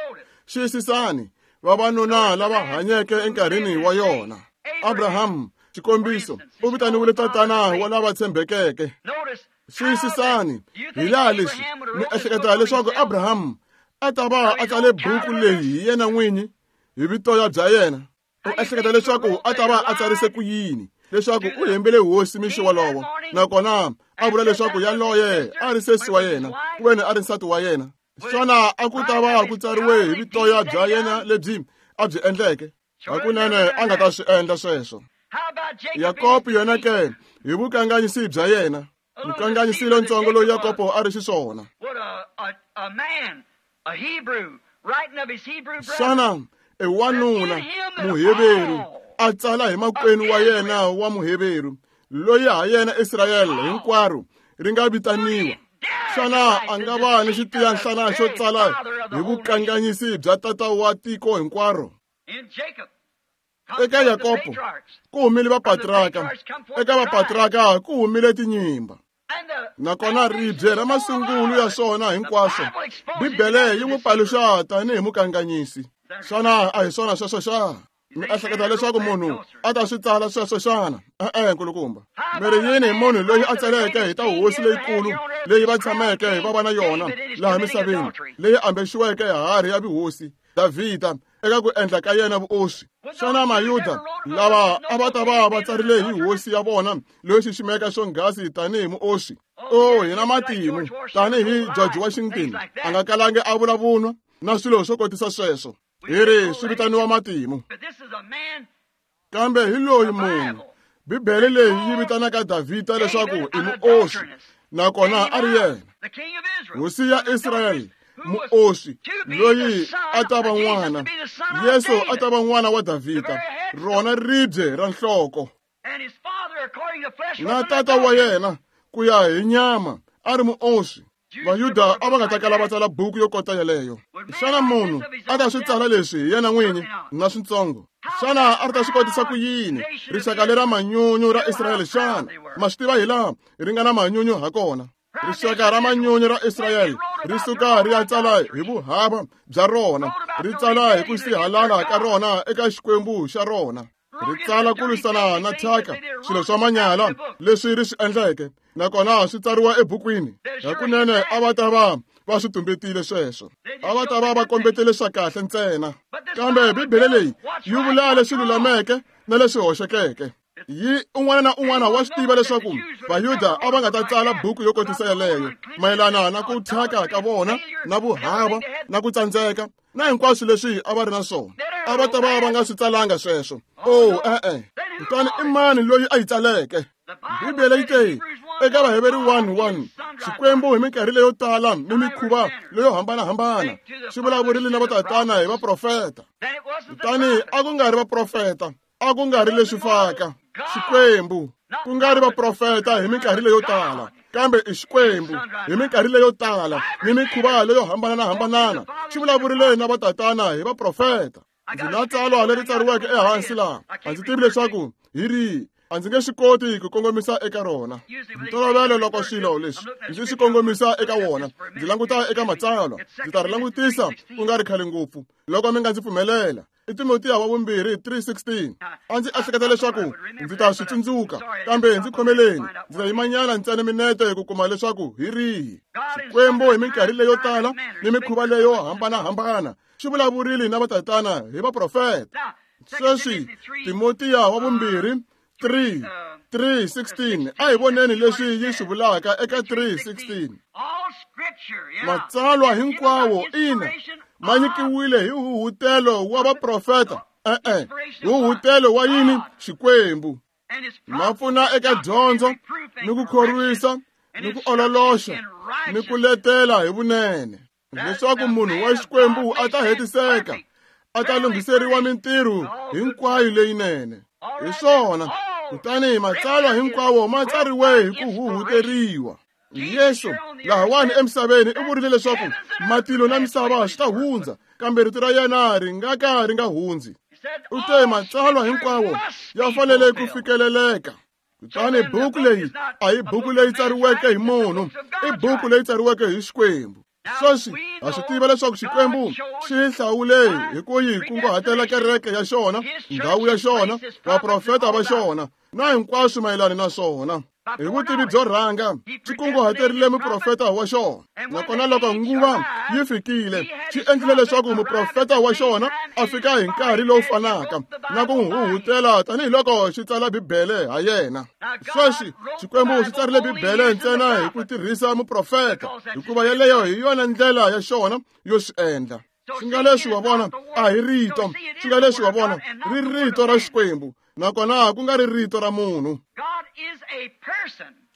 Xiyisisani vavanuna lava hanyeke enkarhini wa yona. Abraham, xikombiso, u vitaniwile tatana wa lava tshembekeke. Xiyisisani hi laha leswi mi ehleketa leswaku Abraham a ta va a tsale buku leyi hi yena n'winyi hi vitoya bya yena. U ehleketa leswaku a ta va a tsarise ku yini leswaku u hembele hosi mixo wolowo, nakona a vula leswaku yaloye a ri sesi wa yena ku veni a ri nsati wa yena. Xana a ku ta va ku tsariwe hi vitoya bya yena lebyi a byi endleke? Hakunene a nga ta swi endla sweswo. Yakobo yena ke hi vukanganyisi bya yena, mukanganyisi lontsongo loyi Yakobo a ri xiswona. Xana i wanuna Muheveru a tsala hi makwenu wa yena wa Muheveru loyi ha yena Israyele hinkwaro ri nga vitaniwa? Xana a nga va ni xitiyanhlana xo tsala hi vukanganyisi bya tata wa tiko hinkwaro? Eka Yakobo ku humile vapatraka, eka vapatraka ku humile tinyimba. Nakona ribye ra masungulo ya swona hinkwaswo, Bibele yi n'wi paluxa tanihi mukanganyisi. Xana a hi swona sweswo xana? Mi ehleketa leswaku munhu a ta swi tsala sweswo xana? E-e, nkulukumba. Mi ri yini hi munhu loyi a tsaleke hi ta hosi leyikulu leyi va tshameke va va na yona laha misaveni, leyi ambexiweke harhi ya vuhosi, Davhida, eka ku endla ka yena vuoswi? Xana Mayuda lava a va ta va va tsarile hi hosi ya vona loyi xiximeka swonghasi tanihi muoswi? O hina matimu tanihi George Washington a nga kalangi a vula vunwa na swilo swo kotisa sweswo. Hi ri swi vitaniwa matimu. Kambe hi loyi munhu Bibele leyi yi vitanaka Davhida leswaku i muoswi, nakona a ri yena hosi ya Israyele, muoswi loyi a ta va n'wana. Yesu a ta va n'wana wa Davhida, rona ribye ra nhloko. Na tata wa yena ku ya hi nyama a ri muoswi. Vayuda a va nga ta kala va tsala buku yo kota yeleyo. Xana munhu a ta swi tsala leswi hi yena n'winyi na switsongo? Xana a ri ta swi kotisa ku yini rixaka lera manyunyu ra Israyele xana? Ma swi tiva hi laha ri nga na manyunyu ha kona. Rixaka ra manyunyu ra Israyele ri suka ri ya tsala hi vuhava bya rona, ri tsala hi ku sihalala ka rona eka Xikwembu xa rona, ri tsala ku lwisana na thyaka, swilo swa manyala leswi ri swi endleke, nakona swi tsariwa ebukwini. Hakunene a va ta va va swi tumbetile sweswo, a va ta va va kombetele swa kahle ntsena. Kambe Bibele leyi yi vula leswi lulameke na leswi hoxekeke. Yi un'wana na un'wana wa swi tiva leswaku Vayuda a va nga ta tsala buku yo kotisa yeleyo mayelana na ku thyaka ka vona na vuhava na ku tsandzeka na hinkwaswo leswi a va ri na swona. A va ta va va nga swi tsalanga sweswo. O e-e. Kutani i mani loyi a yi tsaleke? Bibele yi te eka Vaheveri one one, Xikwembu hi minkarhi leyo tala ni mikhuva leyo hambanahambana xi vulavurile na vatatana hi vaprofeta. Kutani a ku nga ri vaprofeta, a ku nga ri leswi faka Xikwembu, ku nga ri vaprofeta hi minkarhi leyo tala, kambe i Xikwembu hi minkarhi leyo tala ni mikhuva leyo hambanahambana xi vulavurile na vatatana hi vaprofeta. Ndzi na tsalwa leri tsariweke ehansi laha, a ndzi tivi leswaku hi rihi, a ndzi nge swi koti ku kongomisa eka rona. Ntolovelo loko swilo leswi ndzi swi kongomisa eka wona, ndzi languta eka matsalwa, ndzi ta ri langutisa ku nga ri khale ngopfu loko mi nga ndzi pfumelela. I Timotiya wa vumbirhi three sixteen. A ndzi ehleketa leswaku ndzi ta swi tsundzuka, kambe ndzi khomeleni, ndzi ta yimanyana ntsena minete ku kuma leswaku hi rihi. Xikwembu hi minkarhi leyo tala ni mikhuva leyo hambanahambana xi vulavurile na vatatana hi vaprofeta. Sweswi Timotiya wa vumbirhi three three sixteen. A hi voneni leswi yi swi vulaka eka three sixteen. Matsalwa hinkwawo ina ma nyikiwile hi huhutelo wa vaprofeta, e-e, huhutelo wa yini? Xikwembu. Ma pfuna eka dyondzo ni ku khorwisa ni ku ololoxa ni ku letela hi vunene, leswaku munhu wa Xikwembu a ta hetiseka, a ta lunghiseriwa mintirho hinkwayo leyinene. Hi swona, kutani matsalwa hinkwawo ma tsariwe hi ku huhuteriwa. Yesu lahawani emisaveni i vurile leswaku matilo na misava swi ta hundza, kambe rito ra yena ri nga ka ri nga hundzi. U te matsalwa hinkwawo ya fanele ku fikeleleka. Kutani buku leyi a hi buku leyi tsariweke hi munhu, i buku leyi tsariweke hi Xikwembu. Sweswi ha swi tiva leswaku Xikwembu xi hlawule hi ku yi kunguhatela kereke ya xona, ndhawu ya xona, vaprofeta va xona na hinkwaswo mayelana na swona. Hi vutivi byo rhanga xi kunguhaterile muprofeta wa xona, nakona loko nguva yi fikile xi endlile leswaku muprofeta wa xona a fika hi nkarhi lowu fanaka na ku n'wi huhutela tanihiloko xi tsala Bibele ha yena. Sweswi Xikwembu xi tsarile Bibele ntsena hi ku tirhisa muprofeta, hikuva yeleyo hi yona ndlela ya xona yo swi endla. Swi nga leswi wa vona a hi rito, swi nga leswi wa vona ri rito ra Xikwembu, nakona ku nga ri rito ra munhu.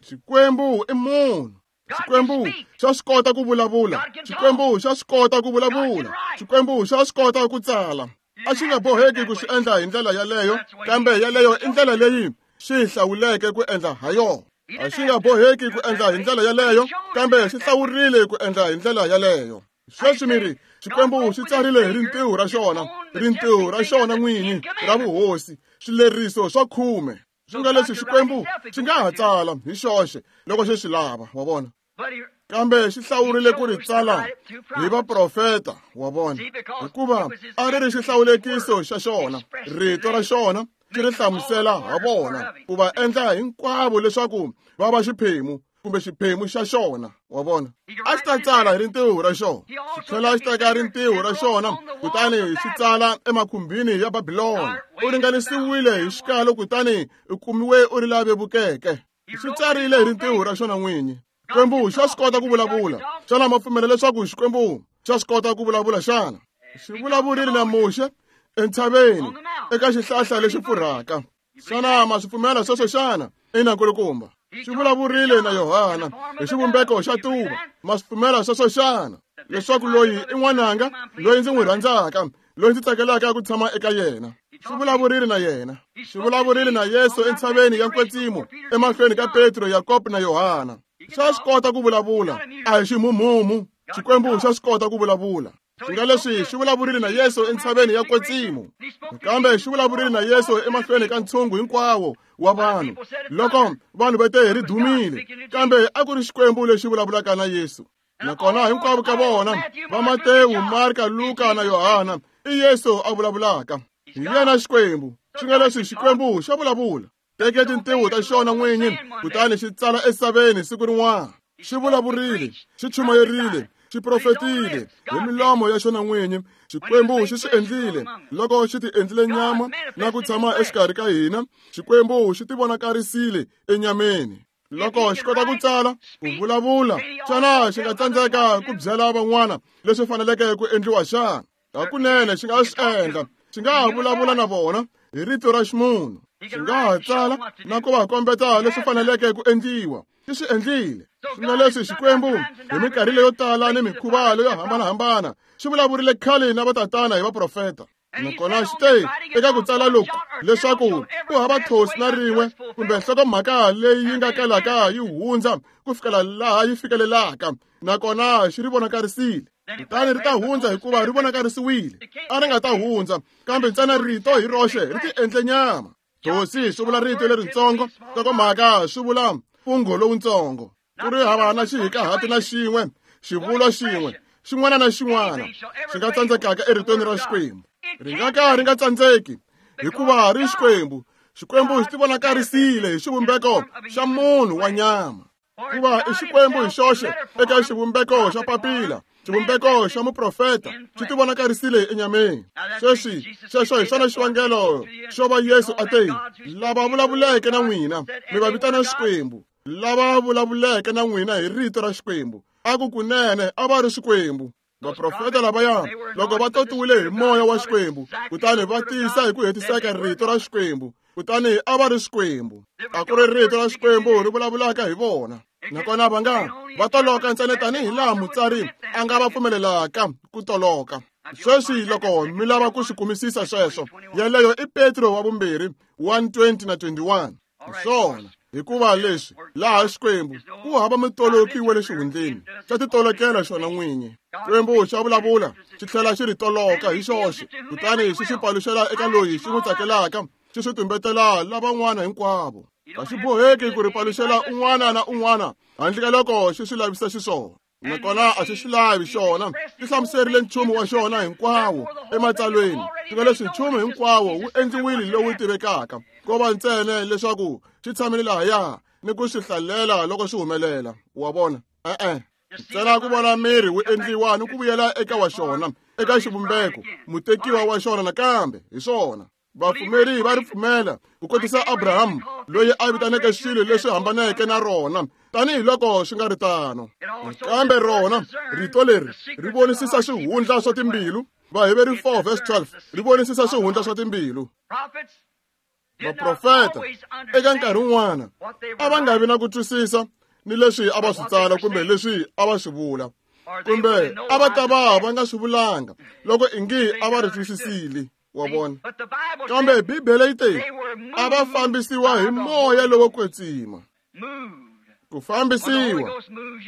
Xikwembu i munhu. Xikwembu xa swi kota ku vulavula, Xikwembu xa swi kota ku vulavula, Xikwembu xa swi kota ku tsala. A xi nga boheki ku swi endla hi ndlela yaleyo, kambe yaleyo i ndlela leyi xi hlawuleke ku endla ha yona. A xi nga boheki ku endla hi ndlela yaleyo, kambe xi hlawurile ku endla hi ndlela yaleyo. Sweswi mi ri Xikwembu xi tsarile hi rintiho ra xona, rintiho ra xona n'winyi ra vuhosi, swileriso swa khume. Swi nga leswi Xikwembu xi nga ha tsala hi xoxe loko xi swi lava, wa vona, kambe xi hlawurile ku ri tsala hi vaprofeta, wa vona, hikuva a ri ri xihlawulekiso xa xona, rito ra xona xi ri hlamusela ha vona, ku va endla hinkwavo leswaku va va xiphemu kumbe xiphemu xa xona, wa vona. A xi ta tsala hi rintiho ra xona, xi tlhela xi teka rintiho ra xona kutani xi tsala emakhumbini ya Babilona. U ringanisiwile hi xikalo kutani u kumiwe u ri la vevukeke. Xi tsarile hi rintiho ra xona n'winyi. Xikwembu xa swi kota ku vulavula. Xana ma pfumela leswaku Xikwembu xa swi kota ku vulavula xana? Xi vulavurile na Muxe entshaveni eka xihlahla lexi pfurhaka. Xana ma swi pfumela sweswo xana? Ina nkulukumba. Xi vulavurile na Yohana hi xivumbeko xa tuva. Ma swi pfumela sweswo xana? Leswaku loyi i n'wananga, loyi ndzi n'wi rhandzaka, loyi ndzi tsakelaka ku tshama eka yena. Xi vulavurile na yena. Xi vulavurile na Yesu entshaveni ya Nkwetsimo emahlweni ka Petro, Yakobo na Yohana. Xa swi kota ku vulavula, a hi ximhumhumu. Xikwembu xa swi kota ku vulavula. Swi nga leswi xi vulavurile na Yesu entshaveni ya Nkwetsimo, kambe xi vulavurile na Yesu emahlweni ka ntshungu hinkwawo wa vanhu. Loko vanhu va te ri dumile, kambe a ku ri Xikwembu lexi vulavulaka na Yesu. Nakona hinkwavo ka vona va Matewu, Marka, Luka na Yohana, i Yesu a vulavulaka. Hi yena Xikwembu. Swi nga leswi Xikwembu xa vulavula. Teke tintiho ta xona n'winyi kutani xi tsala esaveni siku rin'wana. Xi vulavurile, xi chumayerile, xi profetile hi milomo ya xona n'winyi. Xikwembu xi swi endlile loko xi ti endlile nyama na ku tshama exikarhi ka hina. Xikwembu xi ti vonakarisile enyameni. Loko xi kota ku tsala, ku vulavula, xana xi nga tsandzeka ku byela van'wana leswi faneleke ku endliwa xana? Hakunene xi nga swi endla. Xi nga ha vulavula na vona hi rito ra ximunhu. Xi nga ha tsala na ku va kombeta leswi faneleke ku endliwa. Xi swi endlile. Swi nga leswi Xikwembu hi minkarhi leyo tala ni mikhuva leyo hambanahambana xi vulavurile khale na vatatana hi vaprofeta. Nakona xi te eka ku tsala loku leswaku ku hava thosi na rin'we kumbe nhlokomhaka leyi yi nga kalaka yi hundza ku fikela laha yi fikelelaka, nakona xi ri vonakarisile. Kutani ri ta hundza hikuva ri vonakarisiwile. A ri nga ta hundza, kambe ntsena rito hi roxe ri ti endle nyama. Thosi swi vula rito leritsongo, nhlokomhaka swi vula mfungho lowutsongo. Ku ri hava na xihikahati na xin'we, xivulwa xin'we, xin'wana na xin'wana xi nga tsandzekaka eritweni ra Xikwembu. Ri nga ka ri nga tsandzeki, hikuva ri Xikwembu. Xikwembu xi tivonakarisile hi xivumbeko xa munhu wa nyama. Hikuva i Xikwembu hi xoxe eka xivumbeko xa papila, xivumbeko xa muprofeta, xi tivonakarisile enyameni. Sweswi, xexo hi xona xivangelo xo va Yesu a te, lava vulavuleke na n'wina, mi va vitana Xikwembu. Lava vulavuleke na n'wina hi rito ra Xikwembu, a ku kunene a va ri Xikwembu. Vaprofeta lavaya, loko va totiwile hi moya wa Xikwembu, kutani va tiyisa hi ku hetiseka rito ra Xikwembu, kutani a va ri Xikwembu. A ku ri rito ra Xikwembu ri vulavulaka hi vona. Nakona va nga va toloka ntsena tanihi laha mutsari a nga va pfumelelaka ku toloka. Sweswi loko mi lava ku swi kumisisa sweswo, yeleyo i Petro wa vumbirhi one twenty na twenty-one. Hi swona, hikuva leswi laha Xikwembu ku hava mutoloki wa le xihundleni, xa titolokela xona n'winyi. Xikwembu xa vulavula, xi tlhela xi ri toloka hi xoxe, kutani xi xi paluxela eka loyi xi n'wi tsakelaka, xi swi tumbetela lavan'wana hinkwavo. A xi boheki ku ri paluxela un'wana na un'wana handle ka loko xi swi lavisa xiswona. Nakona a xi swi lavi xona, xi hlamuserile nchumu wa xona hinkwawo ematsalweni. Swi nga leswi nchumu hinkwawo wu endliwile lowu tivekaka, ko va ntsena leswaku xi tshamile lahaya ni ku swi hlalela loko swi humelela. Wa vona? E-e. Ntsena ku vona miri wu endliwa ni ku vuyela eka wa xona, eka xivumbeko, mutekiwa wa xona nakambe, hi swona. Vapfumeri va ri pfumela ku kotisa Abraham loyi a vitaneke swilo leswi hambaneke na rona tanihiloko swi nga ri tano. Kambe rona rito leri ri vonisisa swihundla swa timbilu. Vaheveri four verse twelve ri vonisisa swihundla swa timbilu. Vaprofeta eka nkarhi wun'wana a va nga vi na ku twisisa ni leswi a va swi tsala kumbe leswi a va swi vula, kumbe a va ta va va nga swi vulanga loko ingi a va ri twisisile. Wa vona? Kambe Bibele yi te a va fambisiwa hi moya lowo kwetsima. Ku fambisiwa,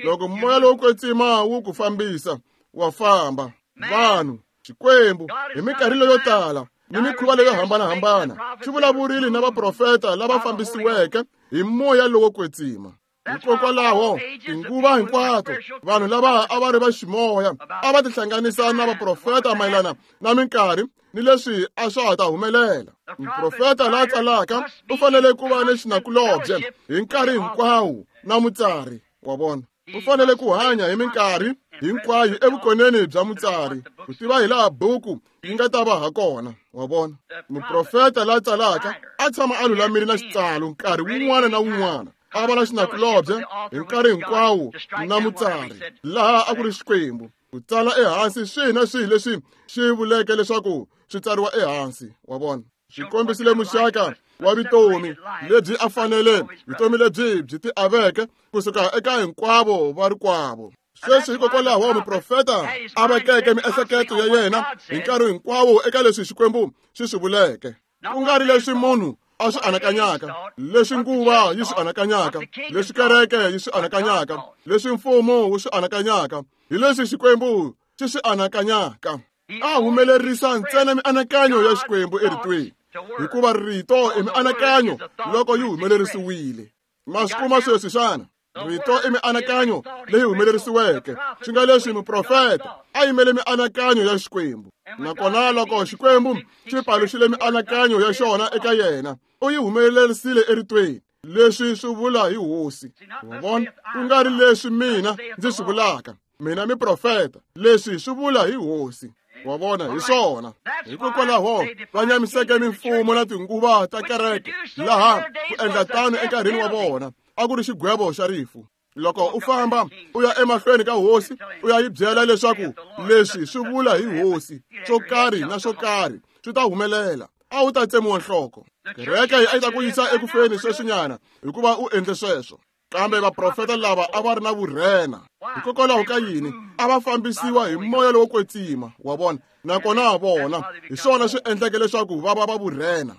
loko moya lowo kwetsima wu ku fambisa, wa famba. Vanhu, Xikwembu hi minkarhi leyo tala ni mikhuva leyo hambanahambana xi vulavurile na vaprofeta lava fambisiweke hi moya lowo kwetsima. Hikokwalaho tinguva hinkwato vanhu lava a va ri va ximoya a va tihlanganisa na vaprofeta mayelana na minkarhi ni leswi a swa ha ta humelela. Muprofeta la tsalaka u fanele ku va ni xinakulobye hi nkarhi hinkwawo na mutsari. Wa vona? U fanele ku hanya hi minkarhi hinkwayo evukoneni bya mutsari, ku tiva hi laha buku yi nga ta va ha kona. Wa vona? Muprofeta la tsalaka a tshama a lulamile na xitsalo nkarhi wun'wana na wun'wana, a va na xinakulobye hi nkarhi hinkwawo na mutsari, laha a ku ri Xikwembu, ku tsala ehansi swihi na swihi leswi xi vuleke leswaku swi tsariwa ehansi. Wa vona? Xi kombisile muxaka wa vutomi lebyi a fanele vutomi lebyi byi ti aveke kusuka eka hinkwavo va rikwavo. Sweswi hikokwalaho muprofeta a vekeke miehleketo ya yena hi nkarhi hinkwawo eka leswi Xikwembu xi swi vuleke, ku nga ri leswi munhu a swi anakanyaka, leswi nguva yi swi anakanyaka, leswi kereke yi swi anakanyaka, leswi mfumo wu swi anakanyaka, hi leswi Xikwembu xi swi anakanyaka. A humelerisa ntsena mianakanyo ya Xikwembu eritweni, hikuva rito i mianakanyo loko yi humelerisiwile. Ma swi kuma sweswi xana? Rito i mianakanyo leyi humelerisiweke, swi nga leswi muprofeta a yimele mianakanyo ya Xikwembu. Nakona loko Xikwembu xi paluxile mianakanyo ya xona eka yena, u yi humelerisile eritweni. Leswi swi vula hi Hosi. Wa vona? Ku nga ri leswi mina ndzi swi vulaka, mina miprofeta, leswi swi vula hi Hosi. Wa vona? Hi swona. Hikokwalaho va nyamiseke mimfumo na tinguva ta kereke, laha ku endla tano enkarhini wa vona a ku ri xigwevo xa rifu. Loko u famba u ya emahlweni ka hosi u ya yi byela leswaku leswi swi vula hi Hosi, swo karhi na swo karhi swi ta humelela, a wu ta tsemiwa nhloko. Kereke a yi ta ku yisa ekufeni sweswinyana hikuva u endle sweswo. Kambe vaprofeta lava a va ri na vurhena. Hikokwalaho ka yini? A va fambisiwa hi moya lowo kwetsima. Wa vona? Nakona vona hi swona swi endleke leswaku va va va vurhena.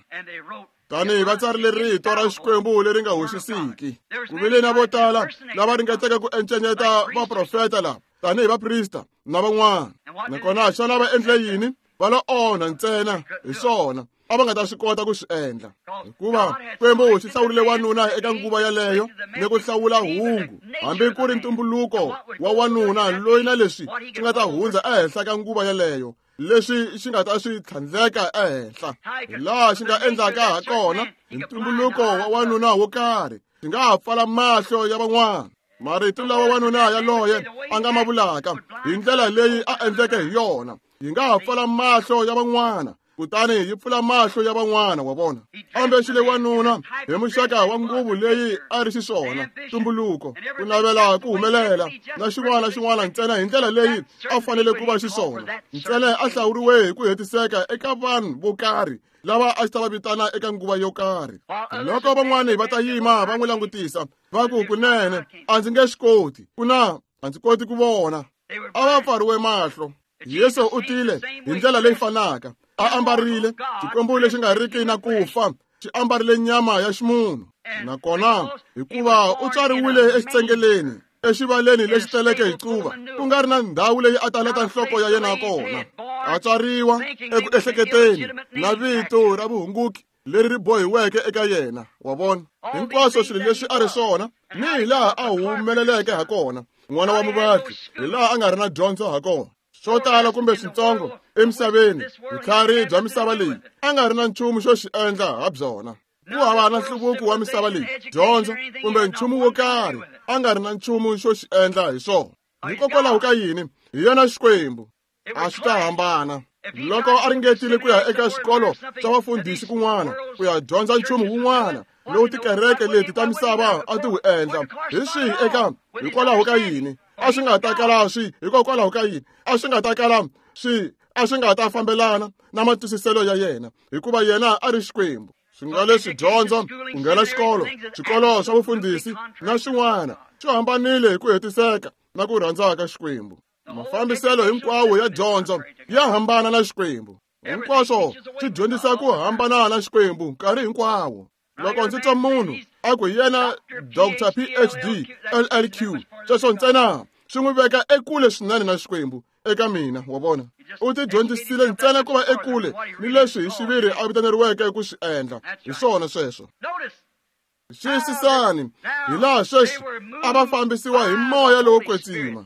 Tanihi va tsarile rito ra Xikwembu leri nga hoxisiki. Ku vile na vo tala lava ringeteke ku encenyeta vaprofeta lava tanihi vaprista na van'wana. Nakona xana va endle yini? Va lo onha ntsena. Hi swona a va nga ta swi kota ku swi endla, hikuva Xikwembu xi hlawurile wanuna eka nguva yaleyo ni ku hlawula hungu, hambi ku ri ntumbuluko wa wanuna loyi na leswi swi nga ta hundza ehenhla ka nguva yaleyo, leswi xi nga ta swi tlhandleka ehenhla hi laha xi nga endlaka ha kona hi ntumbuluko wa wanuna wo karhi xi nga ha pfala mahlo ya van'wana marito lawa wanuna yaloye a nga ma vulaka hi ndlela leyi a endleke hi yona yi nga ha pfala mahlo ya van'wana kutani yi pfula mahlo ya van'wana wa vona ambexile wanuna hi muxaka wa nguvu leyi a ri xiswona ntumbuluko ku navela ku humelela na xin'wana na xin'wana ntsena hi ndlela leyi a fanele ku va xiswona ntsena a hlawuriwe hi ku hetiseka eka vanhu vo karhi lava a xi ta va vitana eka nguva yo karhi loko van'wani va ta yima va n'wi langutisa va ku kunene a ndzi nge swi koti ku na a ndzi koti ku vona a va pfariwe mahlo Yesu u tile hi ndlela leyi fanaka a ambarile Xikwembu lexi nga riki na ku fa xi ambarile nyama ya ximunhu nakona hikuva u tswariwile exitsengeleni exivaleni lexi teleke hi quva ku nga ri na ndhawu leyi a taleta nhloko ya yena kona a tswariwa eku ehleketeni na vito ra vuhunguki leri ri bohiweke eka yena wa vona hinkwaswo swilo leswi a ri swona ni hi laha a humeleleke ha kona n'wana wa muvatli hi laha a nga ri na dyondzo ha kona swo tala kumbe switsongo emisaveni vutlhari bya misava leyi a nga ri na nchumu xo xi endla ha byona ku hava na nhluvuko wa misava leyi dyondzo kumbe nchumu wo karhi a nga ri na nchumu xo xi endla hi swona hikokwalaho ka yini hi yena Xikwembu a swi ta hambana loko a ringetile ku ya eka xikolo xa vafundhisi kun'wana ku ya dyondza nchumu wun'wana lowu tikereke leti ta misava a ti wu endla hi swihi eka hikwalaho ka yini a swi nga ta kala swi hikokwalaho ka yini a swi nga ta kala swi a swi nga ta fambelana na matwisiselo ya yena hikuva yena a ri Xikwembu swi nga leswi dyondzo ku nghena xikolo xikolo swa vufundhisi na swin'wana swi hambanile hi ku hetiseka na ku rhandza ka Xikwembu mafambiselo hinkwawo ya dyondzo ya hambana na Xikwembu hinkwaswo swi dyondzisa ku hambana na Xikwembu nkarhi hinkwawo loko ndzi twa munhu a ku yena Doctor P H D L L Q sweswo ntsena swi n'wi veka ekule swinene na Xikwembu eka mina wa vona u ti dyondzisile ntsena ku va ekule ni leswi hi xiviri a vitaneriweke ku swi endla hi swona sweswo xiyisisani hi laha sweswi a va fambisiwa hi moya lowo kwetsima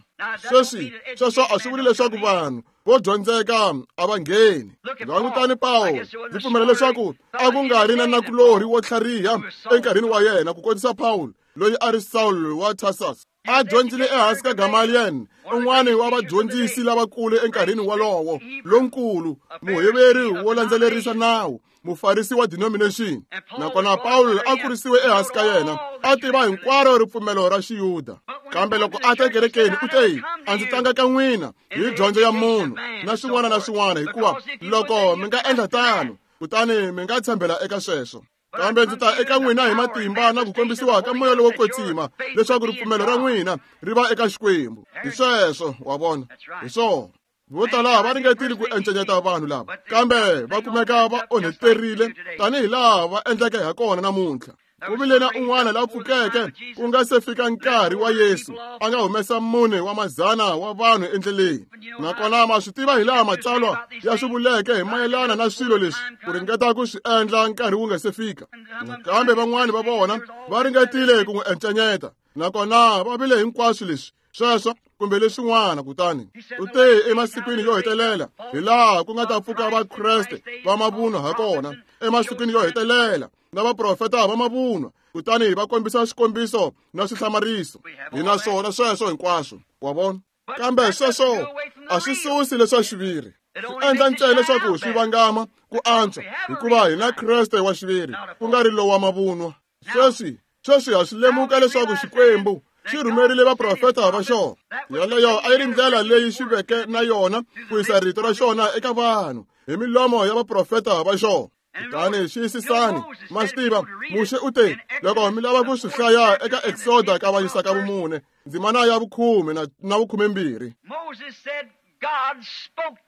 sweswi sweswo a swi vuli leswaku vanhu vo dyondzeka a va ngheni langutani Pawulo ndzi pfumela leswaku a ku nga ri na nakulorhi wo tlhariha enkarhini wa yena ku kotisa Pawulo loyi a ri Saul wa Tarsus a dyondzile ehansi ka Gamaliel un'wana wa vadyondzisi lavakulu enkarhini wolowo lonkulu muheveri wo landzelerisa nawu mufarisi wa denomination nakona Pawulo a kurisiwe ehansi ka yena a tiva hinkwaro ripfumelo ra Xiyuda kambe loko a ta ekerekeni u te a ndzi tlanga ka n'wina hi dyondzo ya munhu na swin'wana na swin'wana hikuva loko mi nga endla tano kutani mi nga tshembela eka sweswo kambe ndzi ta eka n'wina hi matimba na ku kombisiwa ka moya lowo kwetsima leswaku ripfumelo ra n'wina ri va eka Xikwembu hi sweswo wa vona hi swona vo tala va ringetile ku encenyeta vanhu lava kambe va kumeka va onheterile tanihi laha va endleke ha kona namuntlha ku vile na un'wana la pfukeke ku nga se fika nkarhi wa Yesu a nga humesa mune wa mazana wa vanhu endleleni nakona ma swi tiva hi laha matsalwa ya swi vuleke hi mayelana na swilo leswi ku ringeta ku swi endla nkarhi wu nga se fika nakambe van'wani va vona va ringetile ku n'wi encenyeta nakona va vile hinkwaswo leswi sweswo kumbe leswin'wana kutani u te emasikwini yo hetelela hi laha ku nga ta pfuka vakreste va mavunwa ha kona emasikwini yo hetelela na vaprofeta va mavunwa kutani va kombisa swikombiso na swihlamariso hi na swona sweswo hinkwaswo wa vona kambe sweswo a swi susi leswa xiviri swi endla ntsena leswaku swi vangama ku antswa hikuva hi na Kreste wa xiviri ku nga ri lowa mavunwa sweswi sweswi ha swi lemuka leswaku Xikwembu xi rhumerile vaprofeta va xona yaleyo a yi ri ndlela leyi xi veke na yona ku yisa rito ra xona eka vanhu hi milomo ya vaprofeta va xona kutani xiyisisani ma swi tiva Muxe u te loko mi lava ku swi hlaya eka Exoda ka vayisa ka vumune ndzimana ya vukhume na, na vukhumembirhi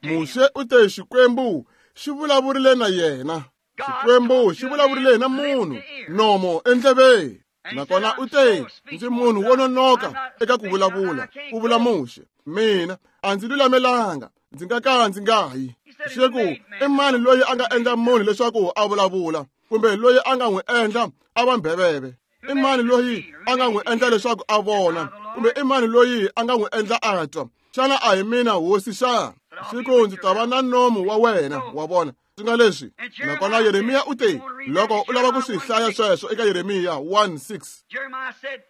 Muxe u te Xikwembu xi vulavurile na yena Xikwembu xi vulavurile na munhu nomo endleveni nakona u te ndzi munhu wo nonoka eka ku vulavula ku vula Muxe mina a ndzi lulamelanga ndzi nga ka ndzi nga yi xi ku i mani loyi a nga endla munhu leswaku a vulavula kumbe loyi a nga n'wi endla a va mbheveve i mani loyi a nga n'wi endla leswaku a vona kumbe i mani loyi a nga n'wi endla a twa xana a hi mina hosi xana Xi ku ndzi ta va na nomu wa wena, wa vona. Swi nga leswi. Nakona Yeremiya u te, loko u lava ku swi hlaya sweswo eka Yeremiya one six.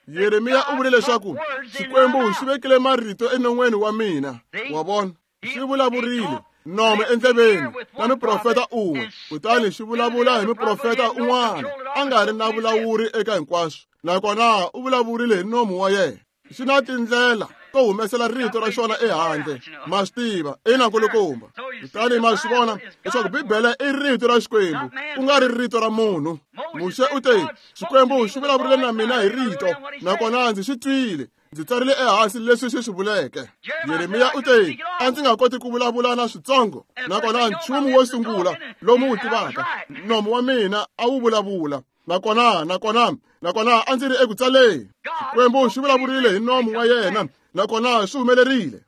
Yeremiya u vule leswaku Xikwembu xi vekile marito enon'weni wa mina, wa vona. Xi vulavurile nomu endleveni na muprofeta un'we, kutani xi vulavula hi muprofeta un'wana a nga ri na vulawuri eka hinkwaswo, nakona u vulavurile hi nomu wa yena. Xi na tindlela to humesela rito ra xona ehandle, ma swi tiva, ina nkulukumba. Kutani ma swi vona leswaku Bibele i rito ra Xikwembu, ku nga ri rito ra munhu. Muxe u te, Xikwembu xi vulavurile na mina hi rito, nakona ndzi xi twile, ndzi tsarile ehansi leswi xi swi vuleke. Yeremiya u te, a ndzi nga koti ku vulavula na switsongo, nakona nchumu wo sungula lomu wu tivaka, nomu wa mina a wu vulavula. Nakona, nakona, nakona a ndzi ri eku tsaleni. Xikwembu xi vulavurile hi nomu wa yena, nakona swi humelerile.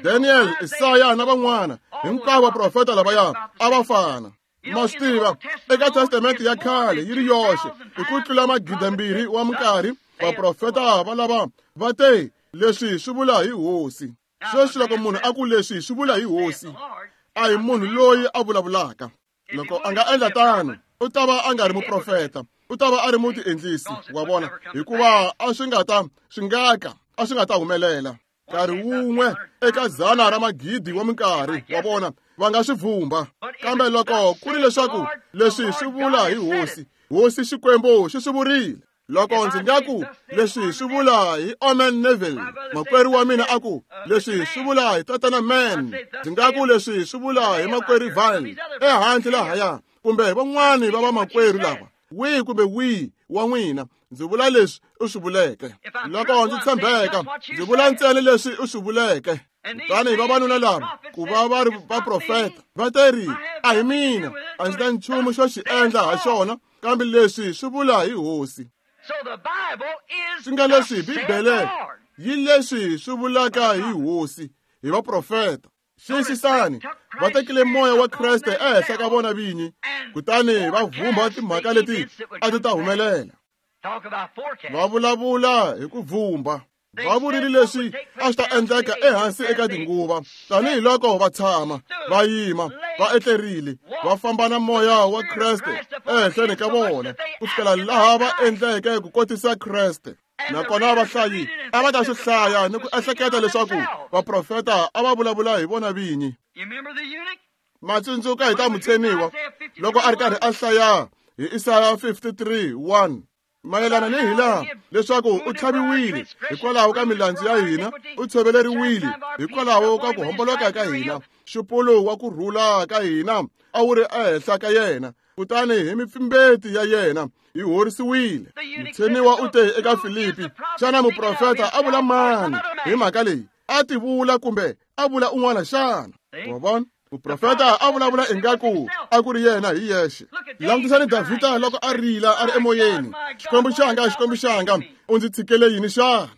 Daniel, Isaya na van'wana, hinkwavo vaprofeta lavaya a va fana. Ma swi tiva, eka Testamente ya khale yi ri yoxe, hi ku tlula magidi wa minkarhi, vaprofeta va lava va te, leswi swi vula hi Hosi. Sweswi loko munhu a ku leswi swi vula hi Hosi, a hi munhu loyi a vulavulaka. Loko a nga endla tano, u ta va a nga ri muprofeta, u ta va a ri mutiendlisi, wa vona, hikuva a swi nga ta swi nga ka a swi nga ta humelela. Nkarhi wun'we eka dzana ra magidi wa minkarhi, wa vona, va nga swi vhumba. Kambe loko ku ri leswaku leswi swi vula hi Hosi, Hosi Xikwembu xi swi vurile. Loko ndzi nga ku leswi swi vula hi Omen Neville, makwerhu wa mina a ku leswi swi vula hi Tatana Man, ndzi nga ku leswi swi vula hi makwerhu Val ehandle lahaya, kumbe van'wani va vamakwerhu lava, wihi kumbe wihi wa n'wina, ndzi vula leswi u swi vuleke. Loko ndzi tshembeka, ndzi vula ntsena leswi u swi vuleke. Kutani vavanuna lava ku va va ri vaprofeta va te ri, a hi mina, a ndzi na nchumu xo xi endla ha xona, kambe leswi swi vula hi Hosi. Swi nga leswi Bibele yi leswi swi vulaka hi Hosi, hi vaprofeta. Xiyisisani, va tekile moya wa Kreste ehenhla ka vona vinyi, kutani va vhumba timhaka leti a ti ta humelela. Va vulavula hi ku vhumba. Va vurile leswi a swi ta endleka ehansi eka tinguva, tanihiloko va tshama, va yima, va etlerile, va famba na moya wa Kreste ehenhleni ka vona, ku fikela laha va endleke ku kotisa Kreste. Nakona vahlayi a va ta swi hlaya ni ku ehleketa leswaku vaprofeta a va vulavula hi vona vinyi. Ma tsundzuka hi ta mutsheniwa loko a ri karhi a hlaya hi Isaya fifty-three one. Mayelana ni hilaha leswaku u tlhaviwile hikwalaho ka milandzu ya hina, u tshoveleriwile hikwalaho ka ku homboloka ka hina, xupulu wa ku rhula ka hina a wu ri ehenhla ka yena, kutani hi mipfimbeti ya yena hi horisiwile. Mutsheniwa u te eka Filipi, xana muprofeta a vula mani hi mhaka leyi? A ti vula kumbe a vula un'wana xana? Wa vona? Muprofeta a vulavula ingaku a ku ri yena hi yexe. Langutisani Davhida loko a rila a ri emoyeni, Xikwembu xanga, Xikwembu xanga, u ndzi tshikele yini xana?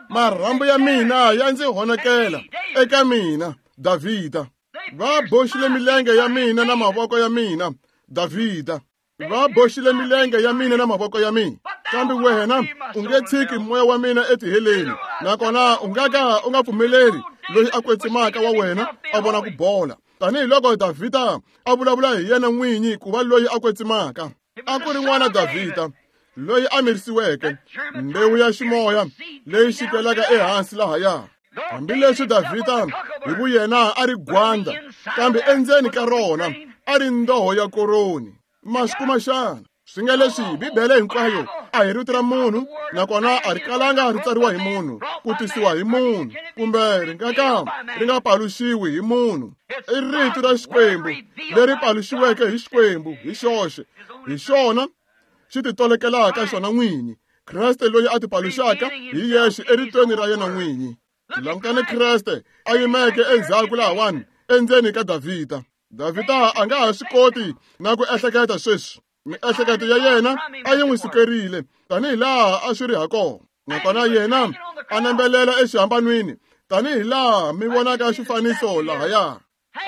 Marhambu ya mina ya ndzi honokela eka mina, Davhida. Va boxile milenge ya mina na mavoko ya mina, Davhida. Va boxile milenge ya mina na mavoko ya mina, kambe wena u nge tshiki moya wa mina etiheleni, nakona u nga ka u nga pfumeleri loyi a kwetsimaka wa wena a vona ku bola. Tanihiloko Davhida a vulavula hi yena n'winyi ku va loyi a kwetsimaka, a ku ri n'wana Davhida loyi a mirisiweke, mbewu ya ximoya leyi xikelaka ehansi lahaya. Hambileswi Davhida hi vuyena a ri gwanda, kambe endzeni ka rona a ri ndoho ya koroni. Ma swi kuma xana? Swi nga leswi Bibele hinkwayo a hi rito ra munhu, nakona a ri kalanga ri tsariwa hi munhu, ku tisiwa hi munhu, kumbe ri nga ka ri nga paluxiwi hi munhu. I rito ra Xikwembu leri paluxiweke hi Xikwembu hi xoxe, hi xona xi titolekelaka xona n'winyi. Kreste loyi a tipaluxaka hi yexe eritweni ra yena n'winyi. Langutani Kreste a yimeke endzhaku lahawani endzeni ka Davhida. Davhida a nga ha swi koti na ku ehleketa sweswi. Miehleketo ya yena a yi n'wi sukerile tanihilaha a swi ri hakona, nakona yena a nambelela exihambanweni tanihilaha mi vonaka xifaniso lahaya.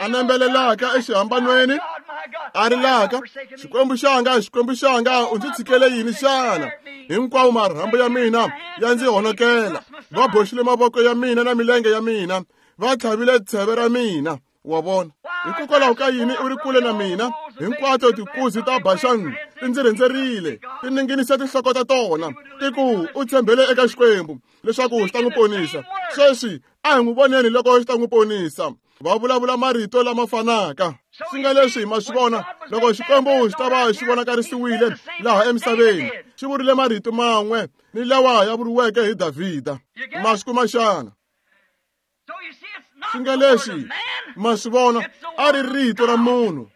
A nambelelaka exihambanweni a rilaka, Xikwembu xanga, Xikwembu xanga, u ndzi tshikele yini xana? Hinkwawo marhambu ya mina ya ndzi honokela, va boxile mavoko ya mina na milenge ya mina, va tlhavile tsheve ra mina. Wa vona, hikokwalaho ka yini u ri kule na mina? Hinkwato tikuzi ta Baxani ti ndzi rhendzerile, ti ninginisa tinhloko ta tona, ti ku u tshembele eka Xikwembu leswaku xi ta n'wi ponisa. Sweswi a hi n'wi voneni loko xi ta n'wi ponisa. Va vulavula marito lama fanaka. Swi nga leswi ma swi vona, loko Xikwembu xi ta va xi vonakarisiwile laha emisaveni, xi vurile marito man'we ni lawa ya vuriweke hi Davhida. Ma swi kuma xana? Swi nga leswi ma swi vona, a ri rito ra munhu,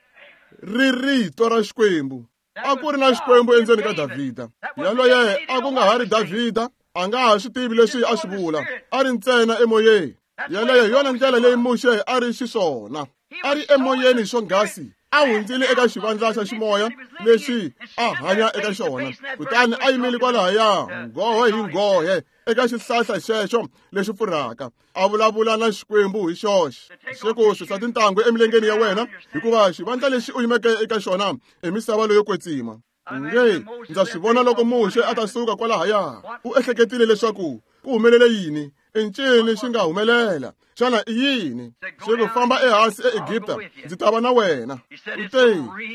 ri rito ra Xikwembu. A ku ri na Xikwembu endzeni ka Davhida. Yaloye a ku nga ha ri Davhida, a nga ha swi tivi leswi a swi vula, a ri ntsena emoyeni. Yaleyo hi yona ndlela leyi Muxe a ri xiswona. A ri emoyeni swonghasi, a hundzile eka xivandla xa ximoya lexi a hanya eka xona, kutani a yimile kwalahaya nghohe hi nghohe eka xihlahla xexo lexi pfurhaka, a vulavula na Xikwembu hi xoxe. Xi ku susa tintangu emilengeni ya wena, hikuva xivandla lexi u yimeke eka xona i misava leyo kwetsima. Nge ndza swi vona loko Muxe a ta suka kwalahaya, u ehleketile leswaku ku humelele yini? I ncini xi nga humelela? Xana i yini? Xi ku famba ehansi eEgipta, ndzi ta va na wena. U te,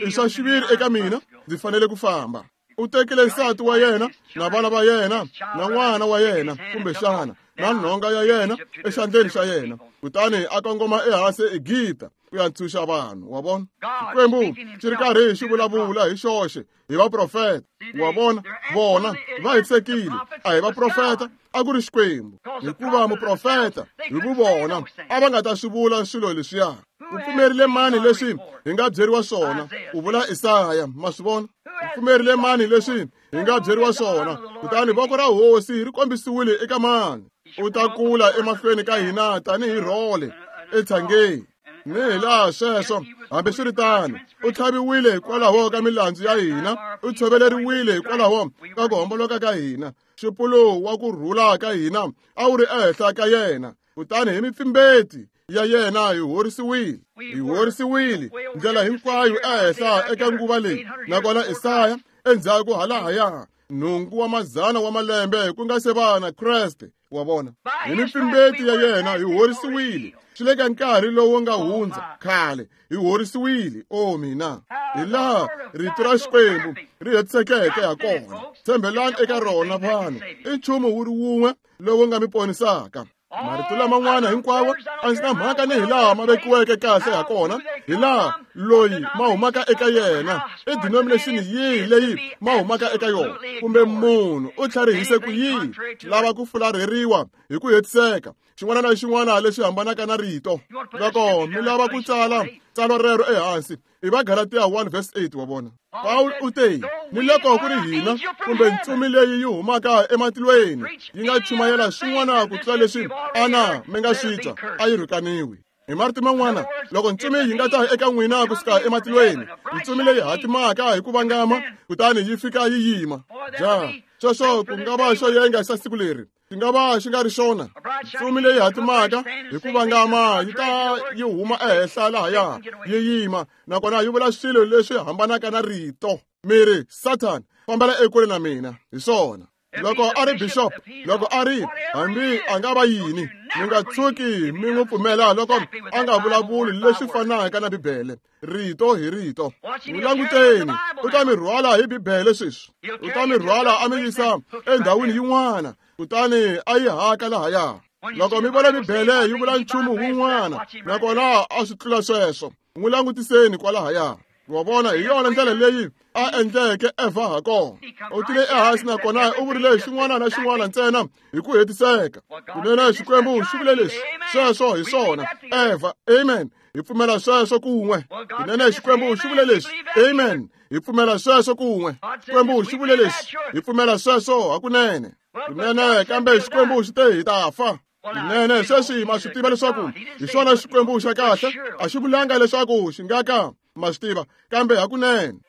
i swa xiviri eka mina, ndzi fanele ku famba. U tekile nsati wa yena na vana va yena na n'wana wa yena, kumbexana na nhonga ya yena exandleni xa yena, kutani a kongoma ehansi eEgipta ku ya ntshunxa vanhu. Wa vona, Xikwembu xi ri karhi xi vulavula hi xoxe hi vaprofeta. Wa vona, vona va hetisekile, a hi vaprofeta, a ku ri Xikwembu. Hikuva muprofeta hi vuvona a va nga ta swi vula swilo leswiya. U pfumerile mani leswi hi nga byeriwa swona? U vula Isaya. Ma swi vona? U pfumerile mani leswi hi nga byeriwa swona? Kutani voko ra hosi ri kombisiwile eka mani? U ta kula emahlweni ka hina tanihi rhole etshangeni. Ni hi laha sweswo, hambiswiritano, u tlhaviwile hikwalaho ka milandzu ya hina, u tshoveleriwile hikwalaho ka ku homboloka ka hina. Xipulu wa ku rhula ka hina a wu ri ehenhla ka yena, kutani hi mipfimbeti ya yena hi horisiwile. Hi horisiwile ndlela hinkwayo ehenhla eka nguva leyi. Nakona Isaya endzhaku halahaya nhungu wa mazana wa malembe ku nga se va na Kreste. Wa vona, hi mipfimbeti ya yena hi horisiwile. Swi le ka nkarhi lowu nga hundza khale hi horisiwile. O mina, hi laha rito ra Xikwembu ri hetisekeke ha kona. Tshembelani eka rona vanhu, i nchumu wu ri wun'we lowu nga mi ponisaka. Marito laman'wana hinkwawo a ndzi na mhaka ni hi laha ma vekiweke kahle ha kona, hi laha loyi ma humaka eka yena, i denomination yihi leyi ma humaka eka yona, kumbe munhu u tlharihise ku yini, lava ku fularheriwa hi ku hetiseka xin'wana na xin'wana lexi hambanaka na rito. Loko mi lava ku tsala tsalwa rero ehansi, i va Galatia one verse eight. Wa vona, Paul u te, ni loko ku ri hina kumbe ntsumi leyi yi humaka ematilweni yi nga chumayela swin'wana ku tlula leswi ana mi nga swi twa, a yi rhukaniwi. Hi marito man'wana, loko ntsumi yi nga ta eka n'wina kusuka ematilweni, ntsumi leyi hatimaka hi ku vangama, kutani yi fika yi yima, ja sweswo ku nga va xo yenga xa siku leri, xi nga va xi nga ri xona. Ntsumi leyi hatimaka hi ku vangama yi ta yi huma ehenhla lahaya yi yima, nakona yi vula swilo leswi hambanaka na rito. Mi ri, Satan, fambela ekule na mina. Hi swona. Loko a ri bishop, loko a ri hambi a nga va yini, mi nga tshuki mi n'wi pfumela loko a nga vulavuli leswi fanaka na Bibele, rito hi rito. N'wi languteni, u ta mi rhwala hi Bibele sweswi. U ta mi rhwala a mi yisa endhawini yin'wana, kutani a yi haka lahaya. Loko mi vona Bibele yi vula nchumu wun'wana, nakona a swi tlula sweswo, n'wi langutiseni kwalahaya. Wa vona, hi yona ndlela leyi a endleke Evha ha kona. U tile ehansi nakona u vurile xin'wana na xin'wana ntsena hi ku hetiseka. Kunene Xikwembu xi vule leswi, sweswo hi swona. Evha, amen. Hi pfumela sweswo kun'we. Kunene Xikwembu xi vule leswi, amen. Hi pfumela sweswo kun'we. Xikwembu xi vule leswi, hi pfumela sweswo hakunene. Kunene kambe Xikwembu xi te hi ta fa. Kunene sweswi ma swi tiva leswaku hi xona Xikwembu xa kahle, a xi vulanga leswaku xi nga ka ma swi tiva, kambe hakunene.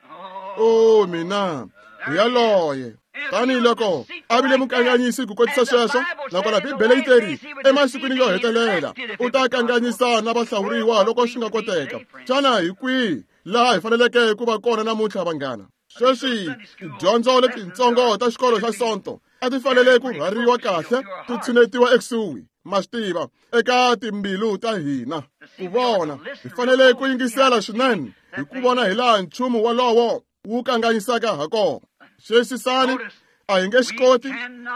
O mina, hi yaloye. Tanihi loko a vile mukanganyisi ku kotisa sweswo, nakona Bibele yi teri emasikwini yo hetelela u ta kanganyisa na vahlawuriwa loko swi nga koteka. Xana hi kwihi laha hi faneleke ku va kona namuntlha, vanghana? Sweswi tidyondzo letitsongo ta xikolo xa Sonto a ti fanele ku rhwariwa kahle, ti tshinetiwa ekusuhi. ma swi tiva, eka timbilu ta hina. Ku vona, hi fanele ku yingisela swinene hi ku vona hi laha nchumu wolowo wu kanganyisaka ha kona. Xiyisisani, a hi nge swi koti,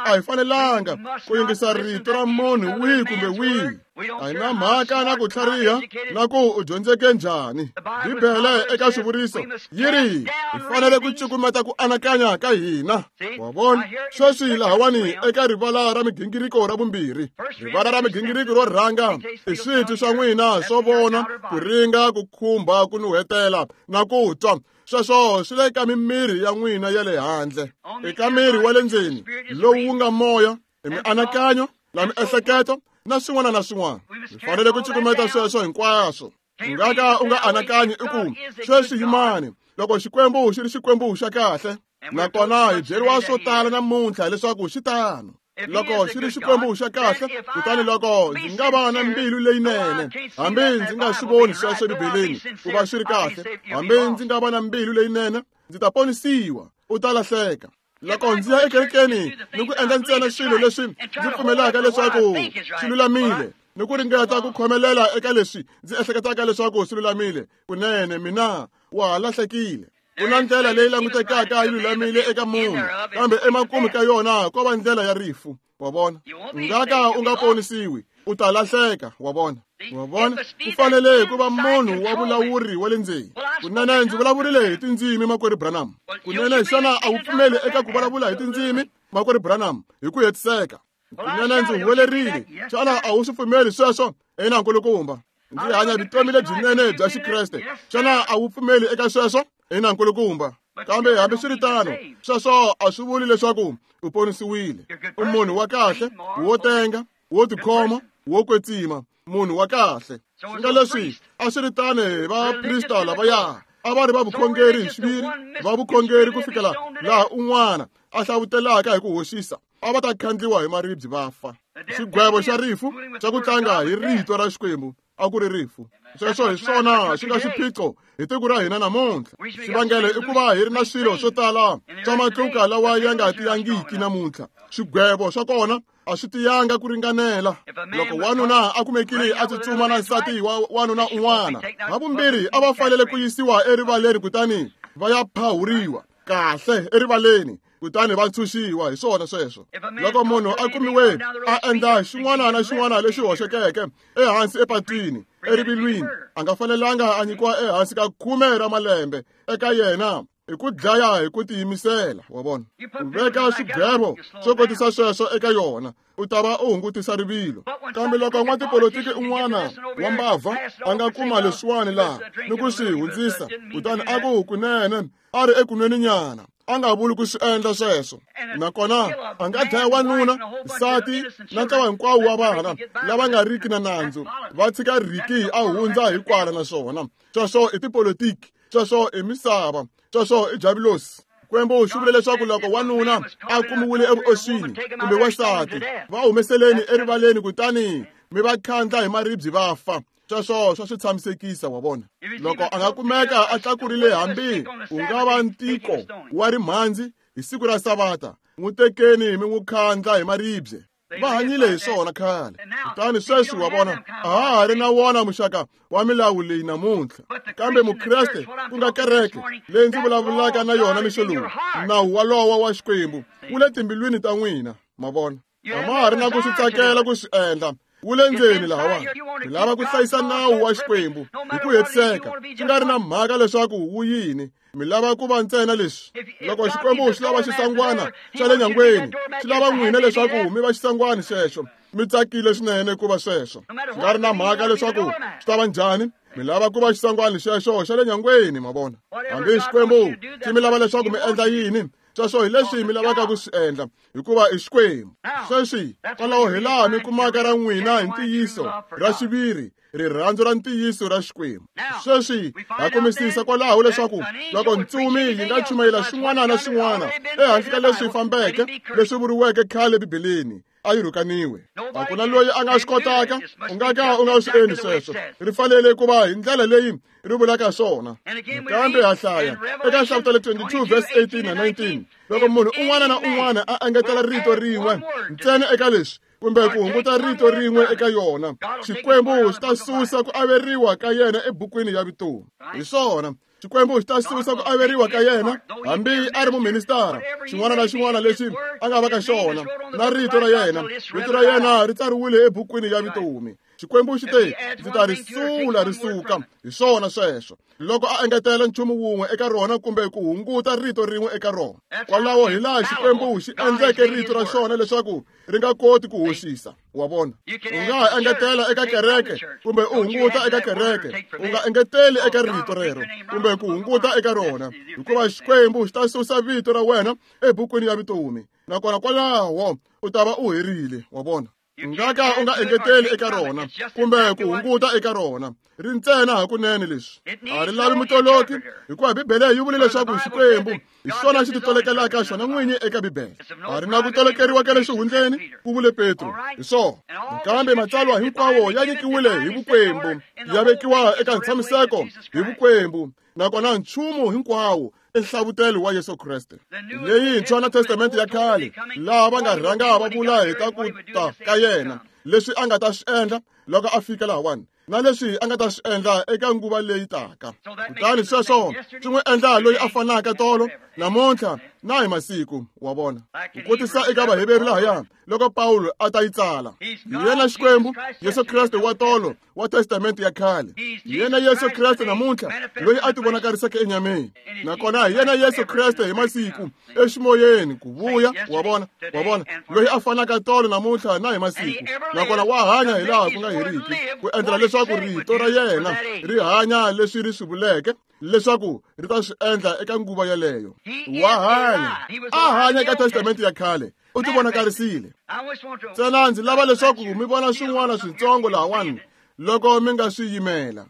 a hi fanelanga ku yingisa rito ra munhu wihi kumbe wihi. A hi na mhaka na ku tlhariha na ku u dyondzeke njhani. Bibele eka swivuriso yi ri hi fanele ku cukumeta ku anakanya ka hina. Wa vona, sweswi lahawani eka rivala ra migingiriko ra vumbirhi, rivala ra migingiriko ro rhanga i switwi swa n'wina swo vona, ku ringa, ku khumba, ku nuhetela na ku twa. Sweswo swi le ka mimiri ya n'wina ya le handle. Eka miri wa le ndzeni lowu wu nga moya, i mianakanyo na miehleketo na swin'wana na swin'wana. Hi fanele ku cukumeta sweswo hinkwaswo. U nga ka u nga anakanyi i ku sweswi yimani, loko Xikwembu xi ri Xikwembu xa kahle, nakona hi byeriwa swo tala namuntlha leswaku xi tano. Loko xi ri Xikwembu xa kahle, kutani loko ndzi nga va na mbilu leyinene, hambi ndzi nga swi voni sweswo eBibeleni ku va swi ri kahle, hambi ndzi nga va na mbilu leyinene, ndzi ta ponisiwa, u ta lahleka. Loko ndzi ya ekerekeni ni ku endla ntsena swilo leswi ndzi pfumelaka leswaku swi lulamile, ni ku ringeta ku khomelela eka leswi ndzi ehleketaka leswaku swi lulamile, kunene mina wa ha lahlekile. Ku na ndlela leyi langutekaka yi lulamile eka munhu, kambe emakumu ka yona ko va ndlela ya rifu. Wa vona, u nga ka u nga ponisiwi, u ta lahleka. Wa vona, wa vona, ku fanele ku va munhu wa vulawuri wa le ndzeni. Kunene ndzi vulavurile hi tindzimi, makwerhu Branham. Kunene xana a wu pfumeli eka ku vulavula hi tindzimi, makwerhu Branham, hi ku hetiseka? Kunene ndzi huwelerile, xana a wu swi pfumeli sweswo? Ina, nkulukumba. Ndzi hanya vutomi lebyinene bya Xikreste, xana a wu pfumeli eka sweswo? Ina, nkulukumba. Kambe hambiswiritano, sweswo a swi vuli leswaku u ponisiwile. U munhu wa kahle, wo tenga, wo tikhoma, wo kwetsima, munhu wa kahle. Swi nga leswi a swi ri tano hi vaprista lavaya, a va ri va vukhongeri hi xiviri, va vukhongeri ku fikela laha un'wana a hlavutelaka hi ku hoxisa, a va ta khandliwa hi maribye va fa. Xigwevo xa rifu xa ku tlanga hi rito ra Xikwembu a ku ri rifu. Sweswo hi swona swi nga xiphiqo hi tiko ra hina namuntlha. Xivangelo i ku va hi ri na swilo swo tala swa matluka lawa ya nga tiyangiki namuntlha. Swigwevo swa kona a swi tiyanga ku ringanela. Loko wanuna a kumekile a tsutsuma na nsati wa wanuna un'wana, havumbirhi a va fanele ku yisiwa erivaleni kutani va ya phahuriwa kahle erivaleni, kutani va ntshunxiwa. Hi swona sweswo. Loko munhu a kumiwe a endla xin'wana na xin'wana lexi hoxekeke ehansi epatwini erivilwini, a nga fanelanga a nyikiwa ehansi ka khume ra malembe eka yena hi ku dlaya hi ku tiyimisela. Wa vona, u veka swigwevo swo kotisa sweswo eka yona, u ta va u hungutisa rivilo. Kambe loko n'watipolitiki un'wana wa mbavha a nga kuma leswiwani laha ni ku swi hundzisa, kutani a ku kunene a ri ekunweni nyana, a nga vuli ku swi endla sweswo, nakona a nga dlaya wanuna, nsati na ntlawa hinkwawo wa vana lava nga riki na nandzu, va tshika Riki a hundza hi kwala. Naswona sweswo i tipolitiki, sweswo i misava, sweswo i javulosi. Xikwembu xi vule leswaku loko wanuna a kumiwile evuoswini kumbe wansati, va humeseleni erivaleni kutani mi va khandla hi maribye va fa. Sweswo swa swi tshamisekisa. Wa vona, loko a nga kumeka a tlakurile hambi ku nga va ntiko wa rimhandzi hi siku ra Savata, n'wi tekeni mi n'wi khandla hi maribye. Va hanyile hi swona khale. Kutani sweswi wa vona, a ha ha ri na wona muxaka wa milawu leyi namuntlha. Kambe Mukreste, ku nga kereke leyi ndzi vulavulaka na yona mixo lowu, nawu walowo wa Xikwembu wu le timbilwini ta n'wina. Ma vona, a ma ha ri na ku swi tsakela ku swi endla, wu le ndzeni lahawani. Mi lava ku hlayisa nawu wa Xikwembu hi ku hetiseka, swi nga ri na mhaka leswaku wu yini. Mi lava ku va ntsena leswi. Loko Xikwembu xi lava xisangwana xa le nyangweni, xi lava n'wina leswaku mi va xisangwana xexo. Mi tsakile swinene ku va sweswo, swi nga ri na mhaka leswaku swi ta va njhani. Mi lava ku va xisangwana xexo xa le nyangweni. Ma vona, hambi Xikwembu xi mi lava leswaku mi endla yini, sweswo hi leswi mi lavaka ku swi endla, hikuva i Xikwembu. Sweswi kwalaho hi laha mi kumaka ra n'wina hi ntiyiso ra xiviri, rirhandzu ra ntiyiso ra Xikwembu. Sweswi ha kumisisa kwalaho leswaku loko ntsumi yi nga chumayela xin'wana na xin'wana ehansi ka leswi fambeke leswi vuriweke khale Bibeleni, a yi rhukaniwe. A ku na loyi a nga swi kotaka, u nga ka u nga swi endli sweswo. Ri fanele ku va hi ndlela leyi ri vulaka swona. Kambe ha hlaya eka Nhlavutelo twenty-two verse eighteen na nineteen, loko munhu un'wana na un'wana a engetela rito rin'we ntsena eka leswi, kumbe ku hunguta rito rin'we eka yona, Xikwembu xi ta susa ku averiwa ka yena ebukwini ya vutomi. Hi swona, Xikwembu xi ta susa ku averiwa ka yena hambi a ri muministara, xin'wana na xin'wana lexi a nga va ka xona, na rito ra yena, rito ra yena ri tsariwile ebukwini ya vutomi. Xikwembu xi te, ndzi ta ri sula ri suka. Hi swona sweswo. Loko a engetela nchumu wun'we eka rona kumbe ku hunguta rito rin'we eka rona. Kwalaho hi laha Xikwembu xi endleke rito ra xona leswaku ri nga koti ku hoxisa. Wa vona? U nga ha engetela eka kereke kumbe u hunguta eka kereke. U nga engeteli eka rito rero kumbe ku hunguta eka rona, hikuva Xikwembu xi ta susa vito ra wena ebukwini ya vutomi. Nakona kwalaho u ta va u herile. Wa vona? U nga ka u nga engeteli eka rona kumbe ku hunguta eka rona. Ri ntsena hakunene leswi. A ri lavi mutoloki, hikuva Bibele yi vule leswaku Xikwembu hi xona xi titolekelaka xona n'winyi eka Bibele. A ri na ku tolekeriwa ka le xihundleni, ku vule Petro. Hi swona. Kambe matsalwa hinkwawo ya nyikiwile hi vukwembu, ya vekiwa eka ntshamiseko hi vukwembu, nakona nchumu hinkwawo i nhlavutelo wa Yesu Kreste. Leyintshwa na Testamente ya khale, laha va nga rhanga va vula hi ta ku ta ka yena, leswi a nga ta swi endla loko a fika lahawani, na leswi a nga ta swi endla eka nguva leyi taka. Kutani sweswo swi n'wi endla loyi a fanaka tolo, namuntlha na hi masiku. Wa vona? Ku kotisa eka Vaheveru lahaya loko Pawulo a ta yi tsala. Hi yena Xikwembu, Yesu Kreste wa tolo wa Testamente ya khale. Hi yena Yesu Kreste namuntlha loyi a tivonakariseke enyameni. Nakona hi yena Yesu Kreste hi masiku eximoyeni ku vuya. Wa vona? Wa vona? Loyi a fanaka tolo namuntlha na hi masiku. Nakona wa hanya hi laha ku nga heriki, ku endlela leswaku rito ra yena ri hanya leswi ri swi vuleke leswaku ri ta swi endla eka nguva yeleyo. Wa hanya. A hanya eka Testamente ya khale. U tivonakarisile. Ntsena ndzi lava leswaku mi vona swin'wana switsongo lahawani loko mi nga swi yimela.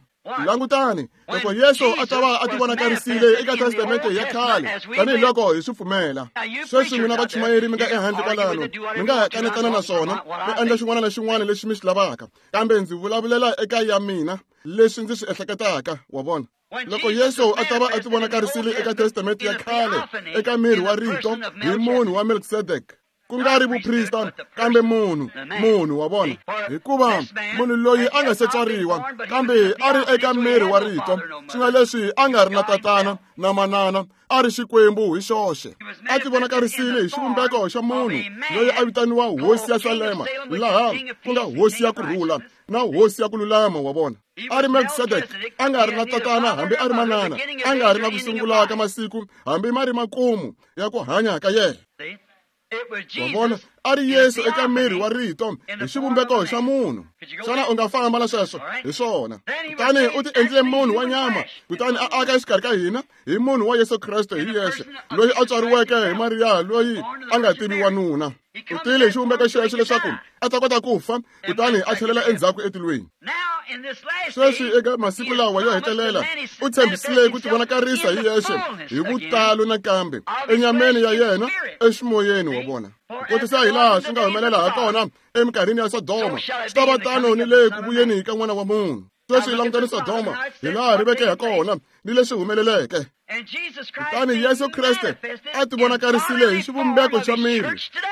Langutani, loko Yesu a ta va a tivonakarisile eka Testamente ya khale, tanihiloko hi swi pfumela. Sweswi n'wina vachumayeri mi nga ehandle kwalano, mi nga ha kanetana na swona, mi endla xin'wana na xin'wana lexi mi xi lavaka. Kambe ndzi vulavulela eka ya mina leswi ndzi swi ehleketaka. Wa vona? Loko Yesu a ta va a tivonakarisile eka Testamente ya khale, eka miri wa rito, hi munhu wa Melkisedek, ku nga ri vuprista, kambe munhu, munhu, wa vona? Hikuva munhu loyi a nga se tswariwa, kambe a ri eka miri wa rito, swi nga leswi a nga ri na tatana na manana, a ri Xikwembu hi xoxe. A tivonakarisile hi xivumbeko xa munhu loyi a vitaniwa Hosi ya Salema, laha ku nga Hosi ya ku rhula na Hosi ya ku lulama. Wa vona? A ri Melkisedek, a nga ri na tatana hambi a ri manana, a nga ri na ku sungula ka masiku hambi ma ri makumu ya ku hanya ka yena. Wa vona? A ri Yesu eka miri wa rito hi xivumbeko xa munhu. Xana u nga famba na sweswo? Hi swona. Kutani u ti endlile munhu wa nyama, kutani a aka exikarhi ka hina hi munhu wa Yesu Kreste hi yexe, loyi a tswariweke hi Mariya loyi a nga tivi wanuna. U tile hi xivumbeko xexo leswaku a ta kota ku fa, kutani a tlhelela endzhaku etilweni. Sweswi eka masiku lawa yo hetelela, u tshembisile ku tivonakarisa hi yexe hi vutalo nakambe enyameni ya yena eximoyeni. Wa vona? Ku kotisa hi laha swi nga humelela ha kona eminkarhini ya Sodoma, swi ta va tano ni le ku vuyeni ka N'wana wa Munhu. Sweswi langutani Sodoma hi laha ri veke ha kona ni leswi humeleleke. Kutani Yesu Kreste a tivonakarisile hi xivumbeko xa miri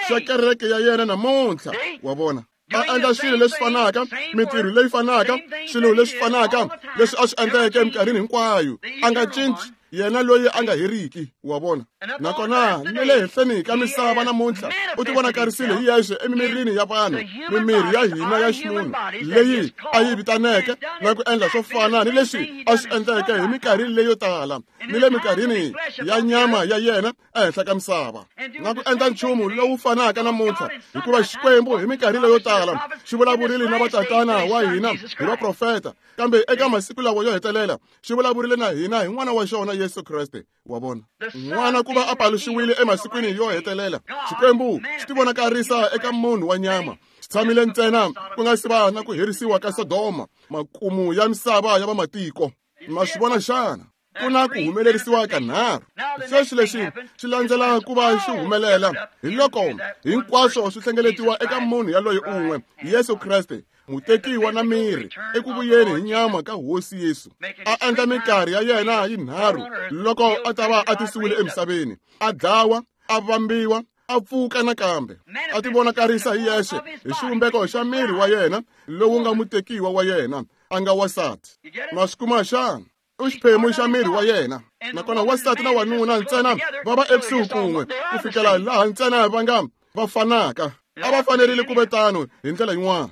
xa kereke ya yena namuntlha. Wa vona? A endla swilo leswi fanaka, mintirho leyi fanaka, swilo leswi fanaka leswi a swi endleke eminkarhini hinkwayo. A nga cinci, yena loyi a nga heriki. Wa vona? Nakona ni le henhleni ka misava namuntlha u tivonakarisile hi yexe emimirini ya vanhu, mimiri ya hina ya ximunhu leyi a yi vitaneke na ku endla swo fana ni leswi a swi endleke hi minkarhi leyo tala ni le minkarhini ya nyama ya yena ehenhla ka misava, na ku endla nchumu lowu fanaka namuntlha, hikuva Xikwembu hi minkarhi leyo tala xi vulavurile na vatatana wa hina hi vaprofeta, kambe eka masiku lawa yo hetelela xi vulavurile na hina hi N'wana wa xona Yesu Kreste. Wa vona? N'wana ku va a paluxiwile emasikwini yo hetelela, Xikwembu xi tivonakarisa eka munhu wa nyama. Xi tshamile ntsena ku nga si va na ku herisiwa ka Sodoma, makumu ya misava ya vamatiko. Ma swi vona xana? Ku na ku humelerisiwa ka nharhu. Sweswi lexi xi landzela ku va xi humelela hi loko hinkwaswo swi hlengeletiwa eka munhu yaloye un'we, Yesu Kreste, mutekiwa na miri eku vuyeni hi nyama ka Hosi Yesu. A endla minkarhi ya yena yinharhu loko a ta va a tisiwile emisaveni, a dlawa, a vambiwa, a pfuka nakambe a tivonakarisa hi yexe hi xivumbeko xa miri wa yena lowu nga mutekiwa wa yena a nga wansati. Ma swi kuma xana? U xiphemu xa miri wa yena. Nakona wansati na wanuna ntsena va va ekusuhi kun'we ku fikela laha ntsena va nga va fanaka. A va fanerile ku ve tano hi ndlela yin'wana.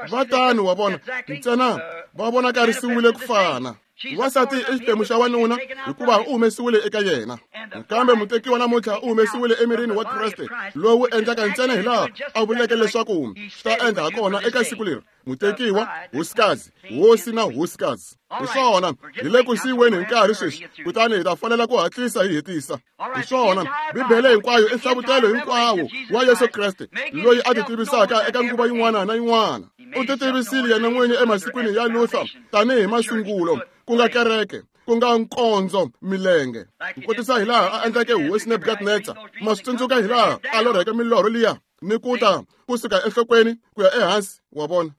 Va tano wa vona ntsena va vonakarisiwile ku fana. Wansati i xiphemu xa wanuna hikuva u humesiwile eka yena. Kambe mutekiwa namuntlha u humesiwile emirini wa Kreste lowu endlaka ntsena hi laha a vuleke leswaku swi ta endla hakona eka siku leri. Mutekiwa, hosikazi, hosi na hosikazi. Hi swona, hi le ku siyiweni hi nkarhi sweswi, kutani hi ta fanela ku hatlisa hi hetisa. Hi swona, Bibele hinkwayo i nhlavutelo hinkwawo wa Yesu Kreste loyi a titivisaka eka nguva yin'wana na yin'wana. U titivisile yena n'winyi emasikwini ya Luther tanihi masungulo, ku nga kereke, ku nga nkondzo milenge. Ku kotisa hi laha a endleke hosi Nebukadnetsa, ma swi tsundzuka hi laha a lorheke milorho liya ni ku ta kusuka enhlokweni ku ya ehansi, wa vona.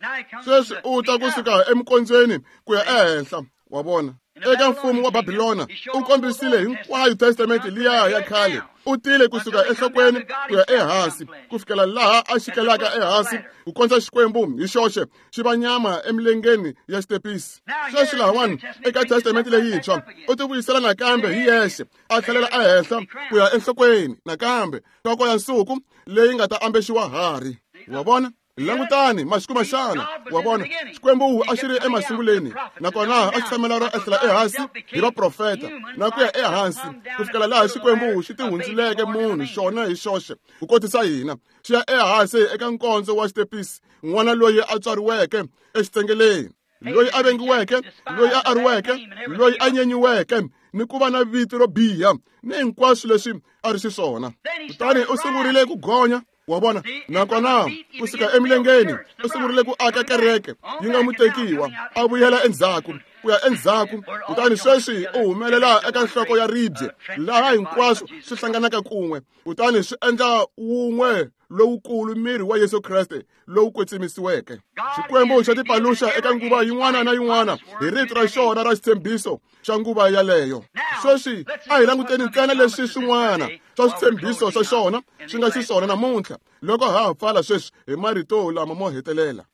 Sweswi u ta kusuka emikondzweni ku ya ehenhla, wa vona. Eka mfumo wa Babilona u kombisile hinkwayo testamente liya ya khale. U tile kusuka enhlokweni ku ya ehansi ku fikela laha a xikelaka ehansi ku kondza Xikwembu hi xoxe xi va nyama emilengeni ya xitepisi. Sweswi lahawani eka testamente leyintshwa u tivuyisela nakambe hi yexe a tlhelela ehenhla ku ya enhlokweni nakambe nhloko ya nsuku leyi nga ta ambexiwa harhi. Wa vona? Langutani masiku maxana, wa vona. Xikwembu a xi ri emasunguleni nakona a xi tshamela ro ehlela ehansi hi vaprofeta na ku ya ehansi ku fikela laha Xikwembu xi tihundzuleke munhu xona hi xoxe ku kotisa hina. Xi ya ehansi eka nkondzo wa xitepisi, n'wana loyi a tswariweke exitsengeleni, loyi a vengiweke, loyi a ariweke, loyi a nyenyiweke ni ku va na vito ro biha ni hinkwaswo leswi a ri xiswona. Kutani u sungurile ku gonya, wa vona, nakona kusuka emilengeni u sungurile ku aka kereke yi nga mutekiwa, a vuyela endzhaku ku ya endzhaku. Kutani sweswi u humelela eka nhloko ya ribye laha hinkwaswo swi hlanganaka kun'we, kutani swi endla wun'we lowukulu miri wa Yesu Kreste lowu kwetsimisiweke. Xikwembu xa tipaluxa eka nguva yin'wana na yin'wana hi rito ra xona ra xitshembiso xa nguva yaleyo. Sweswi a hi languteni ntsena leswi swin'wana swa switshembiso swa xona swi nga xiswona namuntlha loko ha ha pfala sweswi hi marito lama mo hetelela.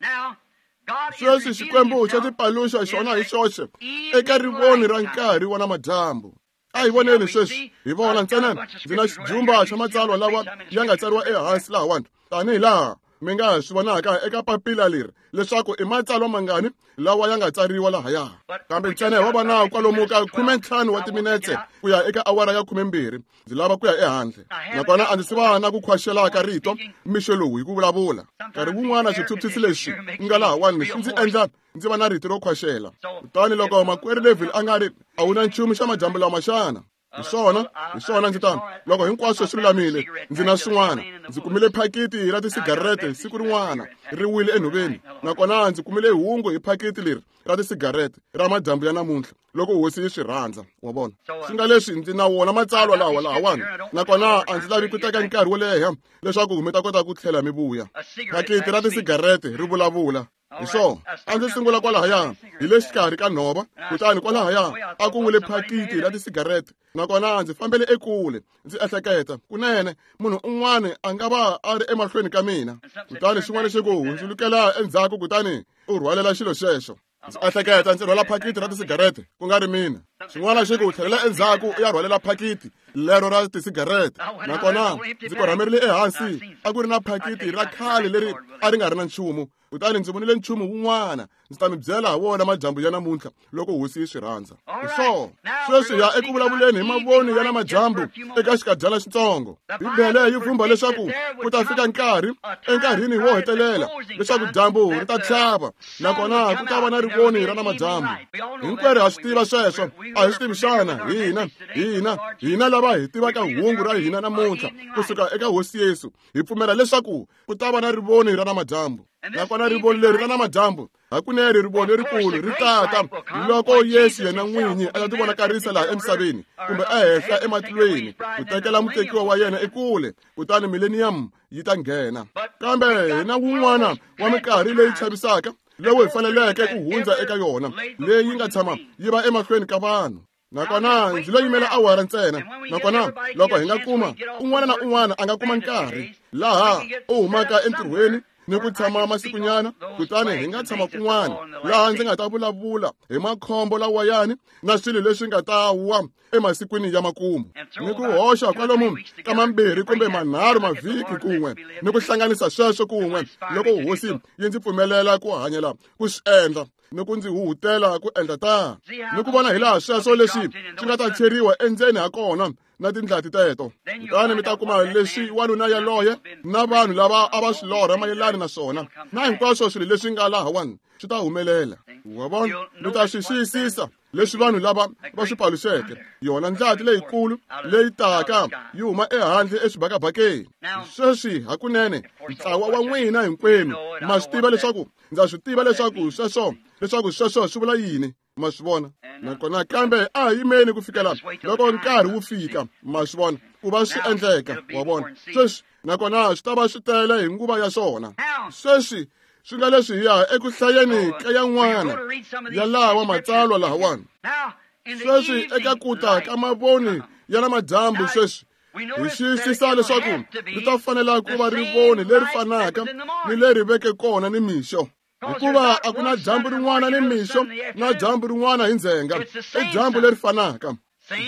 Sweswi Xikwembu xa tipaluxa xona hi xoxe eka rivoni ra nkarhi wa namadyambu. A hi voneni sweswi, hi vona ntsena ndzi na xijumba xa matsalwa lawa ya nga tsariwa ehansi lahawani tanihi laha mi nga swi vonaka eka papila leri leswaku i matsalwa mangani lawa ya nga tsariwa lahaya. Kambe ntsena wa va na kwalomu ka khumentlhanu wa timinetse ku ya eka awara ya khumembirhi. Ndzi lava ku ya ehandle nakona a ndzi si va na ku khwaxela ka rito mixo lowu hi ku vulavula. Nkarhi wun'wana xithuthisi lexi nga lahawani swi ndzi endla ndzi va na rito ro khwaxela. Kutani loko makwerhu Neville a nga ri a wu na nchumu xa madyambu lama xana? Hi swona, hi swona ndzi ta loko hinkwaswo swi lulamile ndzi na swin'wana. Ndzi kumile phakiti ra tisigarete siku rin'wana ri wile enhoveni, nakona ndzi kumile hungu hi phakiti leri ra tisigarete ra madyambu ya namuntlha loko hosi yi swi rhandza, wa vona. Swi nga leswi ndzi na wona matsalwa lawa lahawani, nakona a ndzi lavi ku teka nkarhi wo leha leswaku mi ta kota ku tlhela mi vuya. Phakiti ra tisigarete ri vulavula. Hi swona, a ndzi sungula kwalahaya hi le xikarhi ka nhova, kutani kwalahaya a ku wile phakiti ra tisigarete, nakona ndzi fambele ekule. Ndzi ehleketa kunene munhu un'wana a nga va a ri emahlweni ka mina, kutani xin'wana xi ku hundzulukela endzhaku, kutani u rhwalela xilo xexo. Ndzi ehleketa ndzi rhwala phakiti ra tisigarete ku nga ri mina. Xin'wana xi ku tlhelela endzhaku u ya rhwalela phakiti lero ra tisigarete, nakona ndzi korhamerile ehansi. A ku ri na phakiti ra khale leri a ri nga ri na nchumu, kutani ndzi vonile nchumu wun'wana. Ndzi ta mi byela ha wona madyambu ya namuntlha loko hosi yi swi rhandza. Hi swona, sweswi ya eku vulavuleni hi mavoni ya namadyambu eka xikadyana xitsongo. Bibele yi vhumba leswaku ku ta fika nkarhi enkarhini wo hetelela leswaku dyambu ri ta tlhava, nakona ku ta va na rivoni ra namadyambu. Hinkwerhu ha swi tiva sweswo, a hi swi tivi xana? Hina hina hina lava hi tivaka hungu ra hina namuntlha kusuka eka hosi Yesu, hi pfumela leswaku ku ta va na rivoni ra namadyambu. Nakona rivoni leri ra namadyambu hakunene rivoni lerikulu ri tata loko Yesu yena n'winyi a ta tivonakarisa laha emisaveni kumbe ehenhla ematilweni ku tekela mutekiwa wa yena ekule, kutani millennium yi ta nghena. Kambe hi na wun'wana wa minkarhi leyi chavisaka lowu hi faneleke ku hundza eka yona, leyi nga tshama yi va emahlweni ka vanhu. Nakona ndzi lo yimela awara ntsena. Nakona loko hi nga kuma un'wana na un'wana a nga kuma nkarhi laha u humaka entirhweni ni ku tshama masikunyana, kutani hi nga tshama kun'wana laha ndzi nga ta vulavula hi makhombo lawayani na swilo leswi nga ta wa emasikwini ya makumu, ni ku hoxa kwalomu ka mambirhi kumbe manharhu mavhiki kun'we, ni ku hlanganisa sweswo kun'we loko hosi yi ndzi pfumelela ku hanyela ku swi endla ni ku ndzi huhutela ku endla tano, ni ku vona hi laha sweswo leswi swi nga ta cheriwa endzeni ha kona na tindlati teto. Kutani mi ta kuma leswi wanuna yaloye na vanhu lava a va swi lorha mayelana na swona, na hinkwaswo swilo leswi nga lahawani swi ta humelela. Wa vona, mi ta swi xiyisisa leswi vanhu lava va swi paluxeke, yona ndlati leyikulu leyi taka yi huma ehandle exibakabakeni. Sweswi hakunene ntlawa wa n'wina hinkwenu ma swi tiva leswaku ndza swi tiva leswaku sweswo leswaku sweswo swi vula yini. Ma swi vona? Nakona kambe a hi yimeni ku fikela loko nkarhi wu fika, ma swi vona, ku va swi endleka. Wa vona? Sweswi nakona swi ta va swi tele hi nguva ya swona. Sweswi swi nga leswi hi ya eku hlayeni ka yan'wana ya lawa matsalwa lahawani. Sweswi eka ku ta ka mavoni ya namadyambu sweswi hi xiyisisa leswaku ri ta fanela ku va rivoni leri fanaka ni leri veke kona ni mixo, hikuva a ku na dyambu rin'wana ni mixo na dyambu rin'wana hi ndzhenga. I dyambu leri fanaka,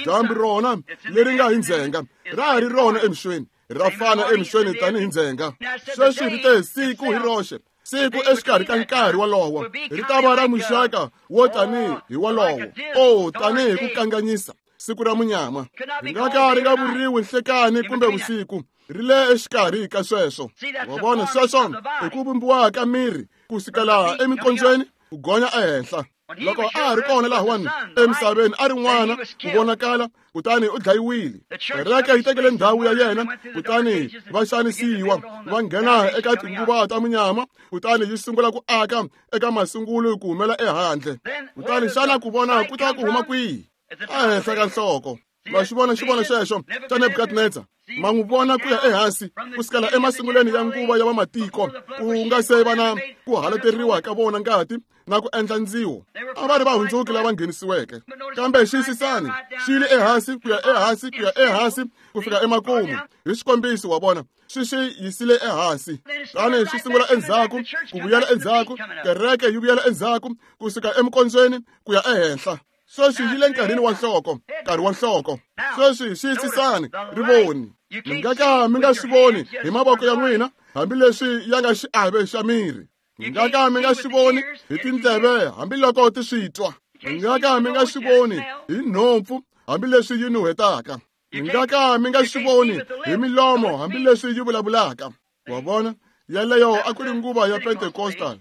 dyambu rona leri nga hi ndzhenga ra ha ri rona emixweni, ra fana emixweni tanihi ndzhenga. Sweswi ri te siku hi roxe, siku exikarhi ka nkarhi wolowo ri ta va ra muxaka wo tanihi hi wolowo, o tanihi ku kanganyisa siku ra munyama. Ri nga ka ri nga vuriwi nhlekani kumbe vusiku, ri le exikarhi ka sweswo. Wa vona, sweswo i ku vumbiwa ka miri ku sukela emikondzweni ku gonya ehenhla. Loko a ha ri kona lahawani emisaveni a ri n'wana ku vonakala, kutani u dlayiwile. Kereke yi tekele ndhawu ya yena, kutani va xanisiwa, va nghena eka tinguva ta munyama, kutani yi sungula ku aka eka masungulo ku humela ehandle. Kutani xana ku vona ku ta ku huma kwihi? Ehenhla ka nhloko. Ma xi vona xivono xexo xa Nebukadnezar? Ma n'wi vona ku ya ehansi ku sukela emasungulweni ya nguva ya vamatiko, ku nga se va na ku halateriwa ka vona ngati na ku endla ndziwo. A va ri vahundzuki lava nghenisiweke, kambe xiyisisani xi yile ehansi ku ya ehansi ku ya ehansi ku fika emakumu. Hi xikombiso, wa vona, swi xi yisile ehansi, tani xi sungula endzhaku ku vuyela endzhaku, kereke yi vuyela endzhaku ku suka emikondzweni ku ya ehenhla. Sweswi yi le nkarhini wa nhloko, nkarhi wa nhloko. Sweswi xiyisisani rivoni. Mi nga ka mi nga swi voni hi mavoko ya n'wina, hambileswi ya nga xiave xa miri. Mi nga ka mi nga swi voni hi tindleve, hambiloko ti swi twa. Mi nga ka mi nga swi voni hi nhompfu, hambileswi yi nuhetaka. Mi nga ka mi nga swi voni hi milomo, hambileswi yi vulavulaka. Wa vona, yaleyo a ku ri nguva ya Pentecostal.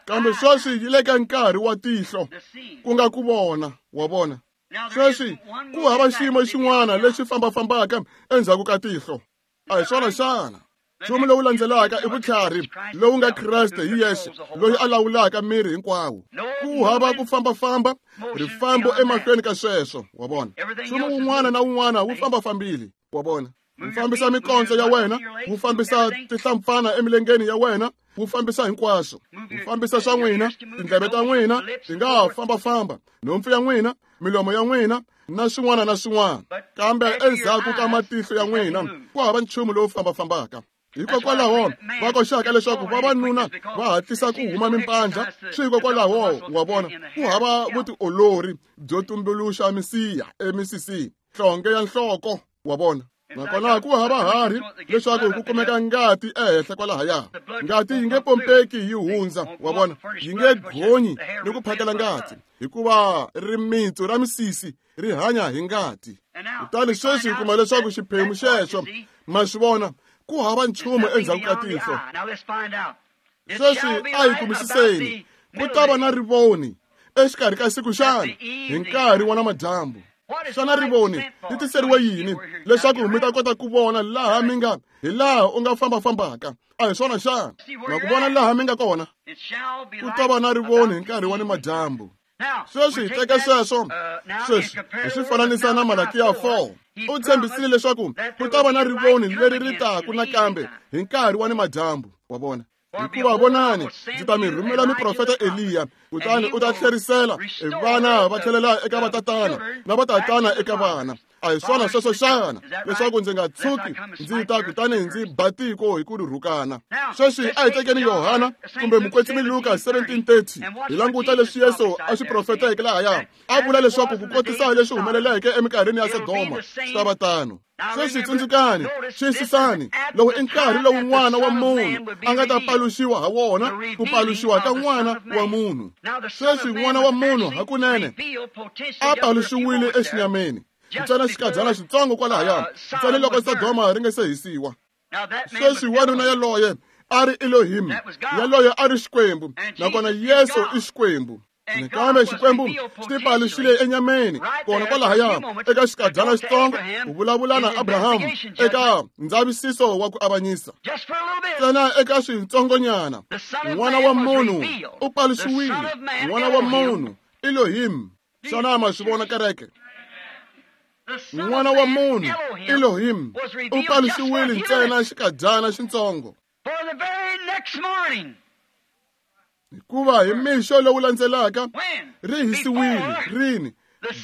Kambe sweswi yi le ka nkarhi wa tihlo, ku nga ku vona. Wa vona, sweswi ku hava xiyimo xin'wana lexi fambafambaka endzhaku ka tihlo. A hi swona xana? Nchumu lowu landzelaka i vutlhari lowu nga Kreste hi yexe, loyi a lawulaka miri hinkwawo. Ku hava ku fambafamba rifambo emahlweni ka sweswo. Wa vona, nchumu wun'wana na wun'wana wu fambafambile. Wa vona, wu fambisa mikondzo ya wena, wu fambisa tihlampfana emilengeni ya wena, wu fambisa hinkwaswo, wu fambisa swa n'wina, tindleve ta n'wina ti nga ha fambafamba, nhompfu ya n'wina, milomo ya n'wina na swin'wana na swin'wana, kambe endzhaku ka matihlo ya n'wina ku hava nchumu lowu fambafambaka. Hikokwalaho va koxaka leswaku vavanuna va hatlisa ku huma mimpandla, swi hikokwalaho, wa vona, ku hava vutiolori byo tumbuluxa misiha emisisini, nhlonge ya nhloko. Wa vona, nakona ku hava harhi leswaku ku kumeka ngati ehenhla kwalahaya. Ngati yi nge pompeki yi hundza, wa vona, yi nge gonyi ni ku phakela ngati, hikuva rimitsu ra misisi ri hanya hi ngati. Kutani sweswi hi kuma leswaku xiphemu xexo, ma swi vona, ku hava nchumu endzhaku ka tihlo. Sweswi a hi kumisiseni, ku ta va na rivoni exikarhi ka siku xana hi nkarhi wa namadyambu. Xana rivoni ri tiseriwe yini? Leswaku mi ta kota ku vona laha mi nga, hi laha u nga fambafambaka. A hi swona xana? Ma ku vona laha mi nga kona? Ku ta va na rivoni hi nkarhi wa nimadyambu. Sweswi hi teka sweswo sweswi hi swi fananisa na Malakiya four. U tshembisile leswaku ku ta va na rivoni leri ri taku nakambe hi nkarhi wa nimadyambu. Wa vona, Hikuva vonani, ndzi ta mi rhumela muprofeta Eliya, kutani u ta tlherisela vana va tlhelela eka vatatana na vatatana eka vana. A hi swona sweswo xana, leswaku ndzi nga tshuki ndzi ta kutani ndzi ba tiko hi ku ri rhukana. Sweswi a hi tekeni Yohana kumbe mukwetsimi Luka seventeen thirty, hi languta leswi Yesu a swi profeteke lahaya. A vula leswaku ku kotisa leswi humeleleke eminkarhini ya Sodoma swi ta va tano. Sweswi tsundzukani, xiyisisani, lowu i nkarhi lowu N'wana wa Munhu a nga ta paluxiwa ha wona, ku paluxiwa ka N'wana wa Munhu. Sweswi N'wana wa Munhu hakunene a paluxiwile exinyameni, ntsena xikadyana xitsongo kwalahaya, ntsena loko Sodoma ri nga se hisiwa. Sweswi wanuna yaloye a ri Elohim, yaloye a ri Xikwembu, nakona Yesu i Xikwembu. Nakambe Xikwembu xi tipaluxile enyameni kona kwalahaya eka xikadyana xitsongo ku vulavula na Abrahamu eka ndzavisiso wa ku avanyisa. Ntsena eka switsongonyana, N'wana wa Munhu u paluxiwile. N'wana wa Munhu, Elohim. Xana ma swi vona kereke? N'wana wa Munhu, Elohim, u paluxiwile ntsena xikadyana xitsongo. Hikuva hi mixo lowu landzelaka ri hisiwile rini,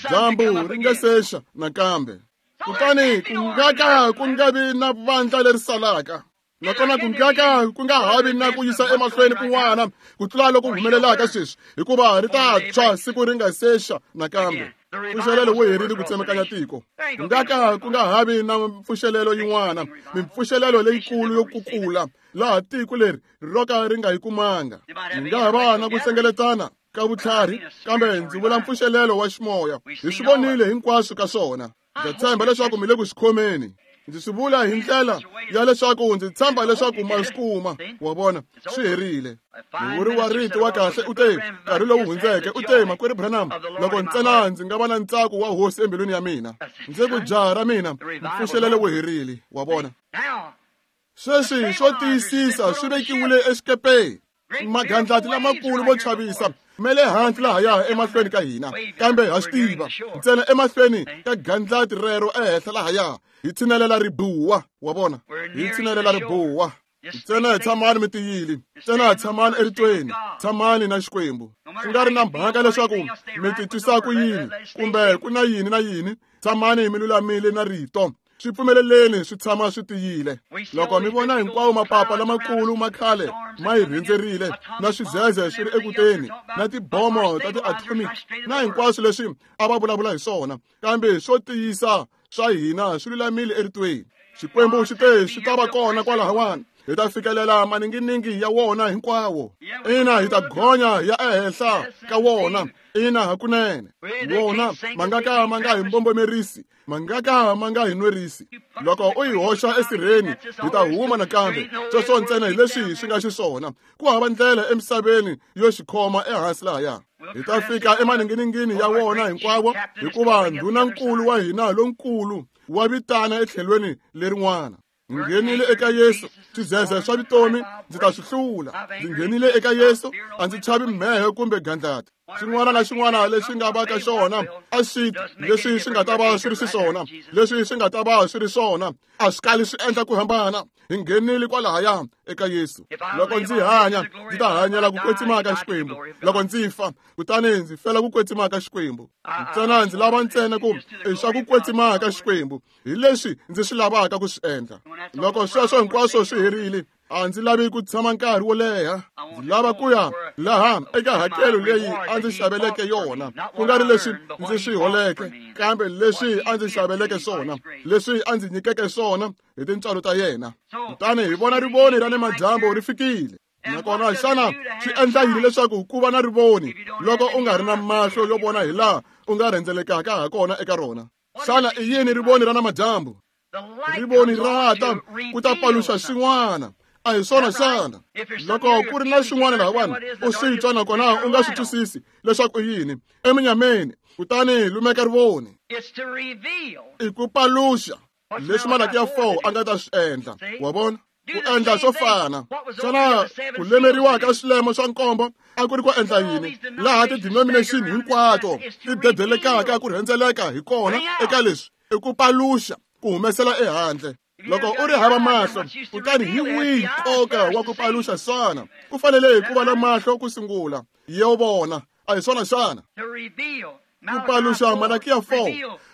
dyambu ri nga sexa nakambe. Kutani ku nga ka ku nga vi na vandla leri salaka, nakona ku nga ka ku nga ha vi na ku yisa emahlweni kun'wana ku tlula loku humelelaka sweswi, hikuva ri ta tshwa siku ri nga sexa nakambe. Mpfuxelelo wu herile ku tsemakanya tiko. Ku nga ka ku nga ha vi na mpfuxelelo yin'wana, mimpfuxelelo leyikulu yo kukula laha tiko leri ro ka ri nga yi kumanga. Hi nga ha va na ku hlengeletana ka vutlhari, kambe ndzi vula mpfuxelelo wa ximoya. Hi swi vonile hinkwaswo ka swona. Ndza tshemba leswaku mi le ku swi khomeni. Ndzi swi vula hi ndlela ya leswaku ndzi tshemba leswaku ma swi kuma. Wa vona, swi herile. Muvuri wa rito wa kahle u te nkarhi lowu hundzeke, u te, Makwerhu Branham, loko ntsena ndzi nga va na ntsako wa Hosi embilwini ya mina, ndzi ku jaha ra mina, mpfuxelelo wu herile. Wa vona. Sweswi swo tiyisisa swi vekiwile exikepeni. Magandlati lamakulu vo chavisa ma le hansi lahaya emahlweni ka hina, kambe ha swi tiva ntsena emahlweni ka gandlati rero ehenhla lahaya hi tshinelela ribuwa. Wa vona, hi tshinelela ribuwa. Ntsena hi tshamani mi tiyile, ntsena hi tshamani eritweni, tshamani na Xikwembu. Swi nga ri na mhaka leswaku mi titwisa ku yini kumbe ku na yini na yini, tshamani mi lulamile na rito. Swi pfumeleleni swi tshama swi tiyile. Loko mi vona hinkwawo mapapa lamakulu ma khale ma hi rhendzerile, na swizeze swi ri ekuteni, na tibomo ta ti-atomic, na hinkwaswo leswi a va vulavula hi swona, kambe swo tiyisa swa hina swi lulamile eritweni. Xikwembu xi te swi ta va kona kwalahawani, hi ta fikelela maninginingi ya wona hinkwawo. Ina, hi ta gonya ya ehenhla ka wona. Ina, hakunene wona ma nga ka ma nga hi mbombomerisi, ma nga ka ma nga hi nwerisi. Loko u hi hoxa esirheni, hi ta huma nakambe. Sweswo ntsena hi leswi swi nga xiswona. Ku hava ndlela emisaveni yo xi khoma ehansi lahaya. Hi ta fika emaninginingini ya wona hinkwawo, hikuva ndhunankulu wa hina lonkulu wa vitana etlhelweni lerin'wana. Nghenile eka Yesu, swizeze swa vutomi ndzi ta swi hlula. Ndzi nghenile eka Yesu, a ndzi chavi mhehe kumbe gandlati. Xin'wana na xin'wana lexi nga va ka xona a swi leswi swi nga ta va swi ri xiswona, leswi swi nga ta va swi ri swona, a swi kali swi endla ku hambana. Hi nghenile kwalahaya eka Yesu. Loko ndzi hanya, ndzi ta hanyela ku kwetsima ka Xikwembu. Loko ndzi fa, kutani ndzi fela ku kwetsima ka Xikwembu. Ntsena ndzi lava ntsena ku i swa ku kwetsima ka Xikwembu, hi leswi ndzi swi lavaka ku swi endla. Loko sweswo hinkwaswo swi herile, a ndzi lavi ku tshama nkarhi wo leha. Ndzi lava ku ya laha eka hakelo leyi a ndzi xaveleke yona, ku nga ri leswi ndzi swi holeke, kambe leswi a ndzi xaveleke swona, leswi a ndzi nyikeke swona hi tintswalo ta yena. Kutani hi vona rivoni ra nimadyambu ri fikile. Nakona xana swi endla yini leswaku ku va na rivoni loko u nga ri na mahlo yo vona hi laha u nga rhendzelekaka ha kona eka rona? Xana i yini rivoni ra namadyambu? Rivoni ra ta ku ta paluxa swin'wana. A hi swona xana? Loko ku ri na swin'wana lahawani u swi twa nakona u nga swi twisisi leswaku i yini, eminyameni, kutani lumeka rivoni. I ku paluxa leswi Malakiya four a nga ta swi endla. Wa vona? Ku endla swo fana. Xana ku lemeriwa ka swilemo swa nkombo a ku ri ku endla yini? Laha ti-denomination hinkwato ti dedelekaka ku rhendzeleka hi kona eka leswi, i ku paluxa, ku humesela ehandle. Loko u ri hava mahlo, kutani hi wihi nkoka wa ku paluxa xana? Ku fanele ku va na mahlo ku sungula. Yo vona, a hi swona xana? Ku paluxa Malakiya four,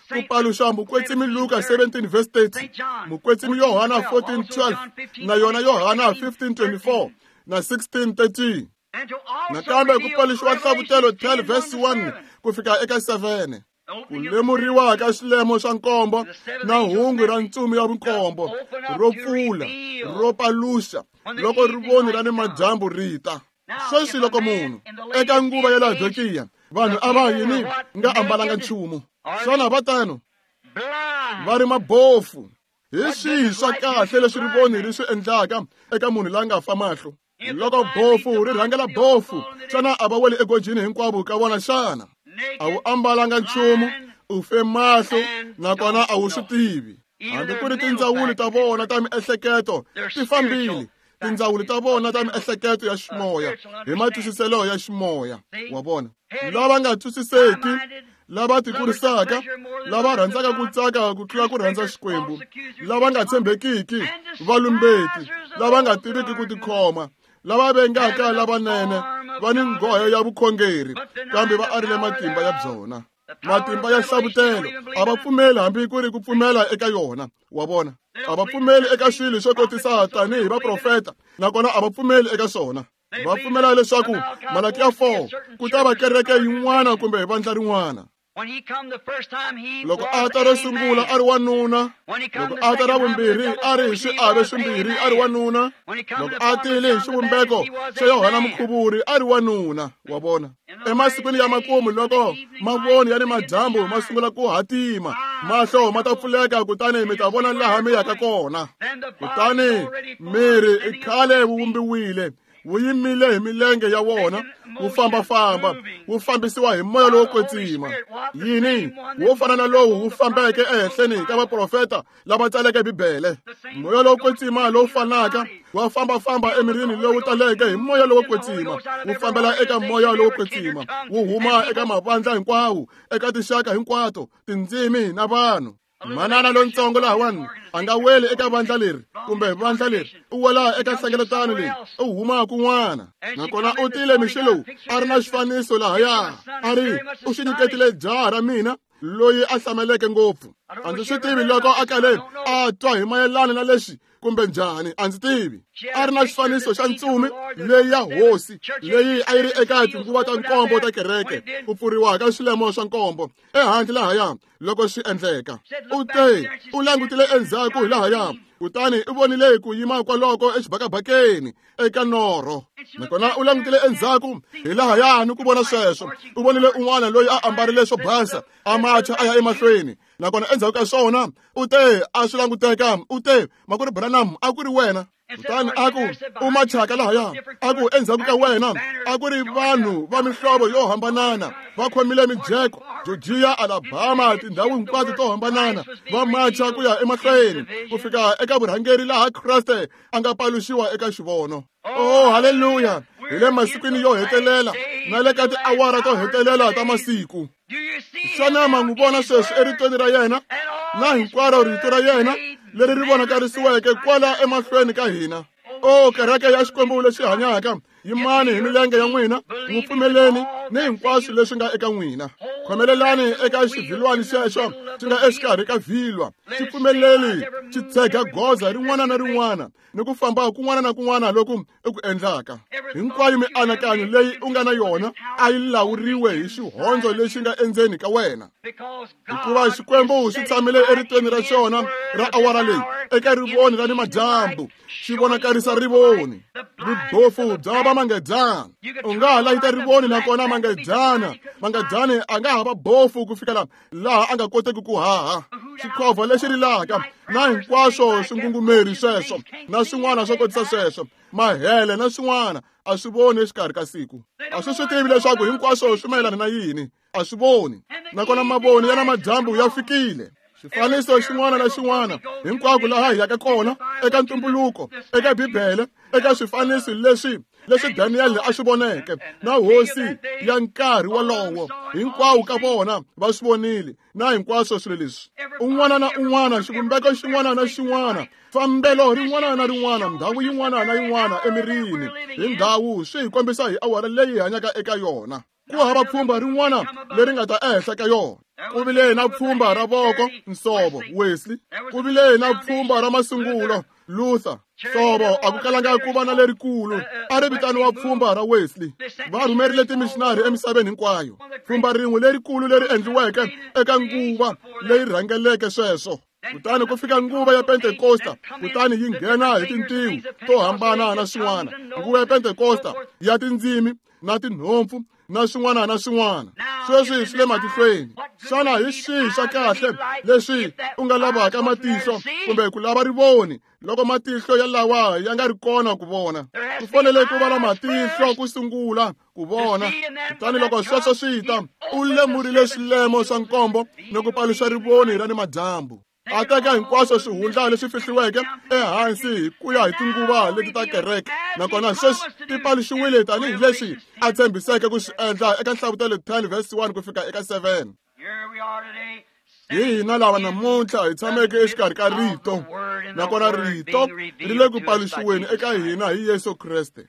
ku paluxa Mukwetsimi Luka seventeen verse thirty, Mukwetsimi Yohana fourteen twelve, na yona Yohana fifteen twenty-four, na sixteen thirteen. Nakambe ku paluxiwa Nhlavutelo twelve verse one ku fika eka seven. Ku lemuriwa ka xilemo xa nkombo na hungu ra ntsumi ya vunkombo ro pfula, ro paluxa loko rivoni ra nimadyambu ri ta. Sweswi loko munhu eka nguva ya Laodikiya, vanhu a va yini nga ambalanga nchumu. Xana va tano? Va ri mabofu. Hi swihi swa kahle leswi rivoni ri swi endlaka eka munhu la nga fa mahlo? Loko bofu ri rhangela bofu, xana a va weli egojini hinkwavo ka vona xana? A wu ambalanga nchumu, u fe mahlo, nakona a wu swi tivi. Hambi ku ri tindzawulo ta vona ta miehleketo ti fambile. Tindzawulo ta vona ta miehleketo ya ximoya hi matwisiselo ya ximoya. Wa vona? Lava nga twisiseki, lava tikurisaka, lava rhandzaka ku tsaka ku tlula ku rhandza Xikwembu, lava nga tshembekiki, valumbeti, lava nga tiviki ku tikhoma, lava vengaka lavanene, va ni nghohe ya vukhongeri, kambe va arile matimba ya byona. Matimba ya hlavutelo a va pfumeli hambi ku ri ku pfumela eka yona. Wa vona? A va pfumeli eka swilo swo kotisa tanihi vaprofeta, nakona a va pfumeli eka swona. Va pfumela leswaku Malakiya four ku ta va kereke yin'wana kumbe vandla rin'wana. Loko a ta ro sungula a ri wanuna, loko a ta ra vumbirhi a ri hi swiave swimbirhi a ri wanuna, loko a tile hi xivumbeko xa Yohana Mukhuvuri a ri wanuna. Wa vona? Emasikwini ya makumu loko mavoni ya ni madyambu ma sungula ku hatima, mahlo ma ta pfuleka kutani mi ta vona laha mi yaka kona. Kutani miri i khale wu vumbiwile, wu yimile hi milenge ya wona, wu fambafamba, wu fambisiwa hi moya lowo kwetsima. Yini? Wo fana na lowu wu fambeke ehenhleni ka vaprofeta lava tsaleke Bibele. Moya lowo kwetsima lowu fanaka wa fambafamba emirini lowu taleke hi moya lowo kwetsima, wu fambela eka moya lowo kwetsima, wu huma eka mavandla hinkwawo, eka tinxaka hinkwato, tindzimi na vanhu. Manana lontsongo lahawani a nga weli eka vandla leri kumbe vandla leri, u wela eka nhlengeletano leyi, u huma kun'wana. Nakona u tile mixo lowu a ri na xifaniso lahaya, a ri u xi nyiketile jaha ra mina loyi a hlameleke ngopfu. A ndzi swi tivi loko a kale a twa hi mayelana na lexi kumbe njhani, a ndzi tivi. A ri na xifaniso xa ntsumi leyi ya hosi leyi a yi ri eka tinguva ta nkombo ta kereke, ku pfuriwa ka swilemo swa nkombo ehandle lahaya loko swi endleka. U te u langutile endzhaku hi lahaya, kutani u vonile ku yima kwaloko exibakabakeni eka norho. Nakona u langutile endzhaku hi lahaya ni ku vona sweswo. U vonile un'wana loyi a ambarile swo basa, a macha a ya emahlweni. Nakona endzhaku ka swona u te a swi languteka, u te makwerhu Branham a ku ri wena. Kutani a ku u machaka lahaya, a ku endzhaku ka wena a ku ri vanhu va mihlovo yo hambanana, va khomile mijeko, Georgia, Alabama, tindhawu hinkwato to hambanana, va macha ku ya emahlweni ku fika eka vurhangeri laha Kreste a nga paluxiwa eka xivono. Oh, haleluya! Hi le masikwini yo hetelela na le ka tiawara to hetelela ta masiku. Xana ma n'wi vona sweswi eritweni ra yena na hinkwaro rito ra yena leri ri vonakarisiweke kwala emahlweni ka hina? O kereke ya Xikwembu lexi hanyaka, yimani hi milenge ya n'wina, n'wi pfumeleni ni hinkwaswo leswi nga eka n'wina. Khomelelani eka xivhilwani xexo xi nga exikarhi ka vhilwa, xi pfumeleli xi tshega goza rin'wana na rin'wana ni ku famba kun'wana na kun'wana loku i ku endlaka. Hinkwayo mianakanyo leyi u nga na yona a yi lawuriwe hi xihondzo lexi nga endzeni ka wena, hikuva Xikwembu xi tshamile eritweni ra xona ra awara leyi eka rivoni ra nimadyambu, xi vonakarisa rivoni. Vubofu bya va mangedyana, u nga ha layita rivoni nakona mangedyana mangedyani a nga ha va bofu ku fikela laha a nga koteki ku haha. Xikhovha lexi rilaka na hinkwaswo swingungumeri sweswo na swin'wana swo kotisa sweswo, mahele na swin'wana, a swi voni exikarhi ka siku. A swi swi tivi leswaku hinkwaswo swi mayelana na yini, a swi voni. Nakona mavoni ya namadyambu ya fikile. Xifaniso xin'wana na xin'wana hinkwako laha hi yaka kona eka ntumbuluko, eka Bibele, eka swifaniso leswi leswi Daniel a swi voneke na hosi ya nkarhi wolowo hinkwawo ka vona va swi vonile na hinkwaswo swilo leswi un'wana na un'wana xivumbeko xin'wana na xin'wana fambelo rin'wana na rin'wana ndhawu yin'wana na yin'wana emirini hi ndhawu swi hi kombisa hi awara leyi hi hanyaka eka yona ku hava pfhumba rin'wana leri nga ta ehenhla ka yona ku vile na pfhumba ra voko nsovo Wesley ku vile na pfhumba ra masungulo Luther nsovo a ku kalanga ku va na lerikulu a ri vitaniwa pfhumba ra Wesley va rhumerile timishinari emisaveni hinkwayo pfhumba rin'we lerikulu leri endliweke eka nguva leyi rhangeleke sweswo kutani ku fika nguva ya Pentekosta kutani yi nghena hi tintiho to hambana na swin'wana nguva ya Pentekosta ya tindzimi na tinhompfu na swin'wana na swin'wana sweswi swi le matihlweni xana hi xihi xa kahle leswi u nga lavaka matihlo kumbe ku lava rivoni loko matihlo ya lawa ya nga ri kona ku vona ku fanele ku va na matihlo ku sungula ku vona kutani loko sweswo swi ta u lemurile swilemo swa nkombo ni ku paluxa rivoni ra ni madyambu a teka hinkwaswo swihundla leswi fihliweke ehansi hi ku ya hi tinguva leti ta kereke nakona sweswi ti paluxiwile tanihileswi a tshembiseke ku swi endla eka Nhlavutelo ten verse one ku fika eka seven hi hina lava namuntlha hi tshameke exikarhi ka rito nakona rito ri le ku paluxiweni eka hina hi Yesu Kreste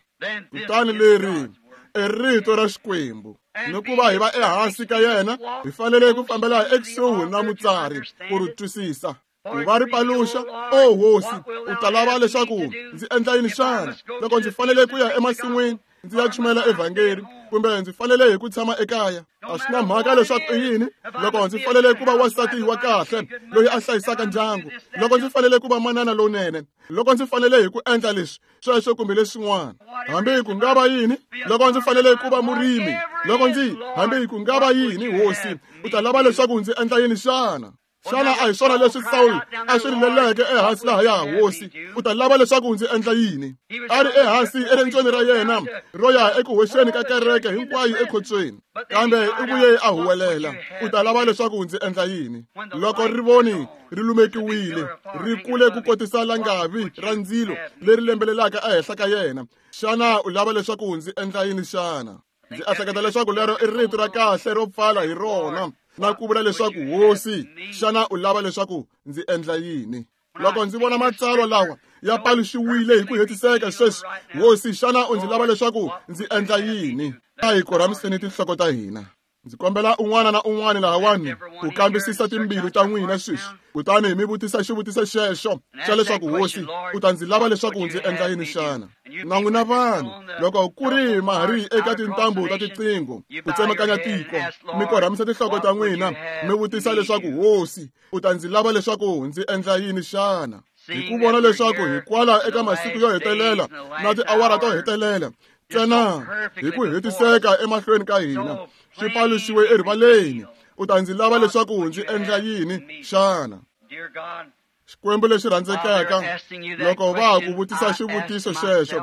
kutani leri i rito ra Xikwembu ni ku va hi va ehansi ka yena hi fanele ku fambela ekusuhi na mutsari ku ri twisisa ku va ri paluxa o hosi u ta lava leswaku ndzi endla yini xana loko ndzi fanele ku ya emasin'wini ndzi ya chumayela evhangeli kumbe ndzi fanele hi ku tshama ekaya a swi na mhaka leswaku i yini loko ndzi fanele ku va wansati wa kahle loyi a hlayisaka ndyangu loko ndzi fanele ku va manana lowunene loko ndzi fanele hi ku endla leswi sweswo kumbe leswin'wana hambi ku nga va yini loko ndzi fanele ku va murimi loko ndzi hambi ku nga va yini hosi u ta lava leswaku ndzi endla yini xana xana a hi swona leswi Sawulo a swi rileleke ehansi lahaya hosi u ta lava leswaku ndzi endla yini a ri ehansi erendzweni ra yena ro ya eku hoxeni ka kereke hinkwayo ekhotsweni kambe i vuye a huwelela u ta lava leswaku ndzi endla yini loko rivoni ri lumekiwile ri kule ku kotisa langavi ra ndzilo leri lembelelaka ehenhla ka yena xana u lava leswaku ndzi endla yini xana ndzi ehleketa leswaku lero i rito ra kahle ro pfala hi rona na ku vula leswaku hosi xana u lava leswaku ndzi endla yini loko ndzi vona matsalwa lawa ya paluxiwile hi ku hetiseka sweswi hosi xana u ndzi lava leswaku ndzi endla yini a hi korhamiseni tinhloko ta hina ndzi kombela un'wana na un'wana lahawani ku kambisisa timbilu ta n'wina sweswi kutani mi vutisa xivutiso xexo xa leswaku hosi u ta ndzi lava leswaku ndzi endla yini xana na n'wina vanhu loko ku ri ma ha ri eka tintambu ta tiqingho ku tsemakanya tiko mi korhamisa tinhloko ta n'wina mi vutisa leswaku hosi u ta ndzi lava leswaku ndzi endla yini xana hi ku vona leswaku hi kwala eka masiku yo hetelela na tiawara to hetelela ntsena hi ku hetiseka emahlweni ka hina swi paluxiwe erivaleni u ta ndzi lava leswaku ndzi endla yini xana Xikwembu lexi rhandzekaka loko va ha ku vutisa xivutiso xexo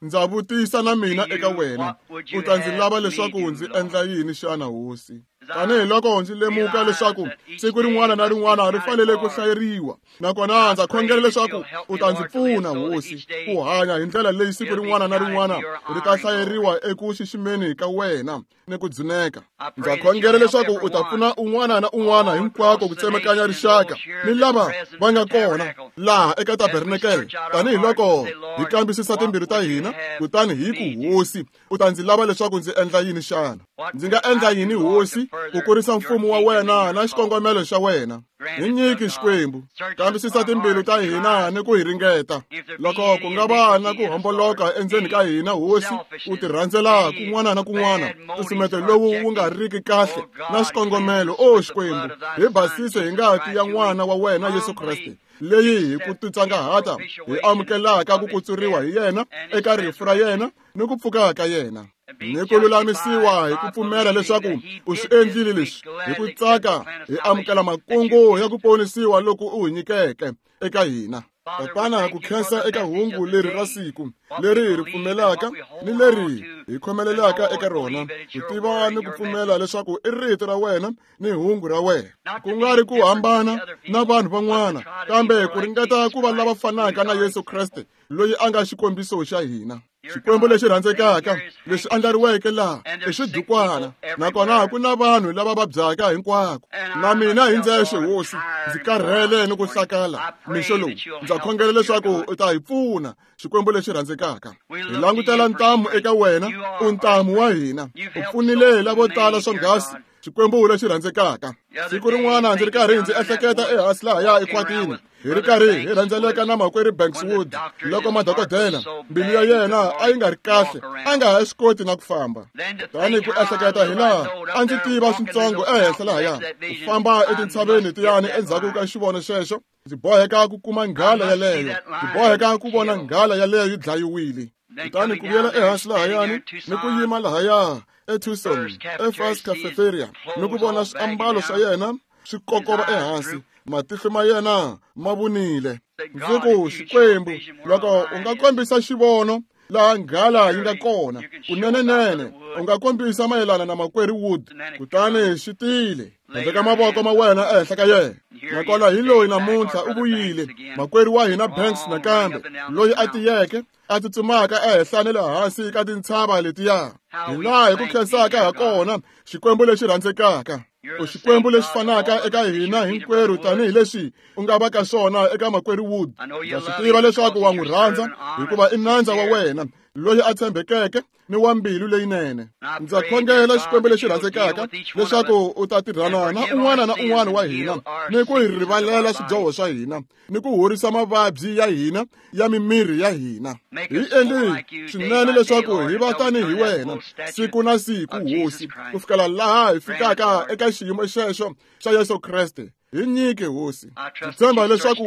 ndza vutisa na mina eka wena u ta ndzi lava leswaku ndzi endla yini xana hosi tanihiloko ndzi lemuka leswaku siku rin'wana na rin'wana ri fanele ku hlayeriwa nakona ndza khongela leswaku u ta ndzi pfuna hosi ku hanya hi ndlela leyi siku rin'wana na rin'wana ri ta hlayeriwa eku xiximeni ka wena ni ku dzuneka ndza khongela leswaku u ta pfuna un'wana na un'wana hinkwako ku tsemakanya rixaka ni lava va nga kona laha eka tabernakele tanihiloko hi kambisisa timbilu ta hina kutani hi ku hosi u ta ndzi lava leswaku ndzi endla yini xana ndzi nga endla yini hosi ku kurisa mfumo wa wena na xikongomelo xa wena hi nyiki Xikwembu kambisisa timbilu ta hina ni ku hi ringeta loko ku nga va na ku homboloka endzeni ka hina hosi ku tirhandzela kun'wana na kun'wana nsusumeto lowu wu nga riki kahle na xikongomelo o Xikwembu hi basise hi ngati ya n'wana wa wena Yesu Kreste leyi hi ku titsongahata hi amukelaka ku kutsuriwa hi yena eka rifu ra yena ni ku pfuka ka yena ni ku lulamisiwa hi ku pfumela leswaku u swi endlile leswi hi ku tsaka hi amukela makungu ya ku ponisiwa loku u hi nyikeke eka hina Tatana, ku khensa eka hungu leri ra siku leri hi ri pfumelaka ni leri hi khomelelaka eka rona, ku tiva ni ku pfumela leswaku i rito ra wena ni hungu ra wena, ku nga ri ku hambana na vanhu van'wana, kambe ku ringeta ku va lava fanaka na Yesu Kreste loyi a nga xikombiso xa hina. Xikwembu lexi rhandzekaka lexi andlariweke laha i xidukwana, nakona ku na vanhu lava vabyaka hinkwako. Na mina hi ndzexe, Hosi, ndzi karhele ni ku hlakala mixo lowu. Ndza khongela leswaku u ta hi pfuna, Xikwembu lexi rhandzekaka. Hi langutela ntamu eka wena, u ntamu wa hina. U pfunile lavo tala swonghasi, Xikwembu lexi rhandzekaka. Siku rin'wana ndzi ri karhi ndzi ehleketa ehansi lahaya ekhwatini, hi ri karhi hi rhendzeleka na makwerhu Banks Wood, loko madokodela mbilu ya yena a yi nga ri kahle, a nga ha swi koti na ku famba. Tani ku ehleketa hi laha a ndzi tiva switsongo ehenhla lahaya, ku famba etintshaveni tiyani endzhaku ka xivono xexo, ndzi boheka ku kuma nghala yaleyo, ndzi boheka ku vona nghala yaleyo yi dlayiwile. Kutani ku vuyela ehansi lahayani ni ku yima lahaya eTucson, eFirst Cafeteria, ni ku vona swiambalo swa yena swi kokova ehansi, matihlo ma yena ma vunile. Ndzi ku, Xikwembu, loko u nga kombisa xivono laha nghala yi nga kona, kunenenene u nga kombisa mayelana na makwerhu Wood. Kutani xi tile, veka mavoko ma wena ehenhla ka yena. Nakona hi loyi namuntlha u vuyile, makwerhu wa hina Banks nakambe, loyi a tiyeke, a tsutsumaka ehenhla ni le hansi ka tintshava letiya. Hi laha hi ku khensaka ha kona, Xikwembu lexi rhandzekaka. U Xikwembu lexi fanaka eka hina hinkwerhu tanihileswi u nga va ka swona eka makwerhu Wood. Ndza swi tiva leswaku wa n'wi rhandza, hikuva i nandza wa wena loyi a tshembekeke ni wa mbilu leyinene. Ndza khongela, Xikwembu lexi rhandzekaka, leswaku u ta tirhana na un'wana na un'wana wa hina, ni ku hi rivalela swidyoho swa hina, ni ku horisa mavabyi ya hina ya mimiri ya hina. Hi endli swinene leswaku hi va tanihi wena siku na siku, Hosi, ku fikela laha hi fikaka eka xiyimo xexo xa Yesu Kreste. Hi nyike, Hosi. Ndzi tshemba leswaku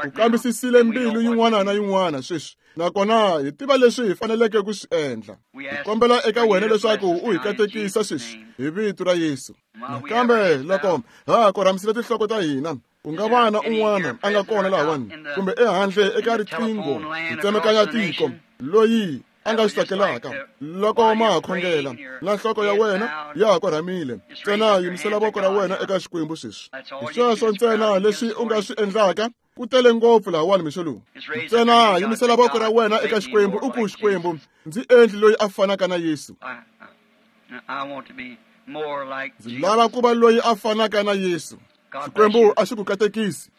u kambisisile mbilu yin'wana na yin'wana sweswi, nakona hi tiva leswi hi faneleke ku swi endla. Hi kombela eka wena leswaku u hi katekisa sweswi hi vito ra Yesu. Nakambe loko ha korhamisile tinhloko ta hina, ku nga va na un'wana a nga kona lahawani kumbe ehandle eka riqingho hi tsemekanya tiko loyi a nga swi tsakelaka, loko ma ha khongela na nhloko ya wena ya ha korhamile, ntsena yimisela voko ra wena eka Xikwembu sweswi. Hi sweswo ntsena leswi u nga swi endlaka. Ku tele ngopfu lahawani mixo lowu. Ntsena yimisela voko ra wena eka Xikwembu, u ku, Xikwembu, ndzi endli loyi a fanaka na Yesu. Ndzi lava ku va loyi a fanaka na Yesu. Xikwembu a xi ku katekisi.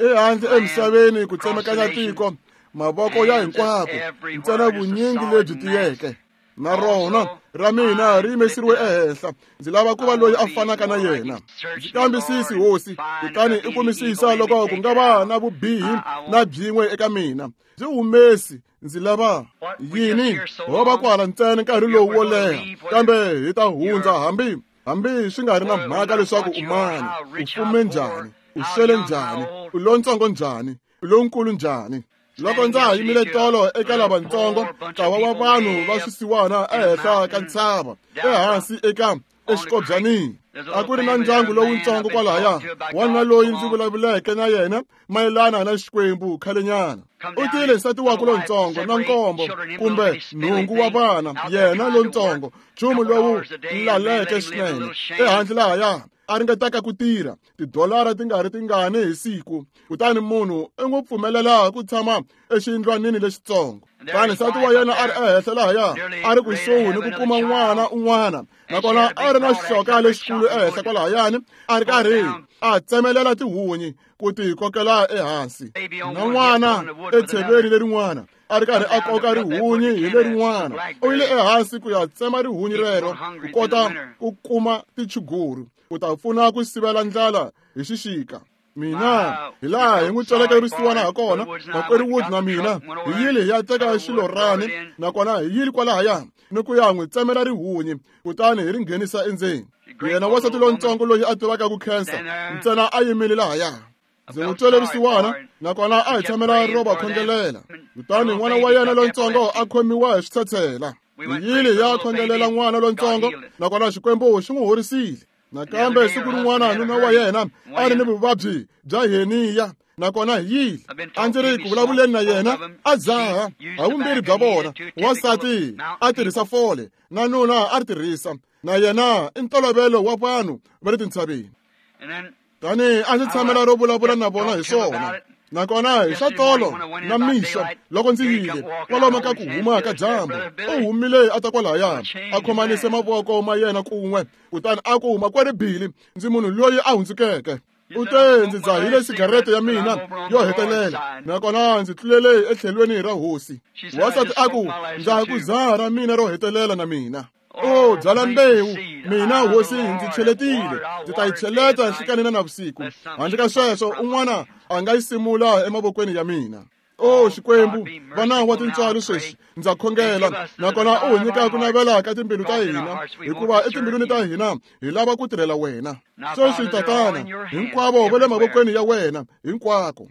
Ehandle emisaveni ku tsemekanya tiko, mavoko ya hinkwako, ntsena vunyingi lebyi tiyeke. Na rona ra mina ri yimesiriwe ehenhla. Ndzi lava ku va loyi a fanaka na yena. Ndzi kambisisi, Hosi, kutani i kumisisa loko ku nga va na vubihi na byin'we eka mina. Ndzi humesi, ndzi lava yini? Ho va kwala ntsena nkarhi lowu wo leha, kambe hi ta hundza hambi hambi swi nga ri na mhaka leswaku u mani, u fume njhani, u swele njhani, u lontsongo njhani, u lonkulu njhani. Loko ndza ha yimile tolo eka lavatsongo, ntlawa wa vanhu va swisiwana ehenhla ka ntshava, ehansi eka exikobyanini, a ku ri na ndyangu lowutsongo kwalahaya, wanuna loyi ndzi vulavuleke na yena mayelana na Xikwembu khalenyana. U tile nsati wakwe lontsongo na nkombo kumbe nhungu wa vana, yena lontsongo, nchumu lowu laleke swinene ehandle lahaya, a ringetaka ku tirha tidolara ti nga ri tingani hi siku. Kutani munhu i n'wi pfumelela ku tshama exiyindlwanini lexitsongo. Kutani nsati wa yena a ri ehenhla lahaya, a ri kusuhi ni ku kuma n'wana un'wana, nakona a ri na xihloka lexikulu ehenhla kwalahayani, a ri karhi a tsemelela tihunyi ku ti kokela ehansi, na n'wana etsheveni lerin'wana a ri karhi a koka rihunyi hi lerin'wana. U yile ehansi ku ya tsema rihunyi rero ku kota ku kuma tichuguru, ku ta pfuna ku sivela ndlala hi xixika. Mina hi laha hi n'wi tsweleke risiwana ha kona, makwerhu Wood na mina hi yile hi ya teka xilorani, nakona hi yile kwalahaya ni ku ya n'wi tsemela rihunyi, kutani hi ri nghenisa endzeni. Yena wansati lontsongo loyi a tivaka ku khensa ntsena a yimile lahaya. Ndzi n'wi twele risiwana, nakona a hi tshamela ro va khongelela. Kutani n'wana wa yena lontsongo a khomiwa hi switshetshela. Hi yile hi ya khongelela n'wana lontsongo, nakona Xikwembu xi n'wi horisile. Nakambe siku rin'wana nuna wa yena a ri ni vuvabyi bya heniya, Nakona hi yile. A ndzi ri ku vulavuleni na yena, a dzaha ha vumbirhi bya vona. Wansati a tirhisa fole, na nuna a ri tirhisa. Na yena i ntolovelo wa vanhu va le tintshaveni. Tani a ndzi tshamela ro vulavula na vona hi swona. Nakona hi swa tolo na mixo loko ndzi yile kwalomu ka ku huma ka dyambu, u humile a ta kwalahaya, a khomanise mavoko ma yena kun'we, kutani a ku, makwerhu Billy, ndzi munhu loyi a hundzukeke. U te ndzi dzahile sigarete ya mina yo hetelela, nakona ndzi tlulele etlhelweni ra hosi. Wansati a ku, ndza ha ku dzaha ra mina ro hetelela na mina. O byala mbewu, mina hosi ndzi cheletile, ndzi ta yi cheleta nhlikani na navusiku. Handle ka sweswo un'wana a nga yi simula emavokweni ya mina. O Xikwembu, vana wa tintswalo sweswi ndza khongela, nakona u hi nyika ku navela ka timbilu ta hina, hikuva etimbilwini ta hina hi lava ku tirhela wena. Sweswi Tatana, hinkwavo va le mavokweni ya wena hinkwako.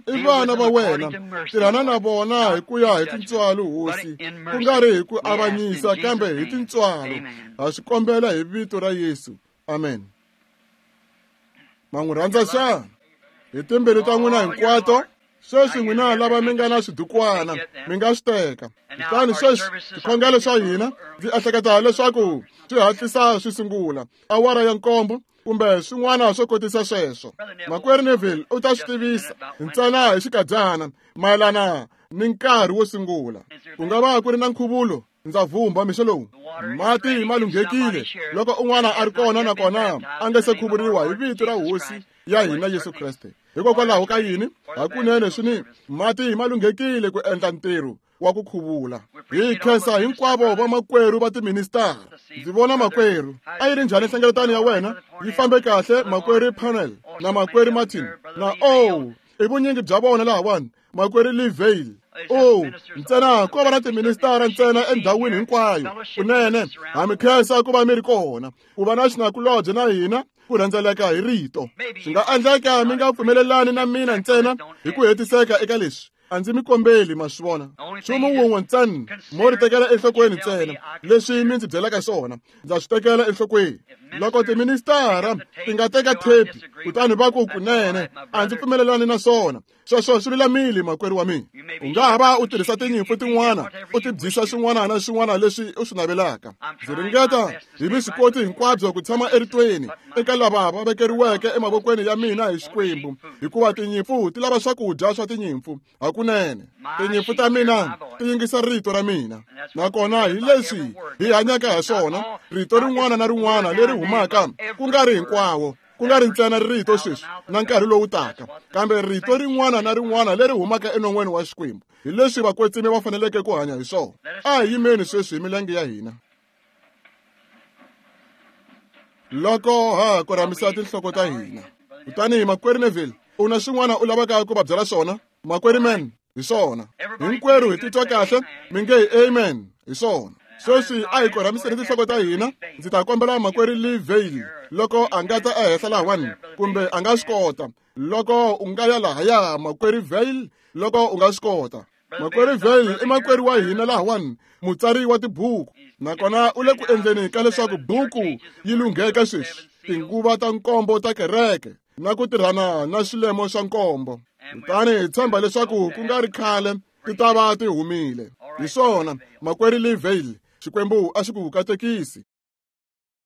I vana va wena, tirhana na vona hi ku ya hi tintswalo hosi, ku nga ri hi ku avanyisa kambe hi tintswalo. Ha swi kombela hi vito ra Yesu. Amen. Ma n'wi rhandza xana? Hi timbilu ta n'wina hinkwato. Sweswi n'wina lava mi nga na swidukwana mi nga swi teka. Kutani sweswi swikhongelo swa hina ndzi ehleketa leswaku swi hatlisa swi sungula awara ya nkombo kumbe swin'wana swo kotisa sweswo. Makwerhu Neville u ta swi tivisa ntsena hi xikadyana mayelana ni nkarhi wo sungula. Ku nga va ku ri na nkhuvulo, ndza vhumba mixo lowu. Mati ma lunghekile loko un'wana a ri kona nakona a nga se khuvuriwa hi vito ra hosi ya hina Yesu Kreste. Hikokwalaho ka yini? Hakunene swi ni mati ma lunghekile ku endla ntirho wa ku khuvula. Hi khensa hinkwavo vamakwerhu va tiministara. Ndzi vona makwerhu. A yi ri njhani nhlengeletano ya wena? Yi fambe kahle makwerhu Panel na makwerhu Martin na o i vunyingi bya vona lahawani, makwerhu Lee Vayle. O ntsena ko va na tiministara ntsena endhawini hinkwayo. Kunene ha mi khensa ku va mi ri kona, ku va na xinakulobye na hina ku rhendzeleka hi rito. Swi nga endleka mi nga pfumelelani na mina ntsena hi ku hetiseka eka leswi. A ndzi mi kombeli, ma swi vona. Nchumu wun'we ntsena mo ri tekela enhlokweni ntsena leswi mi ndzi byelaka swona, ndza swi tekela enhlokweni. Loko tiministara ti nga teka thepi kutani va ku kunene a ndzi pfumelelani na swona, sweswo swi lulamile makwerhu wa mina. U nga ha va u tirhisa tinyimpfu tin'wana u ti byisa swin'wana na swin'wana leswi u swi navelaka. Ndzi ringeta hi vuswikoti hinkwabyo ku tshama eritweni eka lava va vekeriweke emavokweni ya mina hi Xikwembu, hikuva tinyimpfu ti lava swakudya swa tinyimpfu. Hakunene tinyimpfu ta mina ti yingisa rito ra mina, nakona hi leswi hi hanyaka ha swona, rito rin'wana na rin'wana leri humaka, ku nga ri hinkwawo, ku nga ri ntsena rito sweswi na nkarhi lowu taka, kambe rito rin'wana na rin'wana leri humaka enon'weni wa Xikwembu, hi leswi vakwetsimi va faneleke ku hanya hi swona. A hi yimeni sweswi hi milenge ya hina. Loko ha korhamisa tinhloko ta hina. Kutani makwerhu Neville, u na swin'wana u lavaka ku va byela swona? Makwerhu Man, hi swona. Hinkwerhu hi titwa kahle, mi nge hi amen, hi swona. Sweswi a hi korhamiseni tinhloko ta hina. Ndzi ta kombela makwerhu Lee Vayle loko a nga ta ehenhla lahawani, kumbe a nga swi kota. Loko u nga ya lahaya makwerhu Vayle, loko u nga swi kota. Makwerhu Vayle i makwerhu wa hina lahawani, mutsari wa tibuku, nakona u le ku endleni ka leswaku buku yi lungheka sweswi, tinguva ta nkombo ta kereke na ku tirhana na swilemo swa nkombo. Kutani hi tshemba leswaku ku nga ri khale ti ta va ti humile. Hi swona, makwerhu Lee Vayle, Xikwembu a xi ku katekisi.